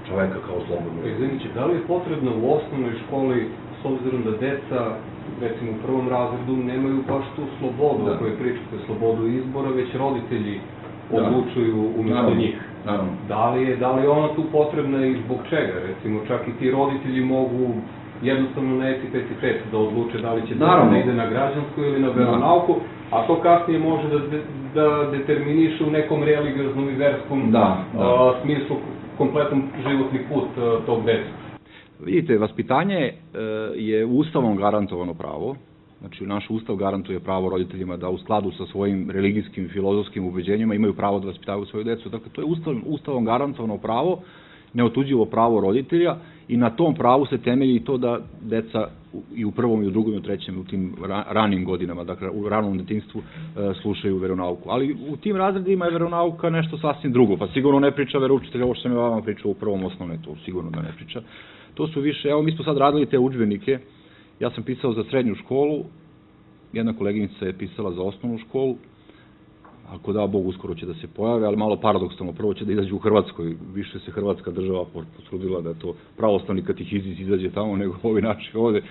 S1: čoveka kao slobodnog.
S6: Izvinite, da li je potrebno u osnovnoj školi, s obzirom da deca, recimo u prvom razredu, nemaju baš tu slobodu o kojoj pričate, slobodu izbora, već roditelji odlučuju umjesto njih? Da li je ona tu potrebna i zbog čega? Recimo, čak i ti roditelji mogu jednostavno na etitet da odluče da li će da ide na građansku ili na veronauku, a to kasnije može da determiniše u nekom religioznom i verskom smislu kompletan životni put tog deteta.
S1: Vidite, vaspitanje je Ustavom garantovano pravo. Znači, naš Ustav garantuje pravo roditeljima da u skladu sa svojim religijskim i filozofskim ubeđenjima imaju pravo da vaspitavaju svoju decu. Dakle, to je Ustavom garantovano pravo, neotuđivo pravo roditelja i na tom pravu se temelji i to da deca i u prvom, i u drugom, i u trećem, u tim ranim godinama, dakle, u ranom detinjstvu slušaju veronauku. Ali u tim razredima je veronauka nešto sasvim drugo, pa sigurno ne priča veroučitelj, ovo što sam ja vama pričao u prvom osnovne, to sigurno da ne priča. To su više, evo, mi smo sad radili te udžbenike. Ja sam pisao za srednju školu, jedna koleginica je pisala za osnovnu školu, ako da Bog uskoro će da se pojave, ali malo paradoksalno, prvo će da izađe u Hrvatskoj, više se Hrvatska država potrudila da je to pravoslavni katehizis izađe tamo nego ovi naši ovde.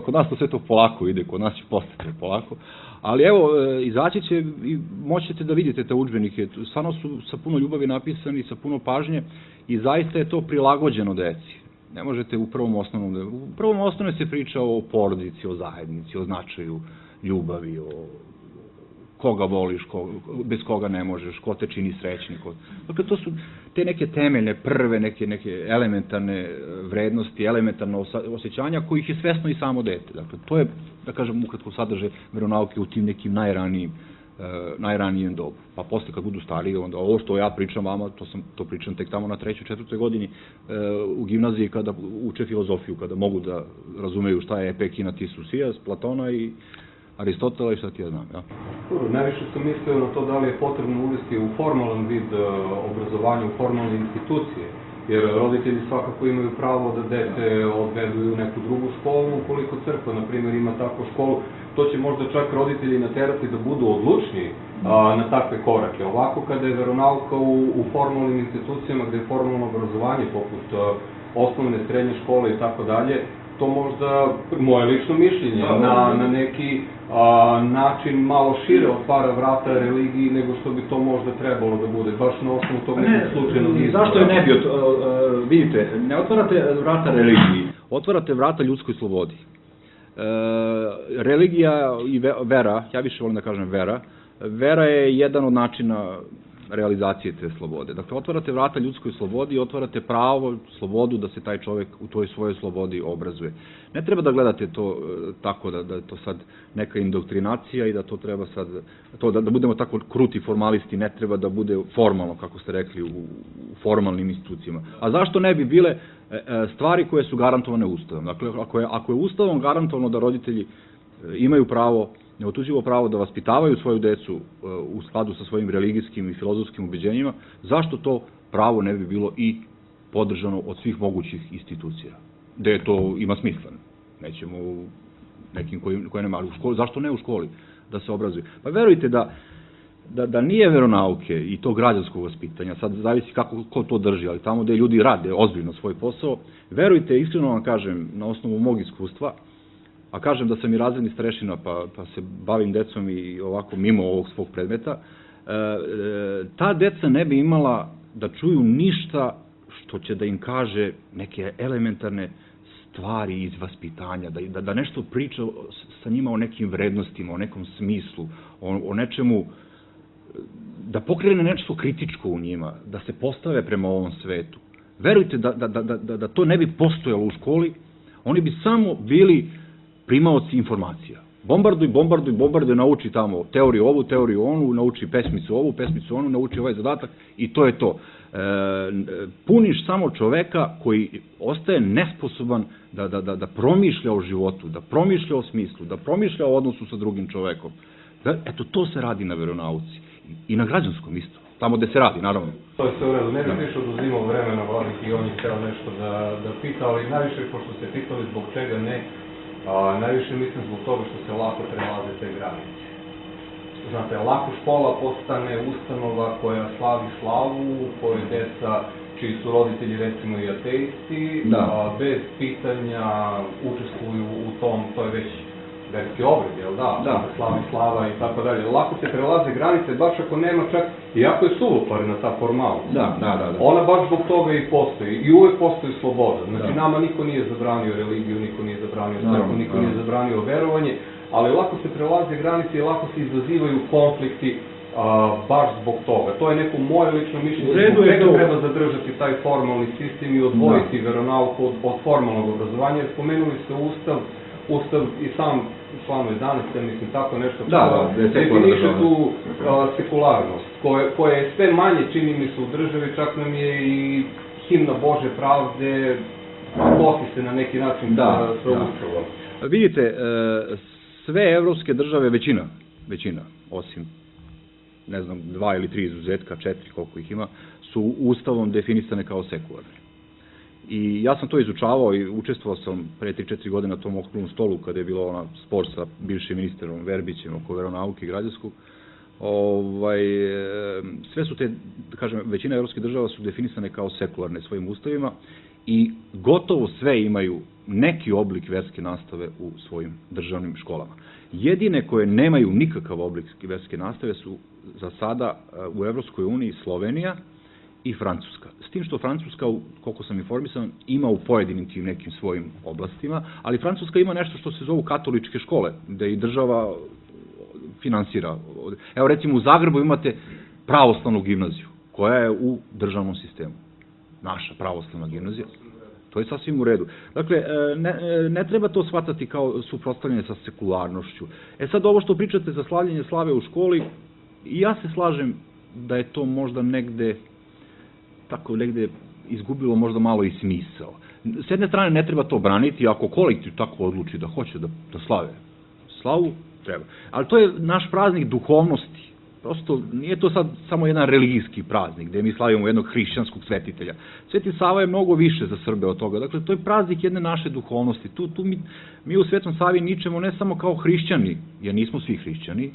S1: Kod nas to sve to polako ide, kod nas će postati polako. Ali evo, izaći će i moćete da vidite te udžbenike, stvarno su sa puno ljubavi napisani, sa puno pažnje i zaista je to prilagođeno deci. Ne možete u prvom osnovnom se priča o porodici, o zajednici, o značaju ljubavi, o koga voliš, bez koga ne možeš, ko te čini srećni. Dakle, to su te neke temeljne, prve, neke elementarne vrednosti, elementarne osjećanja kojih je svesno i samo dete. Dakle, to je, da kažem, ukratko sadrže veronauke u tim nekim najranijim najranijem dobu. Pa posle kad budu stariji, onda ovo što ja pričam vama, to pričam tek tamo na 3. 4. godini u gimnaziji kada uče filozofiju, kada mogu da razumeju šta je Epekina Tisusijas, Platona i Aristotela i šta ti ja znam.
S6: Dobro, najviše sam mislio na to da li je potrebno uvesti u formalan vid obrazovanja, u formalne institucije, jer roditelji svakako imaju pravo da dete odvedu u neku drugu školu, ukoliko crkva, na primjer, ima takvu školu, to će možda čak roditelji naterati da budu odlučni na takve korake. Ovako, kada je veronauka u formalnim institucijama, gde je formalno obrazovanje, poput osnovne, srednje škole i tako dalje, to možda, moje lično mišljenje, na neki način malo šire otvara vrata religiji nego što bi to možda trebalo da bude, baš na osnovu tog nekog slučajnog izbora.
S1: Zašto je ne bi, vidite, ne otvarate vrata religiji, otvarate vrata ljudskoj slobodi. Religija i vera, ja više volim da kažem vera je jedan od načina realizacije te slobode. Dakle, otvarate vrata ljudskoj slobodi i otvarate pravo, slobodu da se taj čovek u toj svojoj slobodi obrazuje. Ne treba da gledate to tako da je to sad neka indoktrinacija i da to treba sad, da budemo tako kruti formalisti, ne treba da bude formalno, kako ste rekli, u formalnim institucijama. A zašto ne bi bile stvari koje su garantovane Ustavom? Dakle, ako je Ustavom garantovano da roditelji imaju pravo, neotuđivo pravo da vaspitavaju svoju decu u skladu sa svojim religijskim i filozofskim ubeđenjima, zašto to pravo ne bi bilo i podržano od svih mogućih institucija? Gde to ima smisla? Nećemo u nekim koje nema, ali u školi, zašto ne u školi da se obrazuju? Pa verujte da nije veronauke i to građanskog vaspitanja, sad zavisi ko to drži, ali tamo gde ljudi rade ozbiljno svoj posao, verujte, iskreno vam kažem, na osnovu mog iskustva, a kažem da sam i razredni starešina, pa se bavim decom i ovako mimo ovog svog predmeta, ta deca ne bi imala da čuju ništa što će da im kaže neke elementarne stvari iz vaspitanja, da nešto priča sa njima o nekim vrednostima, o nekom smislu, o nečemu, da pokrene nešto kritičko u njima, da se postave prema ovom svetu. Verujte da to ne bi postojalo u školi, oni bi samo bili primaoci informacija. Bombarduj, nauči tamo teoriju ovu, teoriju onu, nauči pesmicu ovu, pesmicu onu, nauči ovaj zadatak i to je to. Puniš samo čoveka koji ostaje nesposoban da promišlja o životu, da promišlja o smislu, da promišlja o odnosu sa drugim čovekom. Eto, to se radi na veronauci i na građanskom isto, tamo gde se radi, naravno.
S6: To je sve u redu, ne bih više oduzimao vremena Vladih i on je hteo nešto da pita, ali najviše, pošto ste pitali zbog čega ne, najviše mislim zbog toga što se lako prelaze te granice. Znate, lako škola postane ustanova koja slavi slavu, u kojoj deca, čiji su roditelji recimo i ateisti, bez pitanja učestvuju u tom, to je već verski obred, jel da? Slavi slava i tako dalje. Lako se prelaze granice, baš ako nema čak, iako je suvoparena ta formalnost. Ona baš zbog toga i postoji. I uvek postoji sloboda. Znači, nama niko nije zabranio religiju, niko nije zabranio crkvu, niko nije zabranio verovanje, ali lako se prelaze granice i lako se izazivaju konflikti baš zbog toga. To je neko moje lično mišljenje, zbog čega treba zadržati taj formalni sistem i odvojiti veronauku od formalnog obrazovanja, jer spomenuli ste Ustav i sam član 11, mislim, tako nešto definiše tu sekularnost, koja je sve manje, čini mi se, u državi, čak nam je i himna Bože pravde, kosi se na neki način proučava.
S1: Vidite, sve evropske države, većina, osim, ne znam, 2 ili 3 izuzetka, 4, koliko ih ima, su ustavom definisane kao sekularne. I ja sam to izučavao i učestvovao sam pre 3-4 godine na tom okruglom stolu kada je bilo ona spor sa bivšim ministrom Verbićem oko veronauke i građanskog. Sve su te, da kažem, većina evropskih država su definisane kao sekularne svojim ustavima i gotovo sve imaju neki oblik verske nastave u svojim državnim školama. Jedine koje nemaju nikakav oblik verske nastave su za sada u Evropskoj uniji Slovenija i Francuska. S tim što Francuska, koliko sam informisan, ima u pojedinim tim nekim svojim oblastima, ali Francuska ima nešto što se zovu katoličke škole, gde i država finansira. Evo recimo u Zagrebu imate pravoslavnu gimnaziju, koja je u državnom sistemu. Naša pravoslavna gimnazija. To je sasvim u redu. Dakle, ne treba to shvatati kao suprotstavljanje sa sekularnošću. Sad ovo što pričate za slavljenje slave u školi, I ja se slažem da je to možda negde, tako negde izgubilo možda malo i smisao. S jedne strane ne treba to braniti, ako kolektiv tako odluči da hoće da slave slavu, treba. Ali to je naš praznik duhovnosti. Prosto nije to sad samo jedan religijski praznik gde mi slavimo jednog hrišćanskog svetitelja. Sveti Sava je mnogo više za Srbe od toga. Dakle, to je praznik jedne naše duhovnosti. Mi u Svetom Savi ničemo ne samo kao hrišćani, jer nismo svi hrišćani,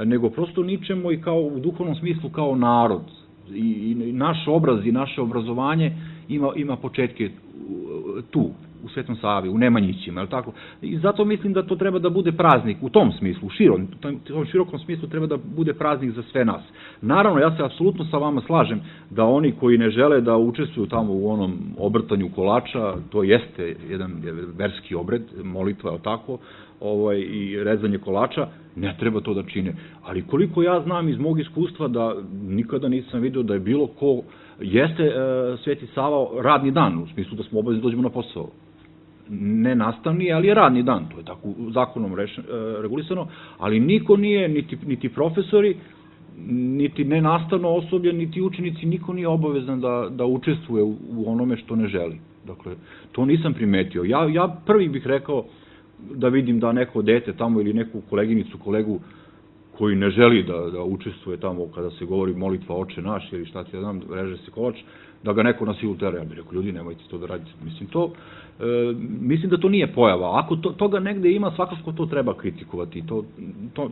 S1: nego prosto ničemo i kao u duhovnom smislu kao narod. I naš obraz i naše obrazovanje ima početke tu, u Svetom Savi, u Nemanjićima, je li tako? I zato mislim da to treba da bude praznik u tom smislu, u tom širokom smislu treba da bude praznik za sve nas. Naravno, ja se apsolutno sa vama slažem da oni koji ne žele da učestvuju tamo u onom obrtanju kolača, to jeste jedan verski obred, molitva, je li tako, i rezanje kolača, ne treba to da čine. Ali koliko ja znam iz mog iskustva da nikada nisam vidio da je bilo ko, jeste Sveti Sava radni dan, u smislu da smo obavezni dođemo na posao. Ne nastavni, ali je radni dan, to je tako zakonom regulisano, ali niko nije, niti profesori, niti nenastavno osoblje, niti učenici, niko nije obavezan da učestvuje u onome što ne želi. Dakle, to nisam primetio. Ja prvi bih rekao da vidim da neko dete tamo ili neku koleginicu, kolegu koji ne želi da učestvuje tamo kada se govori molitva Oče naš ili šta ti ja znam, reže se kolač, da ga neko na silu tera. Ja bih rekao, ljudi, nemojte to da radite. Mislim da to nije pojava. Ako toga negde ima, svakako to treba kritikovati. To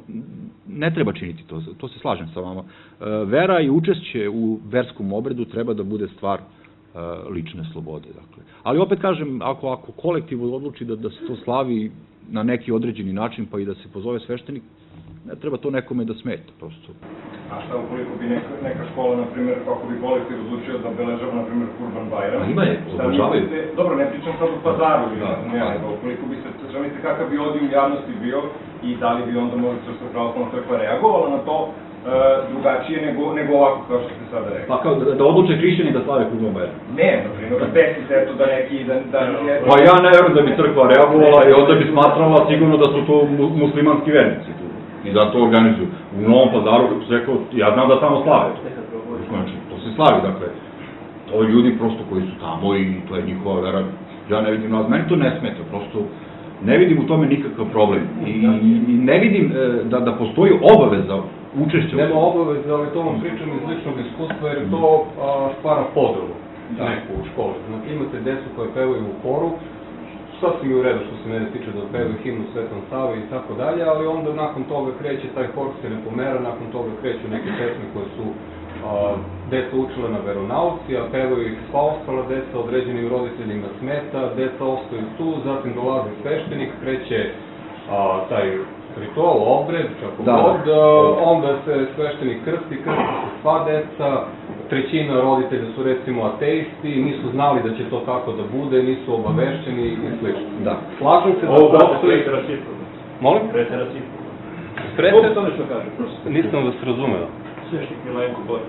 S1: ne treba činiti, to se slažem sa vama. Vera i učešće u verskom obredu treba da bude stvar lične slobode. Ali opet kažem, ako kolektiv odluči da se to slavi na neki određeni način, pa i da se pozove sveštenik, ne treba to nekome da smeta, prosto.
S8: A šta ukoliko bi neka škola, na primjer, kako bi kolektiv odlučio da obeležava, na primjer, Kurban Bajram?
S1: Ima je, obožavaju.
S8: Dobro, ne pričam sad u Pazaru, nego ukoliko bi se, želite kakav bi ovdje u javnosti bio i da li bi onda možda Srpska pravoslavna crkva reagovala na to drugačije nego ovako, kao što ste sada rekli.
S1: Pa kao da odluče hrišćani da slave Kurban Bajram?
S8: Ne, na primjer, da desite eto da neki...
S1: Pa ja ne verujem da bi crkva reagovala i onda bi smatrala sigurno da su to muslimanski vernici tu. I da to organizuju. U Novom Pazaru, kako se rekao, ja znam da tamo slave to. Znači, to se slavi, dakle. Ovi ljudi prosto koji su tamo i to je njihova vera, ja ne vidim, meni to ne smeta, prosto ne vidim u tome nikakav problem. I ne vidim da postoji obaveza učešća.
S6: Nema obaveza, ali to vam pričam iz ličnog iskustva, jer to stvara podelu neku u školi. Znači, imate decu koje pevaju u horu, sasvim je u redu što se mene tiče da pevaju himnu Svetom Savi i tako dalje, ali onda nakon toga kreće, taj hor se ne pomera, nakon toga kreću neke pesme koje su deca učila na veronauci, a pevaju ih sva ostala deca, određenim roditeljima smeta, deca ostaju tu, zatim dolazi sveštenik, kreće taj ritual, obred, kako god, onda se sveštenik krsti se sva deca, trećina roditelja su recimo ateisti, nisu znali da će to tako da bude, nisu obavešćeni i slično.
S1: Da.
S6: Slažem se da postoji... Molim?
S7: Pretera cifru.
S6: Pretera?
S7: To nešto kaže.
S6: Nisam vas razumeo.
S7: Svešnik Milenko Bor.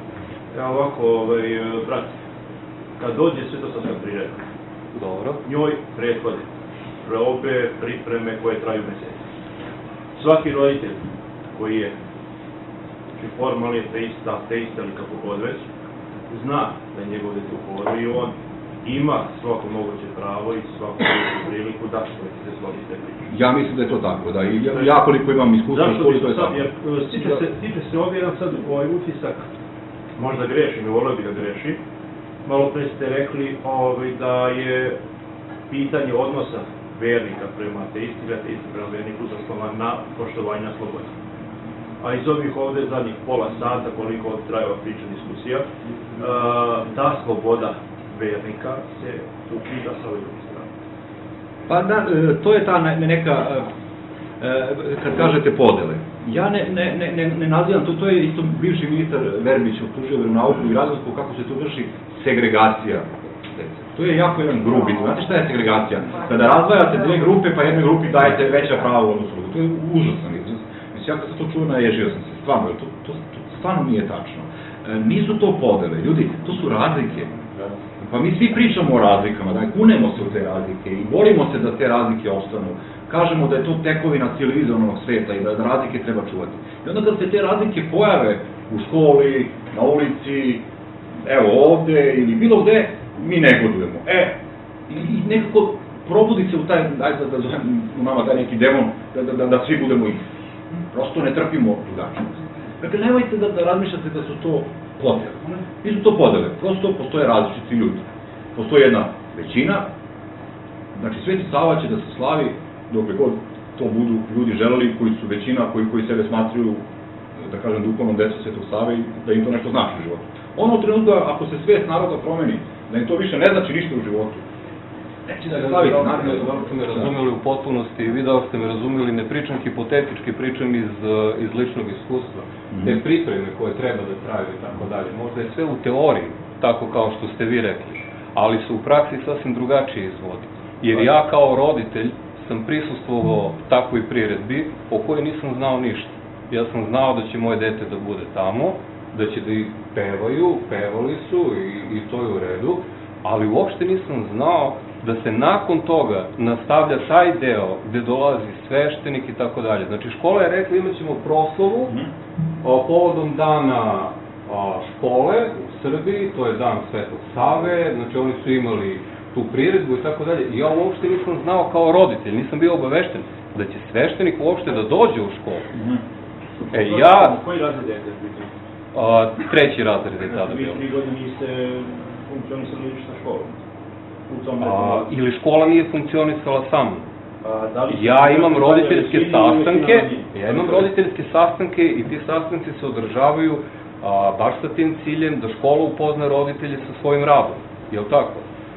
S7: Ja ovako, brat, kad dođe svetosavska priredba,
S6: dobro,
S7: njoj prethode probe, pripreme koje traju meseci. Svaki roditelj koji je formalni ateista ili kako god već, zna da je njegov dete u horu i on ima svako moguće pravo i svaku moguću priliku da se složi te priče.
S1: Ja mislim da je to tako, da. I ja koliko imam iskustva, to je tako.
S7: Jer stiče se ovdje jedan sad utisak, možda grešim i volio bi da grešim, malo pre ste rekli da je pitanje odnosa vernika prema ateisti prema verniku zasnovan na poštovanju slobode. A iz ovih ovde zadnjih pola sata, koliko traje ova priča, diskusija, ta sloboda vernika se ukida sa ove druge strane.
S1: Pa da, to je ta neka, kad kažete podele. Ja ne nazivam, to je isto bivši ministar Verbić optužio veronauku i razliku kako se tu vrši segregacija. To je jako jedan grubi. Znate šta je segregacija? Kada razdvajate dve grupe, pa jednoj grupi dajete veća prava u odnosu. To je užasan izraz. Mislim, ja kad sam to čuo, naježio sam se. Stvarno, to stvarno nije tačno. Nisu to podele. Ljudi, to su razlike. Pa mi svi pričamo o razlikama, da kunemo se u te razlike i borimo se da te razlike ostanu. Kažemo da je to tekovina civilizovanog sveta i da razlike treba čuvati. I onda kad se te razlike pojave u školi, na ulici, evo ovde ili bilo gde, mi negodujemo. I nekako probudi se u taj, ajde da zovem u nama taj neki demon, da svi budemo isti. Prosto ne trpimo drugačnost. Dakle, nemojte da razmišljate da su to podele. Nisu to podele, prosto postoje različiti ljudi. Postoji jedna većina, znači Sveti Sava će da se slavi dokle god to budu ljudi želeli koji su većina, koji sebe smatruju, da kažem, duhovnom decom Svetog Save i da im to nešto znači u životu. Ono u trenutku, ako se svest naroda promeni, da im to više ne znači ništa u životu, neće da ga slavite.
S6: Dobro ste me razumeli u potpunosti, vi da ste me razumeli, ne pričam hipotetički, pričam iz ličnog iskustva. Te pripreme koje treba da traju i tako dalje, možda je sve u teoriji, tako kao što ste vi rekli, ali se u praksi sasvim drugačije izvodi. Jer ja kao roditelj sam prisustvovao takvoj priredbi o kojoj nisam znao ništa. Ja sam znao da će moje dete da bude tamo, da će da ih pevaju, pevali su i to je u redu, ali uopšte nisam znao da se nakon toga nastavlja taj deo gde dolazi sveštenik i tako dalje. Znači, škola je rekla imat ćemo proslavu povodom dana škole u Srbiji, to je dan Svetog Save, znači oni su imali tu priredbu i tako dalje. I ja uopšte nisam znao kao roditelj, nisam bio obavešten da će sveštenik uopšte da dođe u školu.
S7: Koji razred je biti?
S6: Treći razred je tada bilo.
S7: Vi 3 godine niste funkcionisali lična škola?
S6: Ili škola nije funkcionisala sa mnom. Ja imam roditeljske sastanke i ti sastanci se održavaju baš sa tim ciljem da škola upozna roditelje sa svojim radom. Je li tako?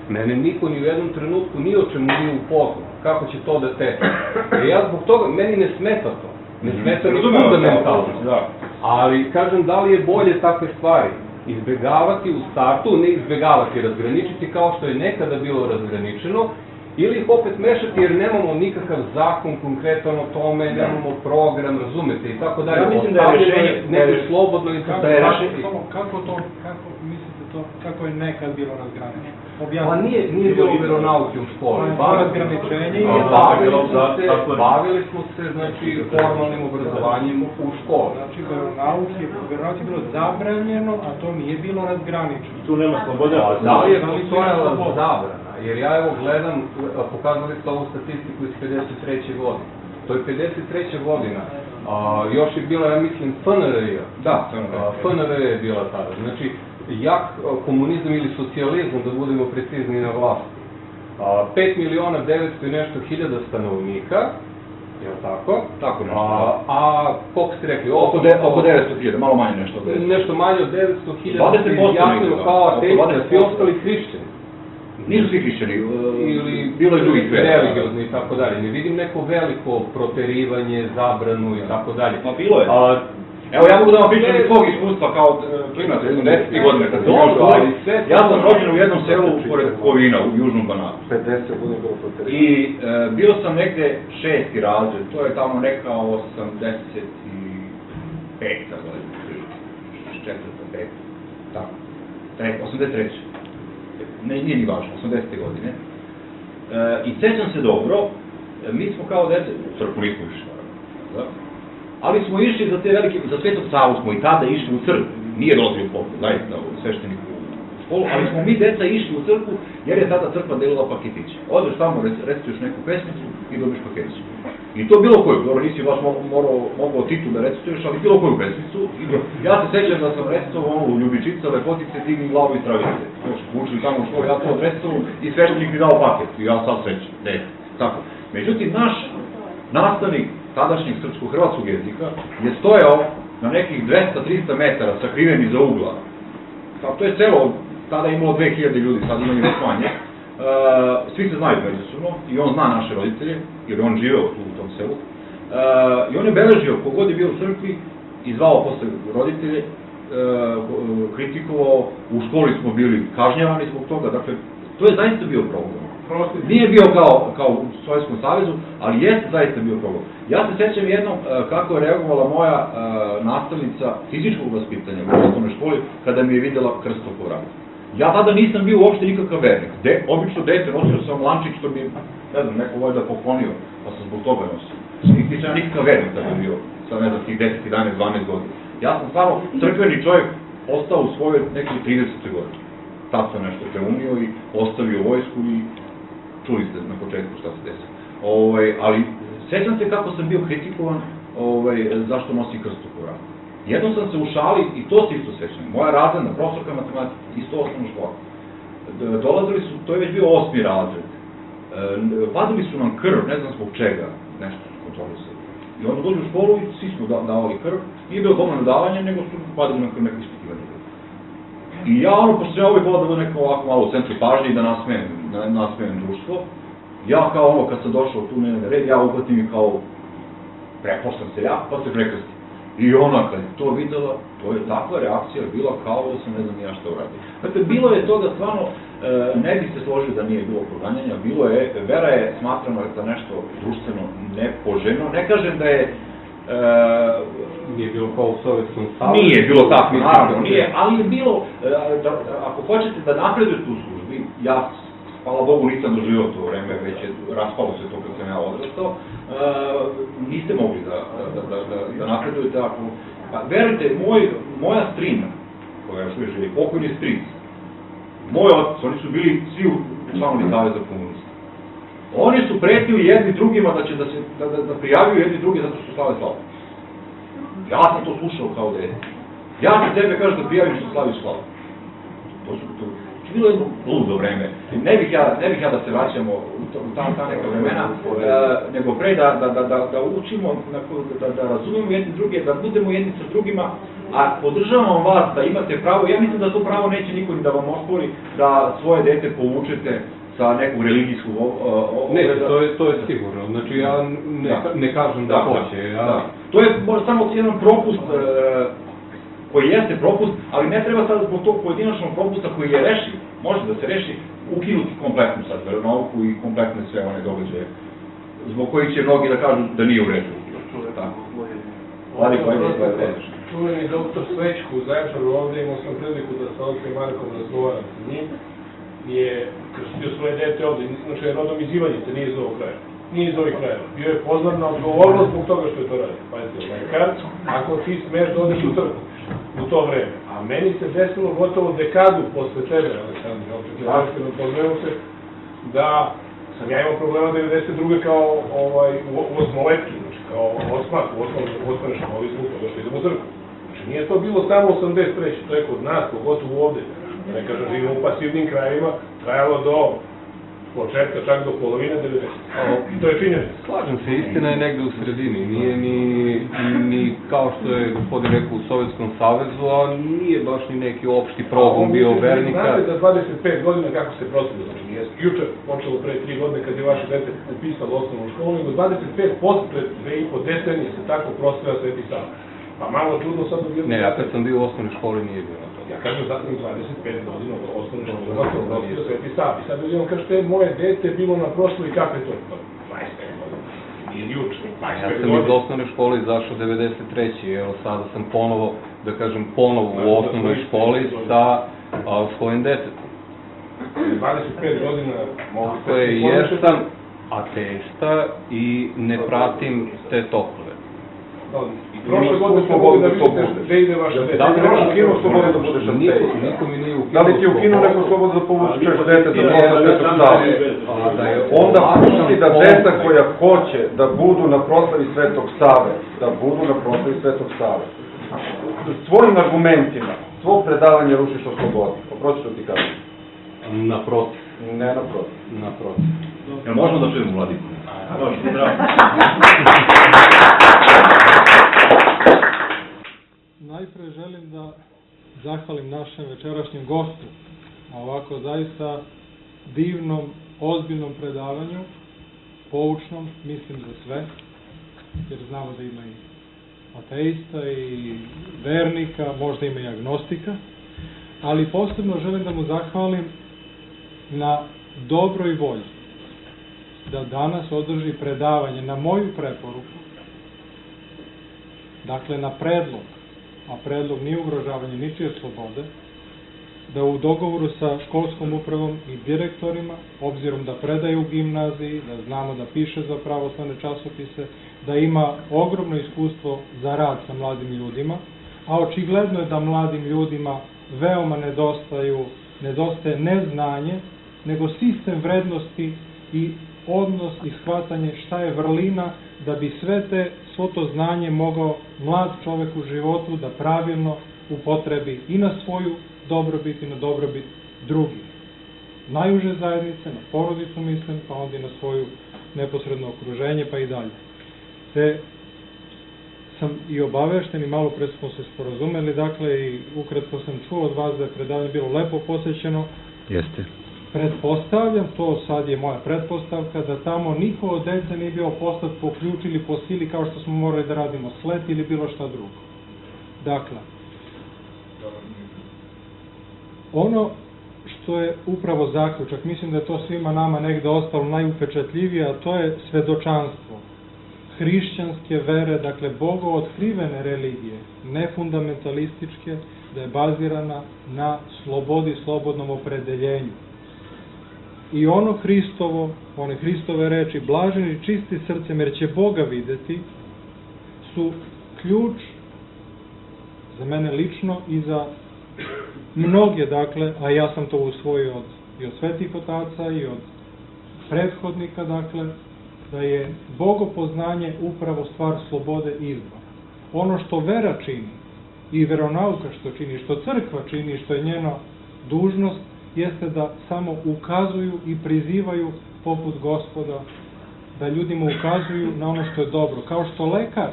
S6: Mene niko ni u jednom trenutku ni o čemu nije upoznao. Kako će to da teče? Ja zbog toga, meni ne smeta to. Ne smeta ni fundamentalno. Ali, kažem, da li je bolje takve stvari izbegavati u startu, ne izbegavati, razgraničiti kao što je nekada bilo razgraničeno, ili ih opet mešati jer nemamo nikakav zakon konkretan o tome, nemamo program, razumete i tako dalje.
S7: Ja mislim da je rešenje
S6: neko slobodno interpretaciji.
S9: Kako je nekad bilo razgraničeno?
S6: Pa nije bilo veronauke u školi. Bavili smo se, znači, formalnim obrazovanjem u školi.
S9: Znači, veronauke je bilo zabranjeno, a to nije bilo razgraničeno.
S7: Tu nema sloboda.
S6: Da li je postojala zabrana? Jer ja evo gledam, pokazali ste ovu statistiku iz 53. godine. To je 53. godina. Još je bila, ja mislim, FNRJ. Da, FNRJ je bila tada. Znači, jak komunizam ili socijalizam, da budemo precizni na vlasti. 5.900.000 i nešto hiljada stanovnika, je li tako?
S1: Tako nešto.
S6: A koliko ste rekli?
S1: Oko 900.000, malo manje nešto.
S6: Nešto manje od 900.000 se izjasnilo kao ateista, svi ostali hrišćani.
S1: Nisu svi hrišćani,
S6: ili
S1: bilo je drugih vera.
S6: Religiozni i tako dalje. Ne vidim neko veliko proterivanje, zabranu i tako dalje.
S1: Pa bilo je. Evo, ja mogu da vam pričam iz svog iskustva kao klinac, jednom 10 godine kad sam bio u školi. Ja sam rođen u jednom selu pored Kovina, u Južnom Banatu.
S8: 50 godina bilo proterivanje.
S1: I bio sam negde 6. razred, to je tamo neka 85. godina. 4. 5. Tako. 83. Nije ni važno, 80. godine. I sećam se dobro, mi smo kao dete, u crkvu nismo išli, naravno, ali smo išli za te velike, za Svetog Savu smo i tada išli u crkvu, nije dolazio u pogled, zaista u svešteniku u školu, ali smo mi deca išli u crkvu jer je tada crkva delila paketiće. Odeš tamo, recituješ neku pesmicu i dobiš paketiće. I to bilo koju, dobro nisi baš mogao titul da recituješ, ali bilo koju pesmicu. Ja se sećam da sam recitovao onu Ljubičica, lepotice, digni glavu i stravice. Učili tamo u školu, ja to recitovao i sveštenik mi dao paket i ja sad sećam, tako. Međutim, naš nastavnik tadašnjeg srpsko-hrvatskog jezika je stojao na nekih 200-300 metara sakriven iza ugla. To je selo, tada je imalo 2000 ljudi, sad ima još manje. Svi se znaju međusobno i on zna naše roditelje, jer on živeo tu u tom selu. I on je beležio, kogod je bio u crkvi, i zvao posle roditelje, kritikovao, u školi smo bili kažnjavani zbog toga, dakle, to je zaista bio problem. Nije bio kao u Sovjetskom savezu, ali jeste zaista bio problem. Ja se sećam jednom kako je reagovala moja nastavnica fizičkog vaspitanja u osnovnoj školi kada mi je videla krst oko vrata. Ja tada nisam bio uopšte nikakav vernik. Obično dete nosio sam lančić što mi, ne znam, neko valjda poklonio, pa sam zbog toga nosio. Nisam nikakav vernik tada bio, sad ne znam, tih 10, 11, 12 godina.
S4: Ja sam stvarno crkveni čovjek ostao u svojoj nekoj 30. godini. Tad sam nešto preumio i ostavio vojsku i čuli ste na početku šta se desilo. Ali sjećam se kako sam bio kritikovan zašto nosi krst u Koranu. Jednom sam se u šali, i to se isto sećam, moja razredna profesorka matematike, isto osnovna škola. Dolazili su, to je već bio 8. razred, vadili su nam krv, ne znam zbog čega, nešto su kontrolisali. I onda dođu u školu i svi smo davali krv, nije bilo dovoljno davanje, nego su vadili nam krv neko ispitivanje. I ja pošto ja uvijek volim da neko ovako malo u centru pažnje i da nasmejem društvo, ja kao kad sam došao tu na red, ja uhvatim i kao, prepoštam se ja, pa se prekrstim. I ona kad je to videla, to je takva reakcija bila kao da sam ne znam ja šta uradio. Dakle, bilo je toga stvarno, ne bi se složio da nije bilo proganjanja, vera je smatrana za nešto društveno nepoželjno, ne kažem da je...
S6: Nije bilo kao u Sovjetskom savezu.
S4: Nije bilo tako, naravno nije, ali je bilo, ako hoćete da napredujete u službi, ja, hvala Bogu, nisam doživio to vreme, već je raspalo se to kad sam ja odrastao, niste mogli da napredujete ako... Verujte, moja strina, koja još uvijek živi, pokojni stric, moj otac, oni su bili svi članovi Saveza komunista. Oni su pretili jedni drugima da će da prijaviju jedni drugi zato što su slave slavu. Ja sam to slušao kao dete. Ja se tebe kažem da prijavim što slaviš slavu. To je bilo jedno ludo vreme. Ne bih ja da se vraćamo u ta neka vremena, nego pre da učimo, da razumemo jedni druge, da budemo jedni sa drugima, a podržavam vas da imate pravo, ja mislim da to pravo neće niko ni da vam ospori, da svoje dete povučete sa neku religijsku...
S6: Ne, to je sigurno. Znači, ja ne kažem da hoće.
S4: To je možda samo jedan propust koji jeste propust, ali ne treba sad zbog tog pojedinačnog propusta koji je rešiv, može da se reši, ukinuti kompletnu sad veronauku i kompletne sve one događaje, zbog kojih će mnogi da kažu da nije u redu.
S3: Čuveni doktor Svečku u Zaječaru, ovdje imao sam priliku da sa Otcem Markom razgovaram sa njim, je krstio svoje dete ovdje, znači je rodom iz Ivanjice, nije iz ovog kraja. Nije iz ovih krajeva. Bio je pozvan na odgovornost zbog toga što je to radio. Pazite, lekar, ako ti smeš da odeš u crkvu u to vreme. A meni se desilo gotovo dekadu posle tebe, Aleksandre, opet je pozveo se, da sam ja imao problema 92. kao u osmoletki, znači kao osmak, u osnovne školi smo toga što idemo u crkvu. Znači nije to bilo samo 83. To je kod nas, pogotovo ovde. Ne kažem, živimo u pasivnim krajevima, trajalo do početka, čak do polovine 90. To je činjenica.
S6: Slažem se, istina je negde u sredini. Nije ni kao što je gospodin rekao u Sovjetskom savezu, a nije baš ni neki opšti progon bio vernika.
S3: Znate da 25 godina kako se prosvilo, znači nije juče počelo pre 3 godine kad je vaše dete upisalo osnovnu školu, nego 25 posle 2,5 decenije se tako prosvila Sveti Sava. Pa malo čudno sad da bilo...
S6: Ne, ja kad sam bio u osnovnoj školi nije bilo to.
S3: Ja kažem zato 25 godina od osnovne škole se prosvio Sveti Savi. Sad da vidimo kaže moje dete bilo na proslavi, kako je to? 25 godina. Nije juče, 25 godina.
S6: Ja sam iz osnovne škole izašao 93. Evo sada sam ponovo, da kažem, u osnovnoj školi sa svojim detetom.
S3: 25 godina mogu...
S6: Tako je, jer sam ateista i ne pratim te tokove.
S3: Prošle godine smo mogli da vidite gde ide vaše dete.
S8: Da li ti ukinuo slobodu da budeš ateist?
S6: Niko mi nije ukinuo.
S8: Da li ti ukinuo neku slobodu da povučeš dete da posle Svetog Save? Onda pusti da deca koja hoće da budu na proslavi Svetog Save, da budu na proslavi Svetog Save. Svojim argumentima, svog predavanja rušiš o slobodi. Oprosti što ti kažem.
S6: Naprotiv.
S8: Ne naprotiv.
S6: Naprotiv.
S4: Jel možemo da čujemo Vladiku?
S10: Najpre želim da zahvalim našem večerašnjem gostu na ovako zaista divnom, ozbiljnom predavanju, poučnom, mislim za sve, jer znamo da ima i ateista i vernika, možda ima i agnostika, ali posebno želim da mu zahvalim na dobroj volji da danas održi predavanje na moju preporuku, dakle na predlog, a predlog nije ugrožavanje ničije slobode, da u dogovoru sa školskom upravom i direktorima, obzirom da predaje u gimnaziji, da znamo da piše za pravoslavne časopise, da ima ogromno iskustvo za rad sa mladim ljudima, a očigledno je da mladim ljudima veoma nedostaje ne znanje, nego sistem vrednosti i odnos i shvatanje šta je vrlina da bi svo to znanje mogao mlad čovek u životu da pravilno upotrebi i na svoju dobrobit i na dobrobit drugih. Najuže zajednice, na porodicu mislim, pa onda i na svoju neposredno okruženje, pa i dalje. Te sam i obavešten i malo pre smo se sporazumeli, dakle i ukratko sam čuo od vas da je predavanje bilo lepo posvećeno.
S1: Jeste.
S10: Pretpostavljam, to sad je moja pretpostavka, da tamo niko od dece nije bio poslat po ključ ili po sili kao što smo morali da radimo slet ili bilo šta drugo. Dakle, ono što je upravo zaključak, mislim da je to svima nama negde ostalo najupečatljivije, a to je svedočanstvo hrišćanske vere, dakle bogootkrivene religije, ne fundamentalističke, da je bazirana na slobodi, slobodnom opredeljenju. I ono Hristovo, one Hristove reči, blaženi čisti srcem, jer će Boga videti, su ključ za mene lično i za mnoge, dakle, a ja sam to usvojio i od svetih otaca i od prethodnika, dakle, da je bogopoznanje upravo stvar slobode izbora. Ono što vera čini i veronauka što čini, što crkva čini, što je njena dužnost, jeste da samo ukazuju i prizivaju poput Gospoda, da ljudima ukazuju na ono što je dobro. Kao što lekar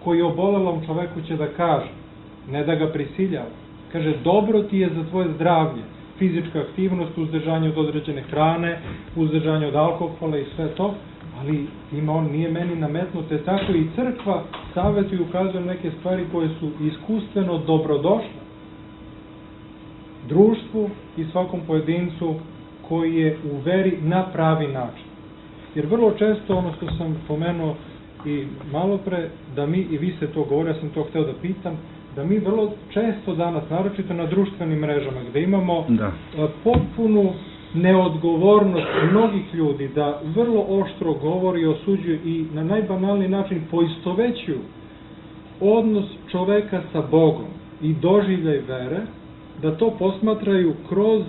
S10: koji obolelom čoveku će da kaže, ne da ga prisiljava, kaže dobro ti je za tvoje zdravlje, fizička aktivnost, uzdržanje od određene hrane, uzdržanje od alkohola i sve to, ali on nije meni nametnute, tako i crkva savjetuje i ukazuje neke stvari koje su iskustveno dobrodošle društvu i svakom pojedincu koji je u veri na pravi način. Jer vrlo često, ono što sam pomenuo i malo pre, da mi, i vi ste to govorili, ja sam to hteo da pitam, da mi vrlo često danas, naročito na društvenim mrežama, gde imamo potpunu neodgovornost mnogih ljudi da vrlo oštro govori i osuđuju i na najbanalniji način poistovećuju odnos čoveka sa Bogom i doživljaj vere, da to posmatraju kroz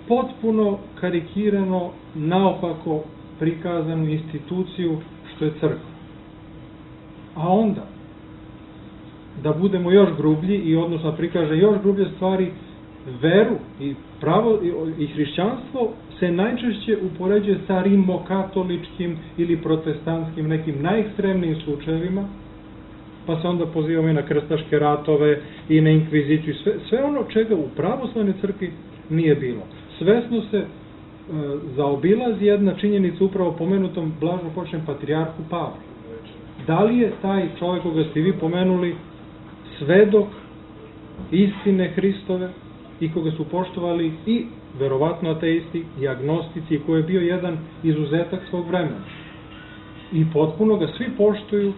S10: potpuno karikirano, naopako prikazanu instituciju što je crkva. A onda, da budemo još grublji i odnosno prikaže još grublje stvari, veru i pravo i hrišćanstvo se najčešće upoređuje sa rimokatoličkim ili protestantskim nekim najekstremnijim slučajevima, pa se onda pozivamo i na krstaške ratove i na inkviziciju, sve ono čega u pravoslavnoj crkvi nije bilo. Svesno se zaobilazi jedna činjenica upravo pomenutom blaženopočnem patrijarhu Pavlu. Da li je taj čovjek koga ste vi pomenuli svedok istine Hristove i koga su poštovali i verovatno ateisti i agnostici, koji je bio jedan izuzetak svog vremena. I potpuno ga svi poštuju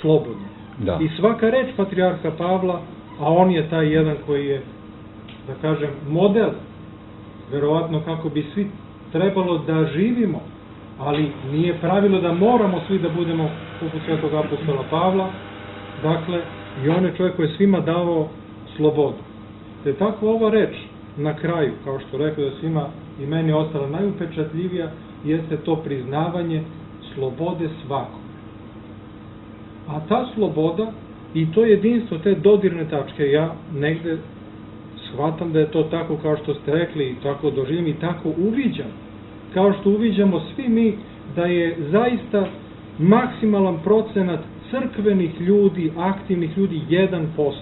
S10: slobodno.
S1: Da.
S10: I svaka reč patrijarha Pavla, a on je taj jedan koji je, da kažem, model, verovatno kako bi svi trebalo da živimo, ali nije pravilo da moramo svi da budemo poput svetog apostola Pavla, dakle, i on je čovjek koji je svima davao slobodu. Te tako ova reč na kraju, kao što rekao da svima i meni ostala najupečatljivija, jeste to priznavanje slobode svakog. A ta sloboda i to jedinstvo, te dodirne tačke, ja negde shvatam da je to tako kao što ste rekli i tako doživim i tako uviđam. Kao što uviđamo svi mi da je zaista maksimalan procenat crkvenih ljudi, aktivnih ljudi 1%.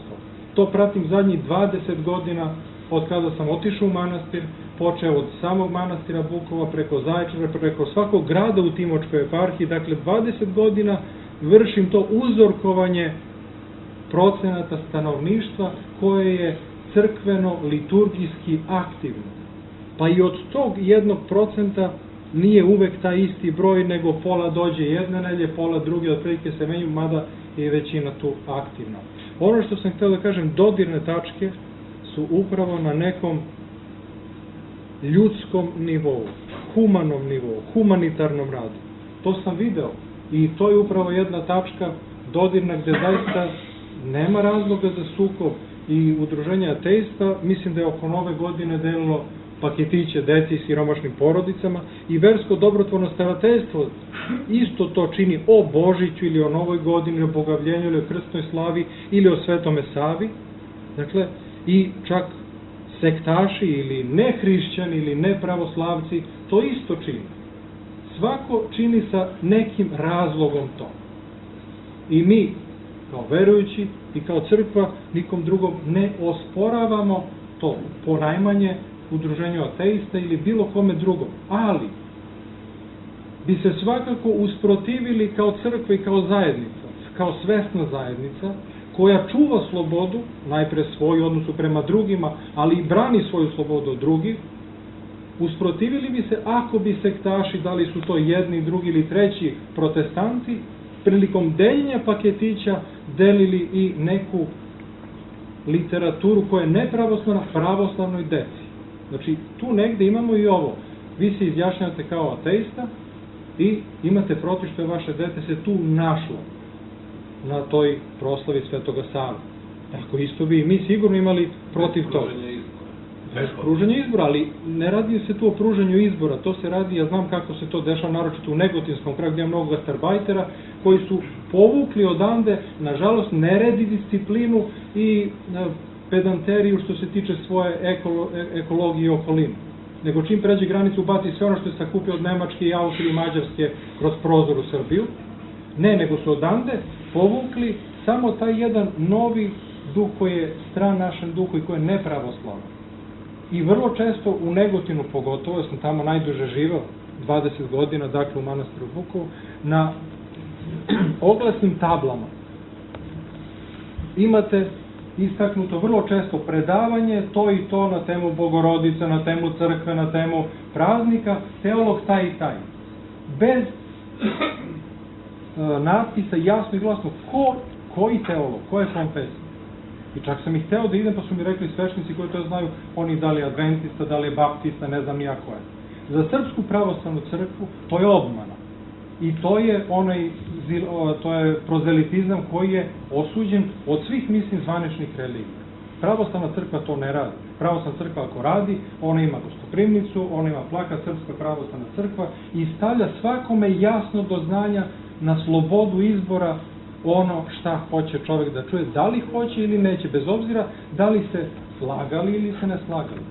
S10: To pratim zadnjih 20 godina od kada sam otišao u manastir, počeo od samog manastira Bukova, preko Zaječara, preko svakog grada u Timočkoj eparhiji, dakle 20 godina vršim to uzorkovanje procenata stanovništva koje je crkveno, liturgijski aktivno. Pa i od tog 1% nije uvek taj isti broj, nego pola dođe jedne nedelje, pola druge, otprilike se menju, mada je većina tu aktivna. Ono što sam htio da kažem, dodirne tačke su upravo na nekom ljudskom nivou, humanom nivou, humanitarnom radu. To sam video i to je upravo jedna tačka dodirna gde zaista nema razloga za sukob i udruženje ateista, mislim da je oko nove godine delilo paketiće deci i siromašnim porodicama i versko dobrotvorno starateljstvo isto to čini o Božiću ili o Novoj godini, o Bogavljenju ili o krstnoj slavi ili o Svetome Savi. Dakle, i čak sektaši ili nehrišćani ili nepravoslavci to isto čini. Svako čini sa nekim razlogom to. I mi, kao verujući i kao crkva, nikom drugom ne osporavamo to, ponajmanje udruženju ateista ili bilo kome drugom. Ali bi se svakako usprotivili kao crkva i kao zajednica, kao svesna zajednica, koja čuva slobodu, najpre svoju odnosu prema drugima, ali i brani svoju slobodu od drugih, usprotivili bi se ako bi sektaši, da li su to jedni, drugi ili treći protestanti, prilikom deljenja paketića delili i neku literaturu koja je nepravoslavna pravoslavnoj deci. Znači, tu negde imamo i ovo. Vi se izjašnjavate kao ateista i imate protiv što je vaše dete se tu našlo na toj proslavi Svetoga Save. Tako isto bi i mi sigurno imali protiv toga. Bez pružanja izbora, ali ne radi se tu o pružanju izbora, to se radi, ja znam kako se to dešava, naročito u Negotinskom kraju gdje je mnogo gastarbajtera, koji su povukli odande, nažalost, neredi disciplinu i pedanteriju što se tiče svoje ekologije i okoline. Nego čim pređe granicu, baci sve ono što je sakupio od Nemačke i Austrije i Mađarske kroz prozor u Srbiju. Ne, nego su odande povukli samo taj jedan novi duh koji je stran našem duhu i koji je nepravoslavan. I vrlo često u Negotinu pogotovo, ja sam tamo najduže živeo, 20 godina, dakle u manastiru Vukovu, na oglasnim tablama imate istaknuto vrlo često predavanje, to i to na temu Bogorodice, na temu crkve, na temu praznika, teolog taj i taj. Bez natpisa jasno i glasno koji teolog, koje konfesije. I čak sam ih hteo da idem, pa su mi rekli svešnici koji to znaju, oni da li je adventista, da li je baptista, ne znam nija ko je. Za Srpsku pravoslavnu crkvu to je obmana. I to je prozelitizam koji je osuđen od svih, mislim, zvaničnih religija. Pravoslavna crkva to ne radi. Pravoslavna crkva ako radi, ona ima gostoprimnicu, ona ima plakat Srpska pravoslavna crkva i stavlja svakome jasno do znanja na slobodu izbora ono šta hoće čovjek da čuje, da li hoće ili neće, bez obzira da li se slagali ili se ne slagali.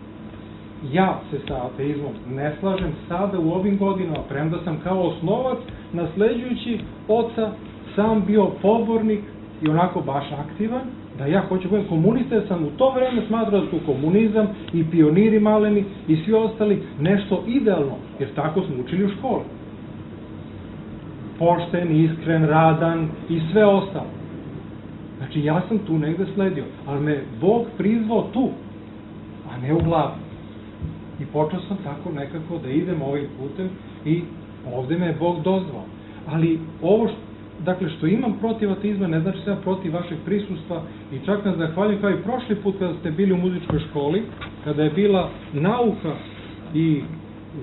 S10: Ja se sa ateizmom ne slažem sada u ovim godinama, premda sam kao osnovac, nasleđujući oca, sam bio pobornik i onako baš aktivan, da ja hoću budem komunista, jer sam u to vreme smatrao da su komunizam i pioniri maleni i svi ostali nešto idealno, jer tako smo učili u školi. Pošten, iskren, radan i sve ostalo. Znači, ja sam tu negde sledio, ali me Bog prizvao tu, a ne u glavi. I počeo sam tako nekako da idem ovim putem i ovde me je Bog dozvao. Ali ovo što imam protiv ateizma ne znači sam protiv vašeg prisustva i čak nas zahvaljujem kao i prošli put kada ste bili u muzičkoj školi, kada je bila nauka i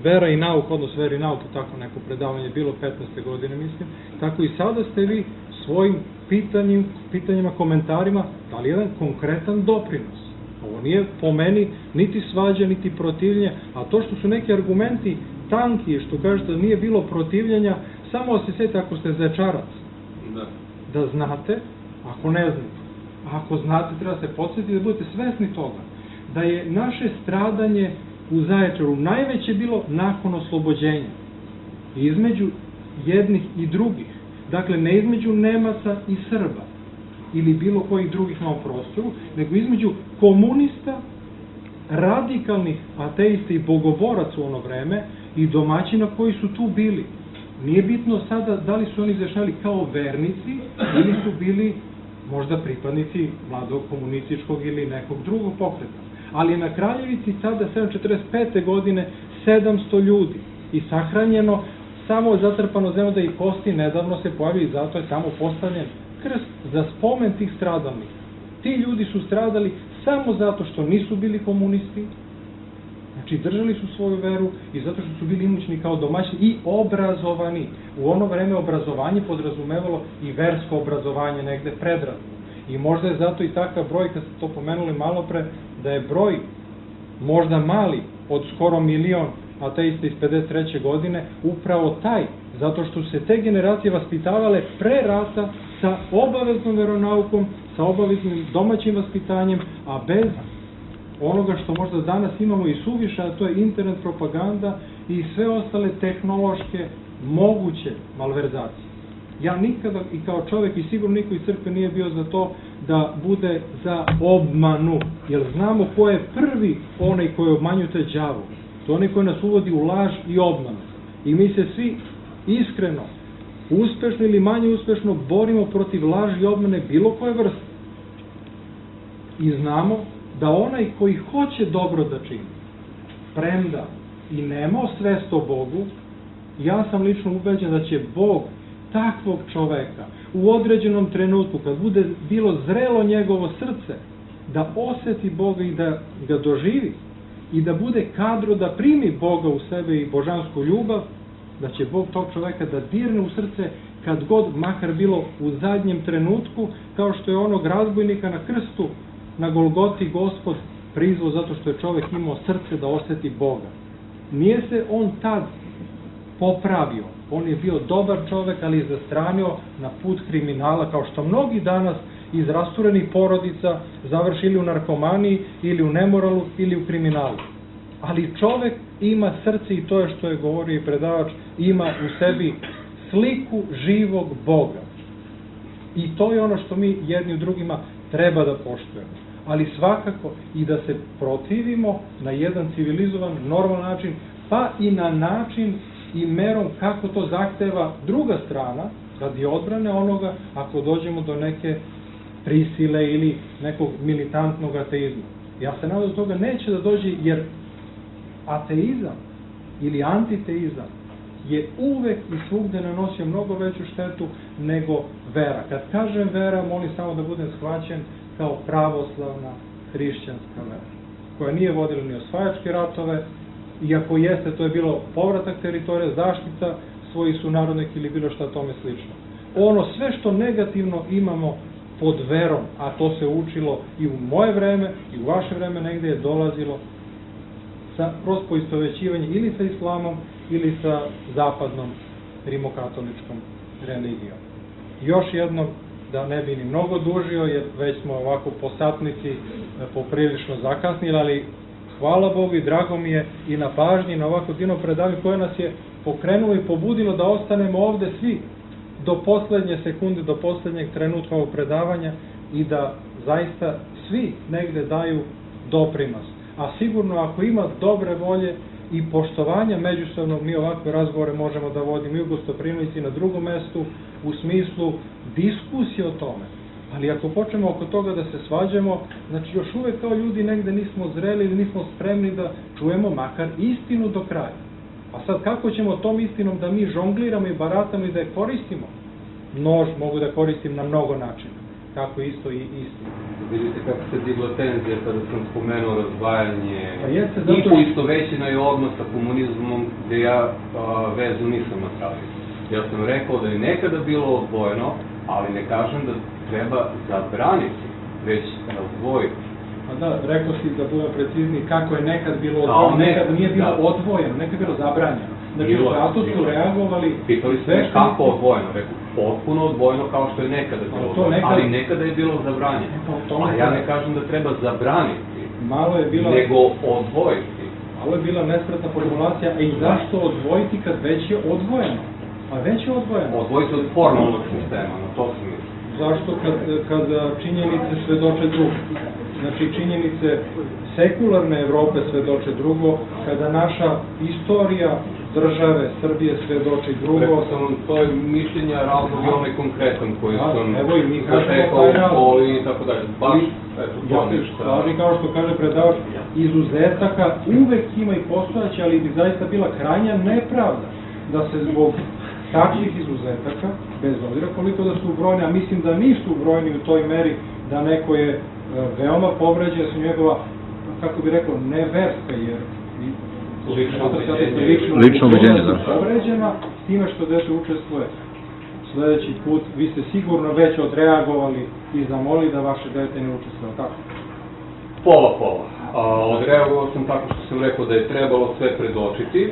S10: vera i nauka, odnosno vera i nauka, tako neko predavanje bilo 15. godine, mislim, tako i sada ste vi svojim pitanjima, komentarima dali jedan konkretan doprinos. Ovo nije po meni niti svađa, niti protivljenje, a to što su neki argumenti tanki, što kažete da nije bilo protivljenja, samo se sjeti ako ste zečarac, da znate, ako ne znate. Ako znate, treba se podsjetiti da budete svesni toga, da je naše stradanje u Zaječaru najveće bilo nakon oslobođenja. Između jednih i drugih. Dakle, ne između Nemaca i Srba ili bilo kojih drugih na prostoru, nego između komunista, radikalnih ateista i bogoboraca u ono vreme i domaćina koji su tu bili. Nije bitno sada da li su oni izjašnjavali kao vernici ili su bili možda pripadnici mladog komunističkog ili nekog drugog pokreta. Ali na Kraljevici tada 745. godine 700 ljudi i sahranjeno, samo zatrpano zemlja da i kosti nedavno se pojavili i zato je tamo postavljen krst za spomen tih stradalnih. Ti ljudi su stradali samo zato što nisu bili komunisti, Znači, držali su svoju veru i zato što su bili imućni kao domaćini i obrazovani. U ono vreme obrazovanje podrazumevalo i versko obrazovanje negde predradno. I možda je zato i takav broj, kad ste to pomenuli malo pre, da je broj možda mali od skoro 1 milion ateista iz 53. godine, upravo taj, zato što se te generacije vaspitavale pre rata sa obaveznom veronaukom, sa obaveznim domaćim vaspitanjem, a bez onoga što možda danas imamo i suviše, a to je internet propaganda i sve ostale tehnološke moguće malverzacije. Ja nikada i kao čovjek i sigurno niko iz crkve nije bio za to da bude za obmanu, jer znamo ko je prvi onaj koji obmanjuje, to je đavo. To je onaj koji nas uvodi u laž i obmanu. I mi se svi iskreno, uspešno ili manje uspešno borimo protiv laži i obmane bilo koje vrste. I znamo da onaj koji hoće dobro da čini, premda i nemao svest o Bogu, ja sam lično ubeđen da će Bog takvog čoveka u određenom trenutku, kad bude bilo zrelo njegovo srce, da oseti Boga i da ga doživi i da bude kadro da primi Boga u sebe i božansku ljubav, da će Bog tog čoveka da dirne u srce kad god, makar bilo u zadnjem trenutku, kao što je onog razbojnika na krstu na Golgoti Gospod prizvao zato što je čovek imao srce da oseti Boga. Nije se on tad popravio, on je bio dobar čovek, ali je zastranio na put kriminala, kao što mnogi danas iz rasturenih porodica završili u narkomaniji ili u nemoralu ili u kriminalu. Ali čovek ima srce i to je što je govorio i predavač, ima u sebi sliku živog Boga. I to je ono što mi jedni u drugima treba da poštujemo. Ali svakako i da se protivimo na jedan civilizovan, normalan način, pa i na način i merom kako to zahteva druga strana, radi odbrane onoga, ako dođemo do neke prisile ili nekog militantnog ateizma. Ja se nadam da toga neće da dođe, jer ateizam ili antiteizam je uvek i svugde nanosio mnogo veću štetu nego vera. Kad kažem vera, molim samo da budem shvaćen kao pravoslavna hrišćanska vera, koja nije vodila ni osvajačke ratove, iako jeste, to je bilo povratak teritorija, zaštita svojih sunarodnika ili bilo šta tome slično. Ono sve što negativno imamo pod verom, a to se učilo i u moje vreme i u vaše vreme negde je dolazilo sa kroz poistovećivanje ili sa islamom ili sa zapadnom rimokatoličkom religijom. Još jednom, da ne bi ni mnogo dužio, jer već smo ovako po satnici poprilično zakasnili, ali hvala Bogu i drago mi je i na pažnji, na ovako divno predavanje koje nas je pokrenulo i pobudilo da ostanemo ovde svi do poslednje sekunde, do poslednjeg trenutka ovog predavanja i da zaista svi negde daju doprinos. A sigurno ako ima dobre volje i poštovanja međusobnog, mi ovakve razgovore možemo da vodimo i u Gostoprinovici na drugom mestu u smislu diskusije o tome. Ali ako počnemo oko toga da se svađamo, znači još uvek kao ljudi negde nismo zreli ili nismo spremni da čujemo makar istinu do kraja. A sad kako ćemo tom istinom da mi žongliramo i baratamo i da je koristimo? Nož mogu da koristim na mnogo načina. Kako isto i istinu.
S6: Vidite kako se digla tenzija kada sam spomenuo razdvajanje
S10: i
S6: poistovećeno je odnos sa komunizmom, gde ja vezu nisam napravio. Ja sam rekao da je nekada bilo odvojeno, ali ne kažem da treba zabraniti, već razdvojiti.
S10: Pa da, rekao si da budemo precizni kako je nekad bilo odvojeno, nekad nije bilo odvojeno, nekad je bilo zabranjeno. Znači, zato su reagovali...
S6: Pitali ste kako odvojeno, rekao, potpuno odvojeno kao što je nekada bilo odvojeno, ali nekada je bilo zabranjeno. A ja ne kažem da treba zabraniti, nego odvojiti.
S10: Malo je bila nespretna formulacija, a i zašto odvojiti kad već je odvojeno? A već je odvojeno.
S6: Odvojiti od formalnog sistema, na to se misli.
S10: Zašto kad činjenice svedoče drugo? Znači činjenice sekularne Evrope svedoče drugo, kada naša istorija države Srbije svedoči drugo.
S6: Rekao sam, to je mišljenja, razlog i onaj konkretan koji sam
S10: zatekao
S6: u školi i tako dalje. Baš, eto, to ništa.
S10: Slaži, kao što kaže predavač, izuzetaka uvek ima i postojaće, ali bi zaista bila krajnja nepravda da se zbog takvih izuzetaka, bez obzira koliko da su ubrojeni, a mislim da nisu ubrojeni u toj meri da neko je veoma povređen, da su njegova, kako bi rekao, neverska, jer
S1: Lično ubeđenje, da.
S10: Povređena, s time što dete učestvuje. Sljedeći put vi ste sigurno već odreagovali i zamolili da vaše dete ne učestvuje, tako?
S6: Pola. Odreagovao sam tako što sam rekao da je trebalo sve predočiti,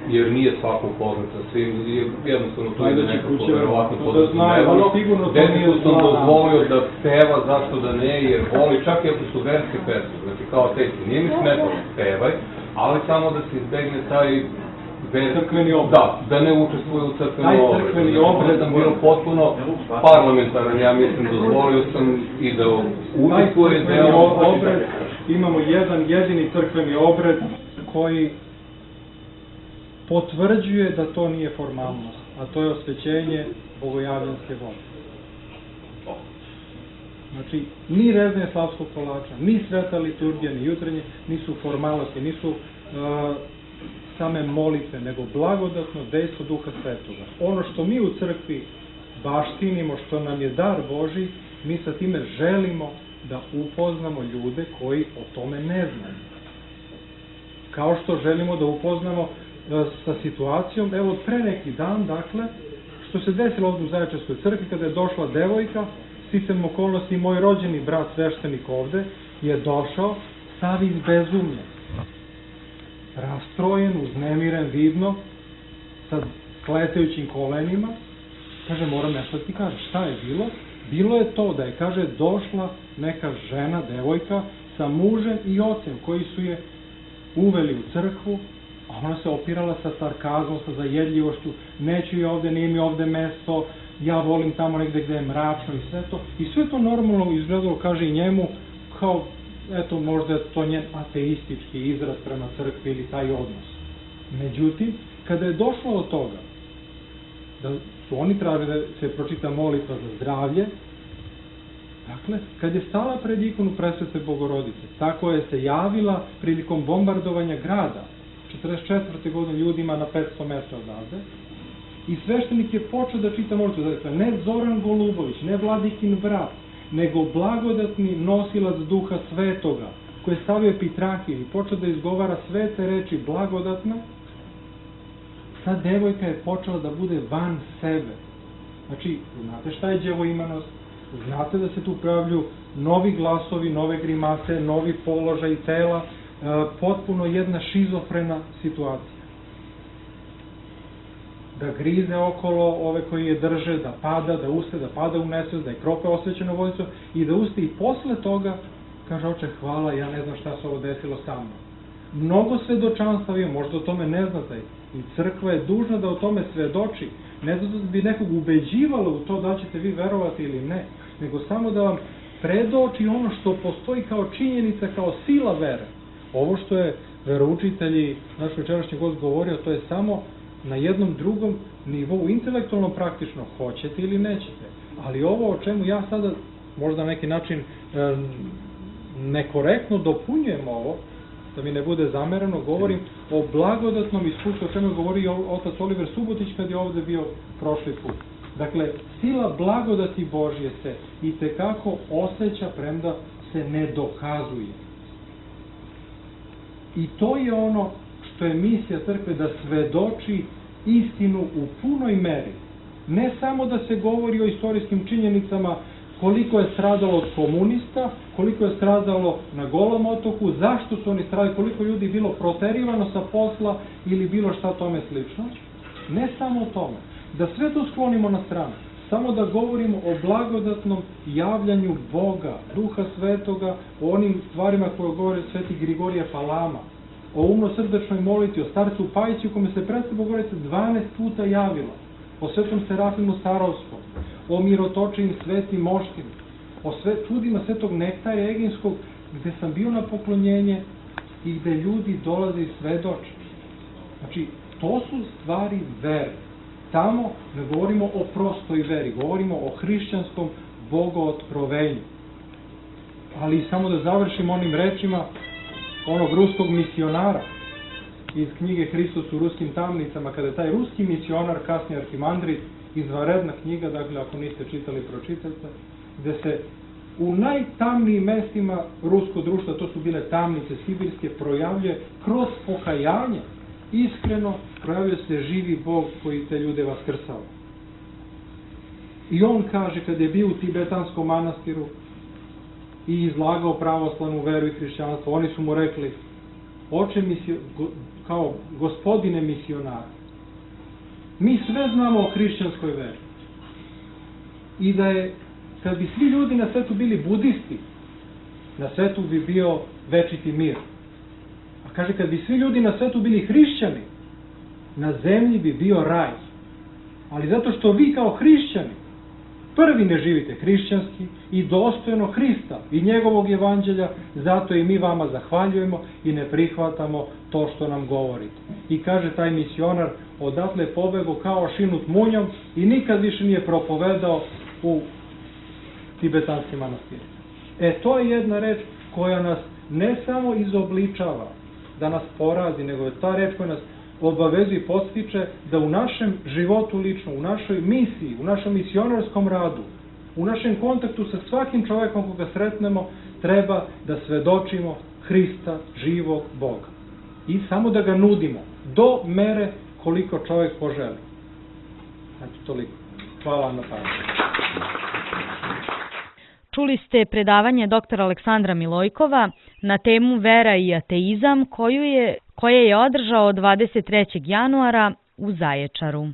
S6: jer nije svako upoznat sa svim, jednostavno to je nekako verovatno podrazumevano. Detetu sam dozvolio da peva, zašto da ne, jer voli, čak i ako su verske pesme, znači kao teksti, nije mi smetalo, pevaj, ali samo da se izbegne taj
S10: crkveni obred.
S6: Da ne učestvuje u crkveni obred. Taj crkveni obred sam bio potpuno parlamentaran, ja mislim, dozvolio sam i da učestvuje deo
S10: obred. Imamo jedan jedini crkveni obred koji potvrđuje da to nije formalnost, a to je osvećenje bogojavljanske vode. Znači, ni rezanje slavskog kolača, ni sveta liturgija, ni jutranje, nisu formalnosti, nisu same molitve, nego blagodatno dejstvo Duha Svetoga. Ono što mi u crkvi baštinimo, što nam je dar Božji, mi sa time želimo da upoznamo ljude koji o tome ne znaju. Kao što želimo da upoznamo sa situacijom, evo pre neki dan, dakle, što se desilo ovdje u Zaječarskoj crkvi, kada je došla devojka, sticajem okolnosti, moj rođeni brat sveštenik ovde, je došao sav izbezumljen, rastrojen, uznemiren, vidno, sa skletajućim kolenima, kaže, moram nešto da ti kažem, šta je bilo? Bilo je to da je, kaže, došla neka žena, devojka, sa mužem i ocem, koji su je uveli u crkvu, a ona se opirala sa sarkazmom, sa zajedljivošću, neću je ovde, nije mi ovde mesto, ja volim tamo negde gde je mračno i sve to. I sve to normalno izgledalo, kaže i njemu, kao, eto, možda je to njen ateistički izraz prema crkvi ili taj odnos. Međutim, kada je došlo od toga, da su oni tražili da se pročita molitva za zdravlje, dakle, kad je stala pred ikonu Presvete Bogorodice, tako je se javila prilikom bombardovanja grada, 44. godine ljudima na 500 metara odavde, i sveštenik je počeo da čita molitvu, dakle, ne Zoran Golubović, ne Vladikin brat, nego blagodatni nosilac Duha Svetoga, koji je stavio epitrahiju i počeo da izgovara svete reči blagodatno, ta devojka je počela da bude van sebe. Znači, znate šta je đevoimanost? Znate da se tu pojavljuju novi glasovi, nove grimase, novi položaj tela, potpuno jedna šizofrena situacija. Da grize okolo ove koji je drže, da pada, da uste, da pada u nesvest, da je krope osvećeno vodicom i da uste i posle toga kaže, oče, hvala, ja ne znam šta se ovo desilo sa mnom. Mnogo svedočanstva je, možda o tome ne znate, i crkva je dužna da o tome svedoči, ne da bi nekog ubeđivalo u to da ćete vi verovati ili ne, nego samo da vam predoči ono što postoji kao činjenica, kao sila vere. Ovo što je veroučitelji, naš večerašnji gost govorio, to je samo na jednom drugom nivou, intelektualno praktično, hoćete ili nećete. Ali ovo o čemu ja sada, možda na neki način nekorektno dopunjujem ovo, da mi ne bude zamereno, govorim o blagodatnom iskustvu, o čemu je govorio otac Oliver Subotić kad je ovde bio prošli put. Dakle, sila blagodati Božje se itekako osjeća, premda se ne dokazuje. I to je ono što je misija crkve, da svedoči istinu u punoj meri. Ne samo da se govori o istorijskim činjenicama koliko je stradalo od komunista, koliko je stradalo na Golom otoku, zašto su oni stradali, koliko ljudi bilo proterivano sa posla ili bilo šta tome slično. Ne samo o tome. Da sve to sklonimo na stranu. Samo da govorimo o blagodatnom javljanju Boga, Duha Svetoga, o onim stvarima koje govore sveti Grigorije Palama, o umno-srdečnoj molitvi, o starcu Pajiću, kome se Presveta Bogorodica 12 puta javila, o svetom Serafimu Starovskom, o mirotočivim svetim moštima, o čudima svetog Nektarija Eginskog, gde sam bio na poklonjenje i gde ljudi dolaze i svedoče. Znači, to su stvari vere. Tamo ne govorimo o prostoj veri, govorimo o hrišćanskom bogootkrovenju. Ali samo da završim onim rečima onog ruskog misionara iz knjige Hristos u ruskim tamnicama, kada je taj ruski misionar, kasni arhimandrit, izvanredna knjiga, dakle ako niste čitali, pročitajte, gde se u najtamnijim mestima ruskog društva, to su bile tamnice sibirske, projavljuje kroz pokajanje, iskreno projavljuje se živi Bog koji te ljude vaskrsava. I on kaže, kad je bio u tibetanskom manastiru i izlagao pravoslavnu veru i hrišćanstvo, oni su mu rekli, oče kao gospodine misionar, mi sve znamo o hrišćanskoj veri. I da je, kad bi svi ljudi na svetu bili budisti, na svetu bi bio večiti mir. A kaže, kad bi svi ljudi na svetu bili hrišćani, na zemlji bi bio raj. Ali zato što vi kao hrišćani prvi ne živite hrišćanski i dostojno Hrista i njegovog evanđelja, zato i mi vama zahvaljujemo i ne prihvatamo to što nam govorite. I kaže taj misionar, odatle pobego kao šinut munjom i nikad više nije propovedao u tibetanskim manastirima. To je jedna reč koja nas ne samo izobličava, da nas porazi, nego je ta reč koja nas obavezuje i podstiče da u našem životu lično, u našoj misiji, u našom misionarskom radu, u našem kontaktu sa svakim čovekom koga sretnemo, treba da svedočimo Hrista, živog Boga. I samo da ga nudimo, do mere koliko čovek poželi. Znači, toliko. Hvala vam na pažnju.
S2: Čuli ste predavanje dr. Aleksandra Milojkova na temu Vera i ateizam koje je održao 23. januara u Zaječaru.